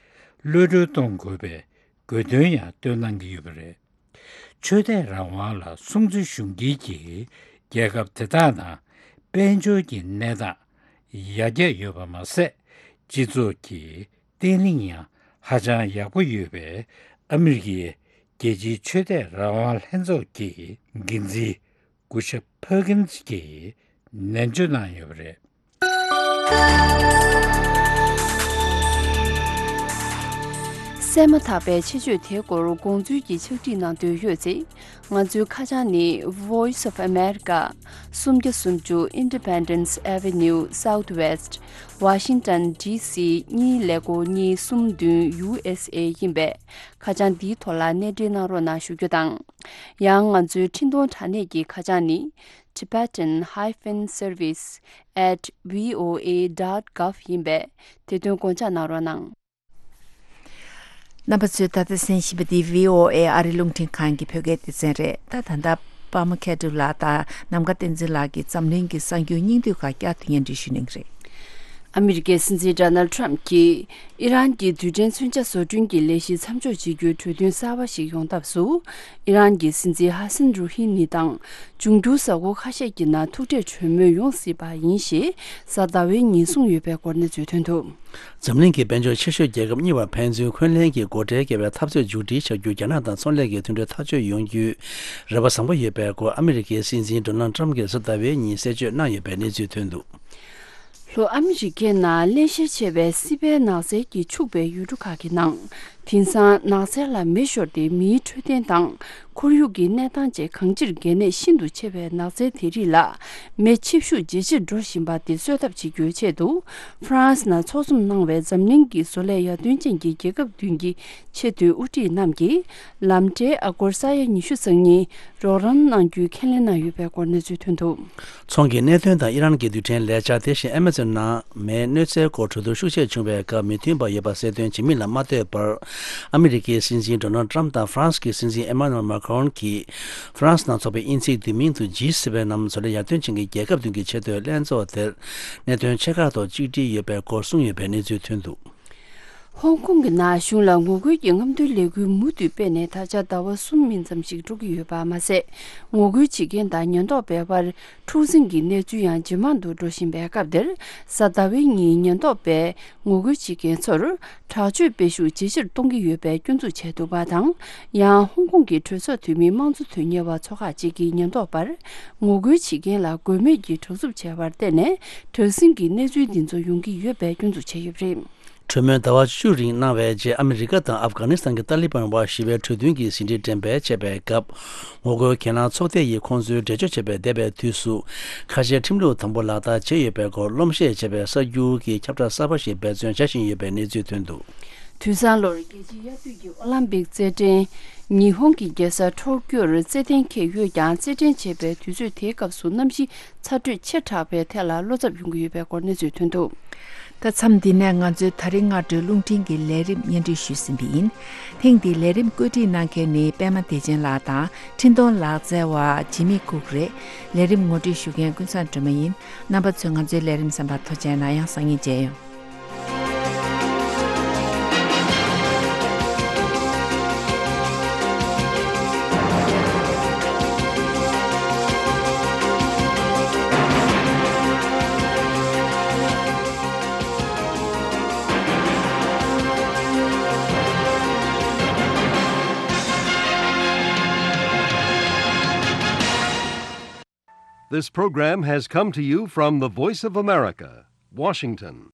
གློད་གྲོལ་གཏོང་དགོས་པའི་དགོས་འདུན་ཡང་བཏོན་གནང་གི་ཡོད་པ་རེད། ཆོས་དད་རང་དབང་ལ་སྲུང་བརྩི་ཞུ་མཁན་གྱི་རྒྱལ་ཁབ་དེ་དག་ནང་དཔལ་འབྱོར་གྱི་གནས་སྟངས་ཡར་རྒྱས་ཡོད་པ་མ་ཟད། སྤྱི་ཚོགས་ཀྱི་བརྟན་ལྷིང་ཡང་ཧ་ཅང་ཡག་པོ་ཡོད་པའི་ཨ་མི་རི་ཀའི་རྒྱལ་སྤྱིའི་ཆོས་དད་རང་དབང་ལྷན་ཚོགས་ཀྱི་འགན་འཛིན་གུ་ཤ་ཕར་ཀིན་སི་གྱིས་ནན་བརྗོད་གནང་ཡོད་པ་རེད། གསན་མ་ཐག་པའི་ཆེད་བརྗོད་དེའི་སྐོར་དགོངས་ཚུལ་གྱི་ཕྱག་བྲིས་གནང་འདོད་ཡོད་ཚེ། ང་ཚོའི་ཁ་བྱང་ནི། Voice of America། སུམ་བརྒྱ་སུམ་ཅུ། Independence Avenue Southwest། Washington D C གཉིས་ཀླད་ཀོར་གཉིས་གསུམ་བདུན། U S A ཡིན་པས། ཁ་བྱང་འདིའི་ཐོག་ལ་གནས་འབྲེལ་གནང་རོགས་གནང་ཞུ་རྒྱུ་དང་། ཡང་ང་ཚོའི་འཕྲིན་གཏོང་དྲ་གནས་ཀྱི་ཁ་བྱང་ནི། Tibetan hyphen service at V O A dot gov ཡིན་པས། དེ་དོན་དགོངས་འཇགས་གནང་རོགས་གནང་། རྣམ་པ་ཚོས་ད་ལྟ་གསན་བཞིན་པ་འདི་V O A ཨ་རི་རླུང་འཕྲིན་ཁང་གི་བོད་སྐད་སྡེ་ཚན་རེད། ད་ད་ལྟ་པདྨ་མཁས་གྲུབ་ལགས་དང་ནམ་མཁའ་བསྟན་འཛིན་ལགས་ཀྱིས་འཛམ་གླིང་གི་གསར་འགྱུར་སྙིང་བསྡུས་ཁག་བསྐྱར་དུ་སྙན་སྒྲོན་ཞུ་གནང་གི་རེད། ཨ་མི་རི་ཀའི་སྲིད་འཛིན་ཌོ་ནལ་ཌི་ཊརམ་ཕ་གྱིས་ཨི་རན་གྱི་རྡུལ་ཕྲན་མཚོན་ཆ་བཟོ་སྐྲུན་གྱི་ལས་གཞི་མཚམས་འཇོག་བྱེད་རྒྱུའི་གྲོས་མཐུན་གསར་པ་ཞིག་ཡོང་ཐབས་སུ། ཨི་རན་གྱི་སྲིད་འཛིན་ཧ་སན་རུ་ཧི་ནི་དང་འབྱུང་འགྱུར་གཟའ་འཁོར་ཁ་ཤས་ཀྱི་ནང་ཐུག་འཕྲད་གྲོས་མོལ་ཡོང་སྲིད་པ་ཡིན་ཞེས་གཟའ་ཟླ་བའི་ཉིན་གསུངས་ཡོད་པའི་སྐོར་གནས་ཚུལ་ཐོན་འདུག་འཛམ་གླིང་གི་དཔལ་འབྱོར་ཆེ་ཤོས་རྒྱལ་ཁབ་གཉིས་བར་ཕན་ཚུན་འཁོན་ལན་གྱི་སྒོ་ཁྲལ་བཀལ་བའི་འཐབ་རྩོད་མཇུག་སྒྲིལ་བྱ་རྒྱུ། རྒྱ་ནག་དང་ཚོང་ལས་ཀྱི་མཐུན་གྲོས་ཐག་གཅོད་ཡོང་རྒྱུའི་རེ་བ་བཟང་པོ་ཡོད་པའི་སྐོར་ཨ་མི་རི་ཀའི་སྲིད་འཛིན་ཌོ་ནལ་ཌི་ཊརམ་གྱིས་གཟའ་ཟླ་བའི་ཉིན་གསལ་བརྗོད་གནང་ཡོད་པའི་གནས་ཚུལ་ཐོན་འདུག་ལྷོ་ཨ་མི་རི་ཀའི་ནང་བརླན་གཤེར་ཆེ་བའི་སྲིད་པའི་ནགས་ཚལ་གྱིས་ཕྱུག་པའི་ཡུལ་གྲུ་ཁག་གི་ནང་། དེང་སང་ནགས་ཚལ་ལ་མེ་ཤོར་ཏེ་མིའི་འཕྲོད་བསྟེན་དང་ཁོར་ཡུག་གི་གནས་སྟངས་བཅས་གང་ཅིར་གལ་གནད་ཤིན་ཏུ་ཆེ་བའི་ནགས་ཚལ་དེ་རིགས་ལ་མེ་ཆེ་ཤུགས་ཇེ་ཆེར་འགྲོ་བཞིན་པ་དེ་གསོད་ཐབས་བྱེད་རྒྱུའི་ཆེད་དུ། ཧྥ་རན་སི་ནང་འཚོགས་འཛོམས་གནང་བའི་འཛམ་གླིང་གི་བཟོ་ལས་ཡར་ཐོན་ཅན་གྱི་རྒྱལ་ཁབ་བདུན་གྱི་ཆེས་མཐོའི་དབུ་ཁྲིད་རྣམས་ཀྱིས་ལམ་ཁྲལ་ཨ་སྒོར་ས་ཡ་ཉི་ཤུ་རྩ་གཉིས་རོགས་རམ་གནང་རྒྱུའི་ཁས་ལེན་གནང་ཡོད་པའི་སྐོར་གནས་ཚུལ་ཐོན་འདུག་ཚོང་གི་གནད་དོན་དང་ཨི་རན་གྱི་རྡུལ་ཕྲན་ལས་འཆར། དེ་བཞིན་ཨ་མ་ཛོན་ནང་མེའི་གནོད་འཚེའི་སྐོར་གྲོས་བསྡུར་ཤུགས་ཆེ་བྱུང་བའི་སྐབས་མོས་མཐུན་པ་ཡོད་པ་གསལ་སྟོན་བྱེད་མིན་ལ་མ་ལྟོས་པར། ཨ་མི་རི་ཀའི་སྲིད་འཛིན་ཌོ་ནལ་ཌི་ཊརམ་དང་ཧྥ་རན་སི་གི་སྲིད་འཛིན་ཨེ་མ་ནུ་ཨེལ་མཱ་ཁི་རོན་གྱིས་ཧྥ་རན་སི་ནང་འཚོགས་པའི་དབྱིན་ཚིག་བསྡུས་མིང་དུ་ཇི་སི་བེན་ནམ་བཟོ་ལས་ཡར་ཐོན་ཅན་གྱི་རྒྱལ་ཁབ་བདུན་གྱི་ཆེས་མཐོའི་ལྷན་ཚོགས་དེར་གནད་དོན་ཆེ་ཁག་ཐོག་གཅིག་སྒྲིལ་ཡོད་པའི་སྐོར་གསུངས་ཡོད་པའི་གནས་ཚུལ་ཐོན་འདུག་ཧོང་ཀོང་གི་ནང་གཞུང་ལ་ངོ་རྒོལ་གྱི་རྔམ་སྟོན་ལས་འགུལ་མུ་མཐུད་སྤེལ་ནས་ད་ཆ་ཟླ་བ་གསུམ་མིན་ཙམ་ཞིག་འགྲོ་གི་ཡོད་པ་མ་ཟད། ངོ་རྒོལ་བྱེད་མཁན་དང་ཉེན་རྟོག་པའི་དབར་འཁྲུག་འཛིང་གི་གནས་ཚུལ་ཡང་ཇེ་མང་དུ་འགྲོ་བཞིན་པའི་སྐབས་འདིར། གཟའ་ཟླ་བའི་ཉིན་ཉེན་རྟོག་པས་ངོ་རྒོལ་བྱེད་མཁན་ཚོར་དྲག་སྤྱོད་སྤེལ་ཤུགས་ཇེ་ཆེར་གཏོང་གི་ཡོད་པའི་སྐྱོན་འཛུགས་བྱས་འདུག་པ་དང་། ཡང་ཧོང་ཀོང་གི་གྲོས་ཚོགས་འཐུས་མི་དམངས་གཙོ་དོན་གཉེར་བ་ཚོ་ཁག་ཅིག་གིས་ཉེན་རྟོག་པར་ངོ་རྒོལ་བྱེད་མཁན་ལ་དགོས་མེད་ཀྱི་དྲག་རྩུབ་བྱས་པར་བརྟེན་ནས་དྲག་ཟིང་གི་གནས་ཚུལ་འདི་ཚོ་ཡོང་གི་ཡོད་པའི་སྐྱོན་འཛུགས་བྱས་ཡོད་པ་རེད། གྲོས་མོལ་ཟླ་བ་བཅུ་རིང་གནང་བའི་རྗེས། ཨ་མི་རི་ཀ་དང་ཨབ་གྷ་ནི་སི་ཐན་གྱི་ཏཱ་ལི་བན་བར་ཞི་བའི་གྲོས་མཐུན་གྱི་ཟིན་བྲིས་འགྲེམས་སྤེལ་བྱས་པའི་སྐབས། ངོ་རྒོལ་གྱེན་ལངས་ཚོགས་སྡེ་ཡིས་ཁོང་ཚོའི་འགྲེལ་བརྗོད་བྱས་པའི་འདས་པའི་དུས་སུ་ཁ་ཆེའི་ཁྲིམས་ལུགས་དམ་པོ་ལག་བསྟར་བྱས་ཡོད་པའི་སྐོར་སློབ་བཤད་བྱས་པའི་གསར་འགྱུར་གྱི་ཁྱབ་བསྒྲགས་གསར་པ་ཞིག་འབད་བརྩོན་བྱ་བཞིན་ཡོད་པའི་གནས་ཚུལ་ཐོན་འདུག་དུས་སང་ལོར་རྒྱལ་སྤྱིའི་དབྱར་དུས་ཀྱི་ཨོ་ལམ་པིག་རྩེད་འགྲན་ཉི་ཧོང་གི་རྒྱལ་ས་ཊོ་ཀྱོར་རྩེད་གཏན་འཁེལ་ཡོད་ཀྱང་། རྩེད་འགྲན་བྱེད་པའི་དུས་ཚོད་དེའི་སྐབས་སུ་གནམ་གཤིས་ཚ་དྲོད་ཆེ་དྲགས་པའི་ཐད་ལ་བློ་འཚབ་ཡོང་གི་ཡོད་པའི་སྐོར་གནས་ཚུལ་ཐོན་འདུག་ད་མཚམས་འདི་ནས་ང་ཚོའི་ད་རིང་སྔ་དྲོའི་རླུང་འཕྲིན་གྱི་ལས་རིམ་སྙན་སྒྲོན་ཞུས་ཟིན་པ་ཡིན། ཐེངས་འདིའི་ལས་རིམ་བཀོད་སྒྲིག་གནང་མཁན་ནི་པད་མ་བདེ་ཆེན་ལགས་དང་འཕྲིན་གཏོང་ལག་རྩལ་བ་ཇི་མི་ཀུག་རེད། ལས་རིམ་ངོ་སྤྲོད་ཞུ་མཁན་ཀུན་བཟང་སྒྲོལ་མ་ཡིན། རྣམ་པ་ཚོས་ང་ཚོའི་ལས་རིམ་གསན་པར་ཐུགས་རྗེ་གནང་། ཡང་སང་ཉིན་མཇལ་ཡོང་། This program has come to you from the Voice of America, Washington.